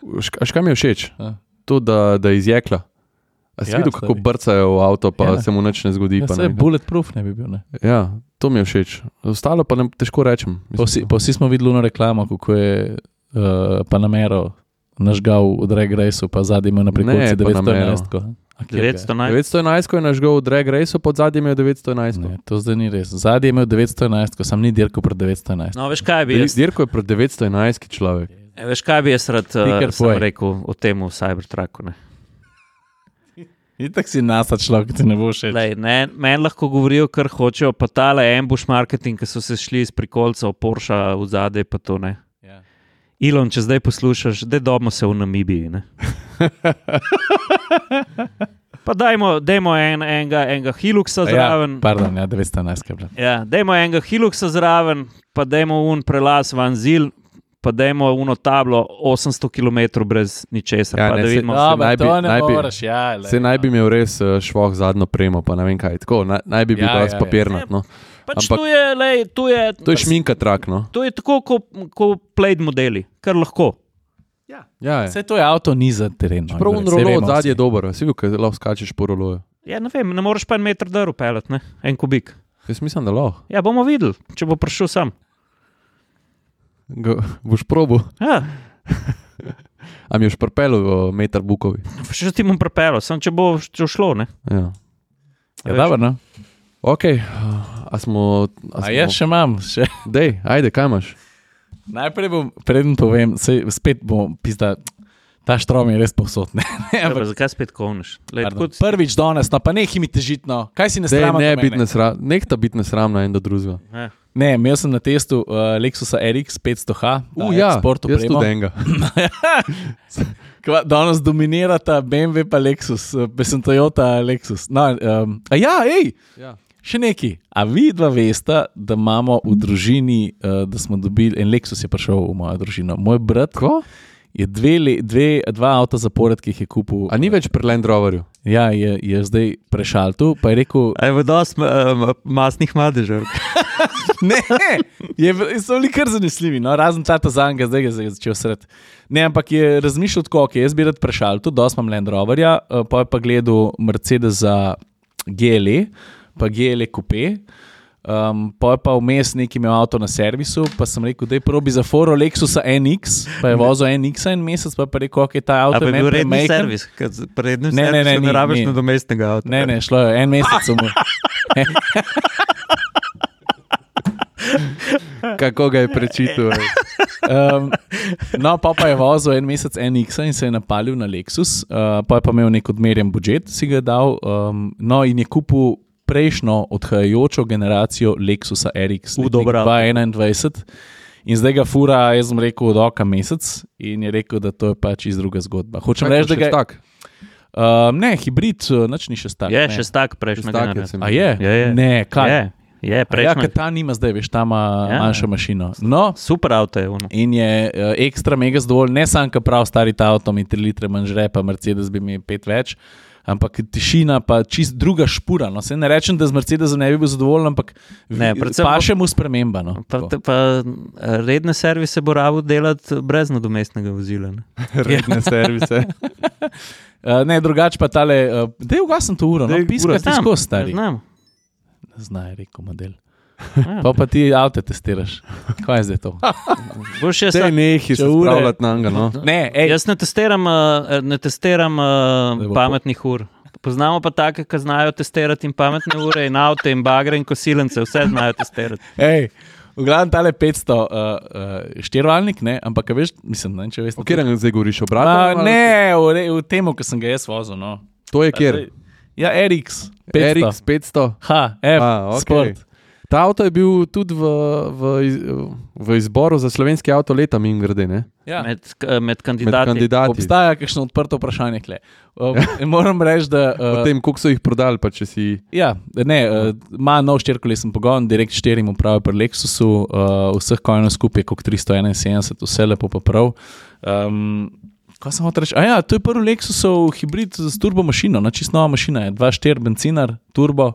Šk- A škaj mi je všeč?
A.
To, da, da je iz jekla. A si
Ja,
videl, kako
stari.
brcajo v avto, pa
Ja.
se mu nič ne zgodi.
Ja,
pa
saj
ne,
bulletproof ne bi bil. Ne?
ja, to mi je všeč. Ostalo pa ne, težko rečem.
Pa vsi, pa vsi smo videli ono reklamo, kako je uh, Panamero nažgal v Drag Raceu, pa zadnji imel na prikolci
Ne,
devetsto enajst.
devetsto enajst.
devetsto enajst, ko je nažgal v Drag Raceu, pod zadnjem je devetsto enajst.
Ne, to zdaj ni res. Zadnji je imel devetsto enajst, ko sam ni dirkal pred devetsto enajst.
No, veš kaj bi jaz,
Dirko je pred devetsto enajst človek.
e, veš, kaj bi jaz rad
Ti
uh,
kar
sem
povej.
rekel o tem v Cybertrucku. Ne?
Itak si nasa človek, ti ne bo všeč.
Lej, ne, meni lahko govorijo, kar hočejo, pa tale ambush marketing, ki so se šli iz prikolcev, Porsche v zadej, pa to ne.
Ja.
Ilon, če zdaj poslušaš, da dobimo se v Namibiji. Ne? Pa dajmo, dajmo en, enega, enega Hiluxa zraven.
Ja, pardon, ja, devetsto enajst. Kaj,
Ja, dajmo enega Hiluxa zraven, pa dajmo un prelaz van Zil, pa dajmo uno tablo osemsto kilometrov brez ničesar.
Ja,
Pa
ne,
da
se-
vidimo,
Ja,
no,
naj bi-
to ne
naj bi-
moreš, ja. lej,
Se naj bi
no.
imel res uh, švoh zadnjo premo, pa ne vem kaj. Tako, naj, naj bi bil
Ja,
ja,
ja, ja.
papirnat. No.
pač
ampak-
tu je, lej, tu je,
To je šminka trak, no.
to je tako kot ko Plaid modeli, kar lahko.
Ja, ja.
Vse to je avto ni za teren. no,
Prav un
saj
rolo
vemo
od zadnje je
vsi.
dober, si videl, kaj lahko skačeš po roloju.
Ja, ne vem, ne moreš pa en meter drv pelet, ne? En kubik.
Jaz mislim, da lahko.
Ja, bomo videli, če bo prišel sam.
Ga, boš probo.
Ja,
A mi boš pripelil meter bukovi.
še ti bom prepelo, sem če bo če šlo, ne?
Ja.
Ja, dobro, no.
Ok, a smo...
A jaz še imam. Še.
Dej, ajde, kaj imaš?
Najprej bom, preden povem, sej, spet bom pizda, ta štrom je res povsod. Ne, ne,
Ja, pa
ampak,
zakaj spet kovneš? Lej,
pardon,
tako,
prvič danes, no pa nehi mi težiti, no. Kaj si ne
Dej,
sramam?
ne
do
biti
mene?
nesram, nekta biti nesramna en do drugega.
ja.
Ne, imel sem na testu uh, Lexusa R X petsto H,
U, ja,
Sport
jaz
opremo.
tudi enega.
Kva- Danes dominirata B M W pa Lexus, uh, pa sem Toyota Lexus. No, um, a ja, hej,
Ja.
še neki. A vi dva veste, da imamo v družini, uh, da smo dobili, en Lexus je prišel v mojo družino. Moj brat
Ko?
je dve, le- dve, dva avta zapored, ki jih je kupil.
A ni več pri Land Roverju?
Ja, je, je zdaj prešaltil, pa je rekel,
Aj, v dosti uh, masnih madežev.
ne, je, so bili kar zanesljivi, no, razen ta zanga, zdaj ga je začel sred. Ne, ampak je razmišljal tako, ok, jaz bi rad prešaltil, dosti imam Land Roverja, uh, pa je pa gledal Mercedesa G L E, pa G L E Coupe. Um, pa je pa vmes neki imel avto na servisu, pa sem rekel, da je probi za foro Lexusa N X, pa je vozil N X en mesec, pa je pa rekel, ok, ta
A
avto
pa
je
je
meni
bil redni
premajhen.
servis, kad pri rednem
Ne, ne, ne,
servisu
ni,
ne rabiš
ni.
nadomestnega avta.
Ne, ne, šlo je en mesec samo.
Kako ga je prečitil? ej?
Um, no, pa, pa je vozil en mesec N X in se je napalil na Lexus, uh, pa je pa imel nek odmerjen budžet, si ga dal, um, no in je kupil prejšnjo odhajajočo generacijo Lexusa R X,
U, dobro avto.
dva tisoč enaindvajset. In zdaj ga fura, jaz sem rekel, od oka mesec in je rekel, da to je pač iz druga zgodba. Hočem reči, da ga je.
Tak.
Um, ne, hibrid, uh, nič ni še stak.
Je,
ne.
še stak prejšnja
Šestak je,
generacija.
se mi
A
zdi.
je?
Je, je.
Ne, kaj?
Je, je,
A ja,
prejšnja.
ker ta nima zdaj, veš, ta ima
Ja.
manjšo mašino. No,
Super avto je ono.
in je uh, ekstra mega zadovoljen, ne samo, ker prav stari ta avto mi tri litre manj žre, pa Mercedes bi mi pet več, ampak tišina pa čist druga špura. No, se ne rečem, da z Mercedesom ne bi bil zadovoljen, ampak
Ne, predvsem
pa
bo-
še mu sprememba. No,
Pa,
tako.
pa redne servise bo rabo delati brez nadomestnega vozila. Ne?
Redne servise.
uh, ne, drugače pa tale, uh, da je ugasen to uro, no,
Daj,
piska
ura,
ti skozi stari.
Znam.
Znaj, je rekel model.
Ja.
Pa pa ti avto testiraš. Kaj je zdaj to?
Boš jaz,
Te nehi se
Če ure-
spravljati na njega, no.
Ne, ej,
jaz ne testiram, uh, ne testiram uh,
bo
pametnih ur. Poznamo pa take, ki znajo testirati in pametne ure, in avto, in bagre, in kosilence, vse znajo testirati.
ej, v glavnem tale petsto uh, uh, štirivaljnik, ne, ampak a veš, mislim, ne, vem, če veš.
O katerem zdaj govoriš? O
Ma,
bratu?
ne, v, re- v tem, ki sem ga jaz vozil. No.
To je kjer?
Ja, R X petsto.
R X petsto.
Ha, F,
A, ok.
Sport.
Ta avto je bil tudi v, v, iz- v izboru za slovenski avto leta, mimo grede, ne?
Ja.
Med, k- med
Med
kandidati.
kandidati.
Obstaja kakšno odprto vprašanje. Kle. Um, moram reči, da.
O
Uh,
tem, koliko so jih prodali, pa če si...
ja, ne, uh, ima nov štirikolesen pogon, direkt štirim upravi pri Lexusu, uh, vseh konjov skupaj je kot tristo enainsedemdeset, vse lepo pa prav. Um, kaj sem hotel reči? A ja, to je prvi Lexusov hibrid z turbo mašino, no, čisto nova mašina je, dva štiri benzinar, turbo.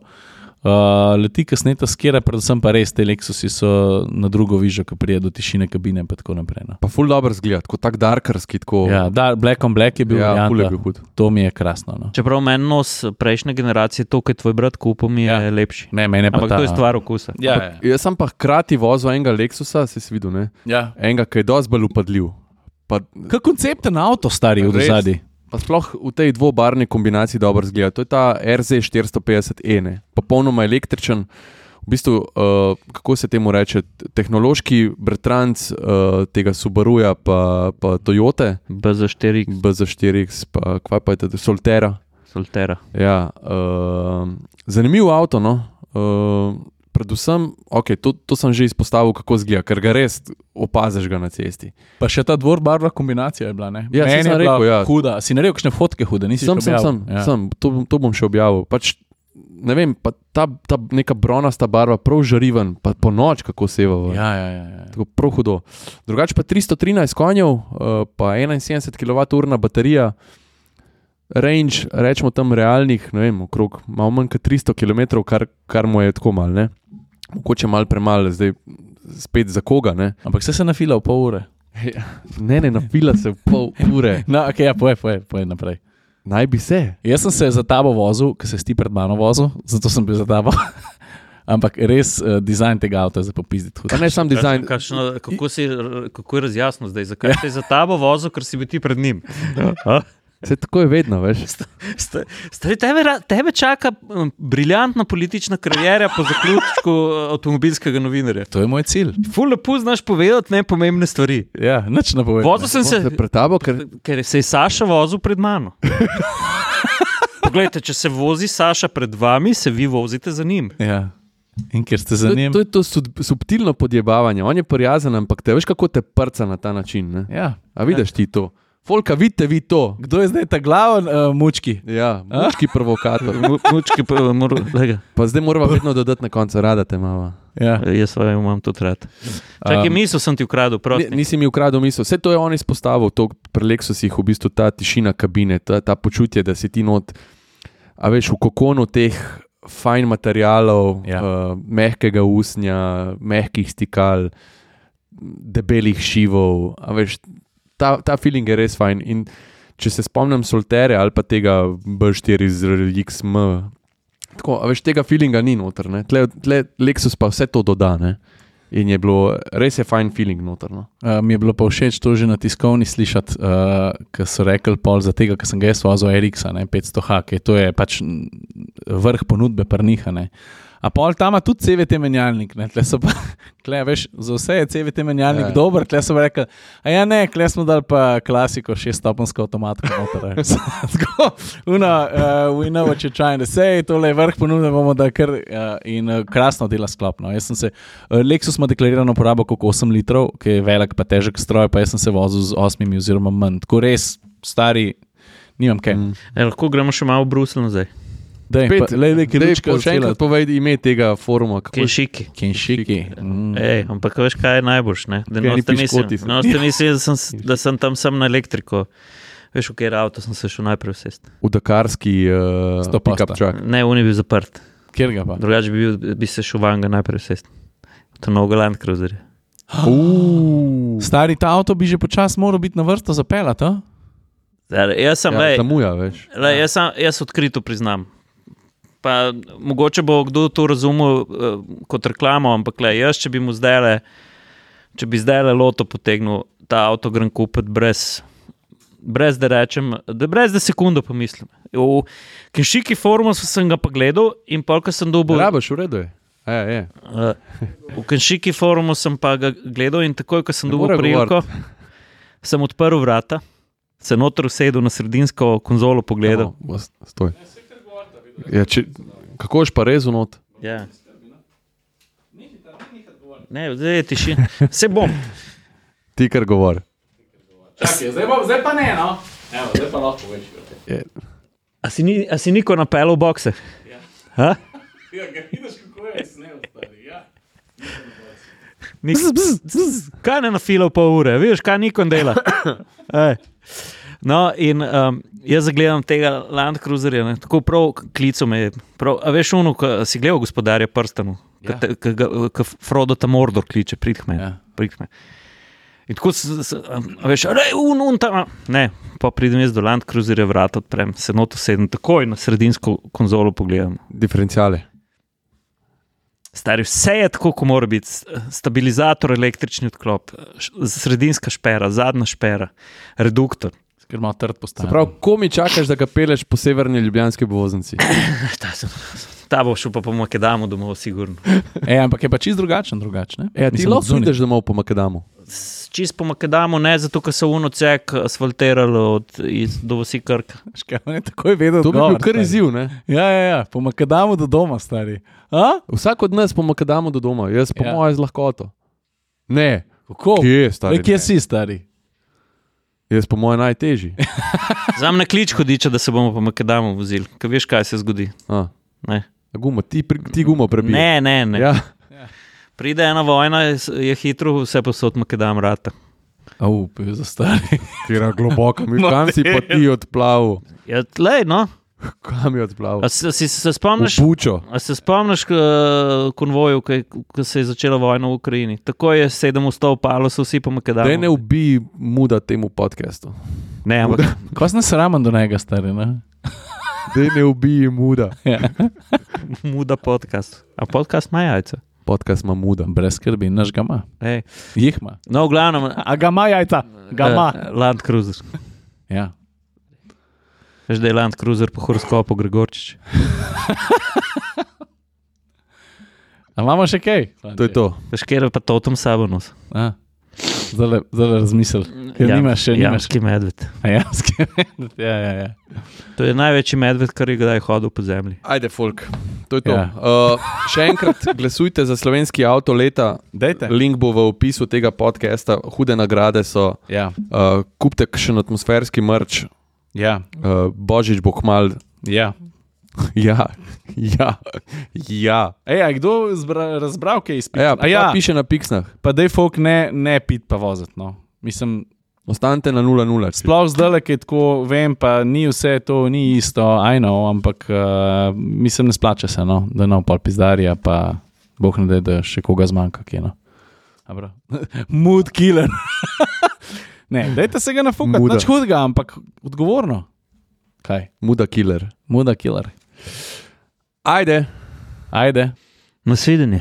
Uh, leti kasneje skira, predvsem pa res te Lexusi so na drugo vižo, ko prije do tišine kabine in tako naprej. No.
Pa ful dobro zgleda, tako tak darkarski, tako...
Ja, da, Black on Black je bil
Ja, ful je
varianta.
bil hud.
To mi je krasno. No.
Čeprav meni nos prejšnje generacije, to, kaj tvoj brat kupil, mi je
Ja.
lepši.
Ne, mene pa
Ampak
ta,
to je stvar okusa.
Ja, ja.
Jaz sem pa hkrati vozil enega Lexusa, si si videl, ne?
ja.
Enega, ki je dosti bolj upadljiv. Pa,
Kaj koncepten avto stari v
Res.
dozadi?
pa sploh v tej dvobarvni kombinaciji dobro zgleda. To je ta R Z štiristo petdeset E, ne? Popolnoma električen. V bistvu, uh, kako se temu reče, tehnološki bratranc uh, tega Subaruja pa, pa Toyote,
B Z štiri
B Z štiri X, pa kva pa je to, Soltera.
Soltera.
Ja, uh, zanimiv avto, no. Uh, predvsem, okay, to, to sem že izpostavil, kako zgleda, ker ga res opaziš ga na cesti.
Pa še ta dvorbarvna kombinacija je bila, ne?
Ja,
Meni
saj sem
je bila
rekel, ja.
huda. Si naredil kakšne fotke hude, nisi
Sem,
še
sem, sem,
objavil? Ja.
sem. To, bom- to bom še objavil. Pač, ne vem, pa ta, ta neka bronasta barva, prav žariven, pa po noč kako seva.
Ja, ja, ja, ja.
Tako prav hudo. Drugače pa tristo trinajst konjev, uh, pa enainsedemdeset kilovatnih baterija, range, rečemo tam realnih, ne vem, okrog malo manj kot tristo kilometrov, kar, kar mu je tako malo, ne. Mogoče malo premalo, zdaj spet za koga, ne.
Ampak se se nafila v pol ure.
Ne, ne, napila se v pol ure.
No, ok, ja, poje, poje, poje naprej.
Naj bi se.
Jaz sem se za tabo vozil, ker se si ti pred mano vozil, zato sem bil za tabo. Ampak res uh, dizajn tega avta je za popizditi.
Pa ne sam dizajn.
Kakšno, kako, si, kako je razjasno zdaj? Zakaj si za tabo vozil, ker si bil ti pred njim? A?
Se tako je vedno, veš.
Sta- Stari, tebe, ra- tebe čaka um, briljantna politična kariera po zaključku uh, avtomobilskega novinarja.
To je moj cilj.
Ful lepo znaš povedati nepomembne stvari.
Ja, nič ne povem.
Vozil sem se,
Se pred tabo, ker
ker se je Saša vozil pred mano. Poglejte, če se vozi Saša pred vami, se vi vozite za njim.
Ja. In ker ste za
to,
njim.
to je to sub, subtilno podjebavanje. On je prijazen, ampak te veš, kako te prca na ta način. Ne?
Ja.
A vidiš ti to? Folka, vidite vi to.
Kdo je zdaj ta glaven uh, mučki?
Ja, mučki provokator.
Mu- Mučki, pa, mor, lega.
Pa zdaj moramo vedno dodati na koncu, rada te mava.
Ja.
Jaz svoje imam tudi rad. Čakaj,
Um,
misel sem ti ukradel,
Ni,
prosti.
nisi mi ukradel misel. Vse to je on izpostavil, to pri Lexusih, v bistvu ta tišina kabine, ta, ta počutje, da si ti not, a veš, v kokonu teh fajn materialov,
Ja.
uh, mehkega usnja, mehkih stikal, debelih šivov, a veš, ta, ta feeling je res fajn. In če se spomnim Soltere ali pa tega B štiri z X M, tako, a veš, tega feelinga ni noter, ne. Tle, tle Lexus pa vse to doda, ne. In je bilo, res je fajn feeling noter, no.
Uh, mi je bilo pa všeč to že na tiskovni slišati, uh, ko so rekli pol za tega, ker sem ga jaz vozil R X-a, ne, petsto H, ki to je pač mm, vrh ponudbe prniha, ne. A pol tam ima tudi C V T menjalnik, ne, tle so pa, tle, veš, za vse je C V T menjalnik
Ja.
ja. dober, tle so pa rekli, a ja ne, tle smo dali pa klasiko, šeststopenjsko avtomatko noter. Tako, una, uh, we know what you're trying to say, tole je vrh ponudbe, bomo da kar, uh, in uh, krasno dela sklop, no. Jaz sem se, uh, Lexus ima deklarirano porabo koliko osem litrov, ki je velik pa težek stroj, pa jaz sem se vozil z osmimi oziroma manj, tako res, stari, nimam kaj. Mm.
E, lahko gremo še malo v Bruselj nazaj.
Dej,
Pet,
pa, lej, lej, ki
dej,
ručka
po- še enkrat povej ime tega foruma. Kako je?
Kenšiki.
Kenšiki. Mm.
Ej, ampak veš, kaj je najboljš, ne? Da
Kaj, ni
noste
piškoti
mislim,
so.
noste mislim, da sem, da sem tam sam na elektriko. Veš, v kateri avto sem se šel najprej usesti.
V dakarski uh,
Sto posta.
pick-up truck.
Ne, on je bil zaprt.
Kjer ga pa?
Drugače bi, bil, bi se šel van ga najprej usesti. To je novega Land Cruiser.
Uh,
Stari, ta avto bi že počas moral biti na vrsto zapeljati, a?
Jaz sem,
ja,
lej,
zamuja, veš.
lej, jaz, sem, jaz odkrito priznam. Pa mogoče bo kdo to razumel uh, kot reklamo, ampak le, jaz, če bi mu zdaj, če bi zdaj loto potegnil ta avto, grem kupiti brez, brez da rečem, da brez da sekundo pomislim. V Kenšiki forumu sem ga pa gledal in polka sem dobil.
Rabaš, v redu je. A, je.
Uh, v Kenšiki forumu sem pa ga gledal in takoj, ko sem
Ne
dobil
more
priliko, sem odprl vrata, se noter usedel na sredinsko konzolo pogledal.
No, stoj. Ja, če, kako ješ pa rezu not?
Ja. Ne, zdaj je tišina. Se bom.
Ti kar govor.
Čakaj, zdaj, bo, zdaj pa ne, no. Evo, zdaj pa lahko več.
Je.
A si, ni, a si niko napel v bokse?
Ja.
Ha?
Ja, ga vidiš, kako je snel, stari, ja.
Nik, bzz, bzz, bzz. Kaj ne nafila v pol ure? Vidiš, kaj Nikon dela? Ej. No, in um, jaz zagledam tega Land Cruiserja, ne, tako prav klico me je. Prav, a veš, ono, ko si gledal Gospodarja prstanov,
Ja.
ko Frodo ta Mordor kliče, prid k meni.
Ja.
Prid k meni. In tako, s, s, a veš, rej, un, un, tam. Ne, pa pridem jaz do Land Cruiserja, vrata odprem, se noto sedem, takoj na sredinsko konzolo pogledam.
Diferenciale.
Stari, vse je tako, ko mora biti. Stabilizator, električni odklop, š- sredinska špera, zadnja špera, reduktor.
Ker ima trd
Se
postavljen.
pravi, ko mi čakaš, da ga peleš po severni ljubljanski obvoznici?
Ta, sem- ta bo šel pa po Makedamu domov, sigurno.
E, ampak je pa čist drugačen, drugačen.
Ja, ti
Mislim,
lahko
odzunaj.
ideš domov po Makadamu.
S- Čist po Makedamu, ne zato, ker so unocek asfaltirali od iz, do vsi Krka.
Škaj, on je takoj vedel,
To bi
odgovor,
bil kar
stari.
izziv, ne?
Ja, ja, ja, po Makadamu do doma, stari. A?
Vsak od nas po Makadamu do doma, jaz po
Ja.
moje z lahkoto. Ne,
Kako?
kje, stari?
E, kje
ne.
si, stari?
Jaz po moje najtežji.
Zam na klič hodiča, da se bomo po Makedamu vozili, ker veš, kaj se zgodi.
A,
Ne,
gumo, ti, pri- ti gumo prebiješ.
ne, ne. ne.
Ja.
Pride ena vojna, je je hitro, vse posod Makedam rata.
Au, pil za stari.
Kira globoko, mi kam si pa ti odplaval?
Ja, tlej, no.
Kam je odplaval?
A se, si se spomniš?
V Bučo.
A se spomniš k- konvoju, ko se je začela vojna v Ukrajini? Tako je sedem vstov palo, so vsi po Makedamu.
Daj ne ubij muda temu podcastu.
Ne, ampak
Ko sem sramen do njega, stari, ne?
Daj ne ubij muda.
Ja.
muda podcast. A podcast ima jajca.
Podcast ima muda.
Brez skrbi, naš ga ima.
Ej.
Jih ima.
No, v glavnem,
A ga ima jajca? Ga ima.
eh, Land Cruiser.
Ja.
Veš, da je Land Cruiser po horoskopu Gregorčič.
A imamo še kaj?
To je to.
Veš, kjer je pa Totem Sabonos?
A, zdaj le razmisel. Ker nimaš še, nimaš.
Jamski medved.
A jamski medved, ja, ja, ja.
To je največji medved, kar je kdaj hodil po zemlji.
Ajde, folk. To je to.
Ja.
Uh, še enkrat glasujte za slovenski avto leta.
Dejte.
Link bo v opisu tega podcasta. Hude nagrade so.
Ja,
Uh, kupite še atmosferski merch.
ja,
Uh, Božič bo kmal.
ja.
Ja, ja, ja.
Ej, a kdo zbra, razbral kaj izpit?
Ja,
A ja,
piše na piksnah.
pa dej folk ne, ne pit pa voziti, no. Mislim,
Ostanite na nula nula.
sploh zdaj, ki je tako, vem, pa ni vse to, ni isto, I know, ampak uh, mislim, ne splača se, no, da no pol pizdarja, pa boh ne da, da še koga zmanjka, kje, no. Dobro. Mood killer. Ne, dajte se ga nafukati,
Muda.
nič hudega, ampak odgovorno. Kaj?
Muda killer.
Muda killer.
Ajde.
Ajde.
Nasvidenje.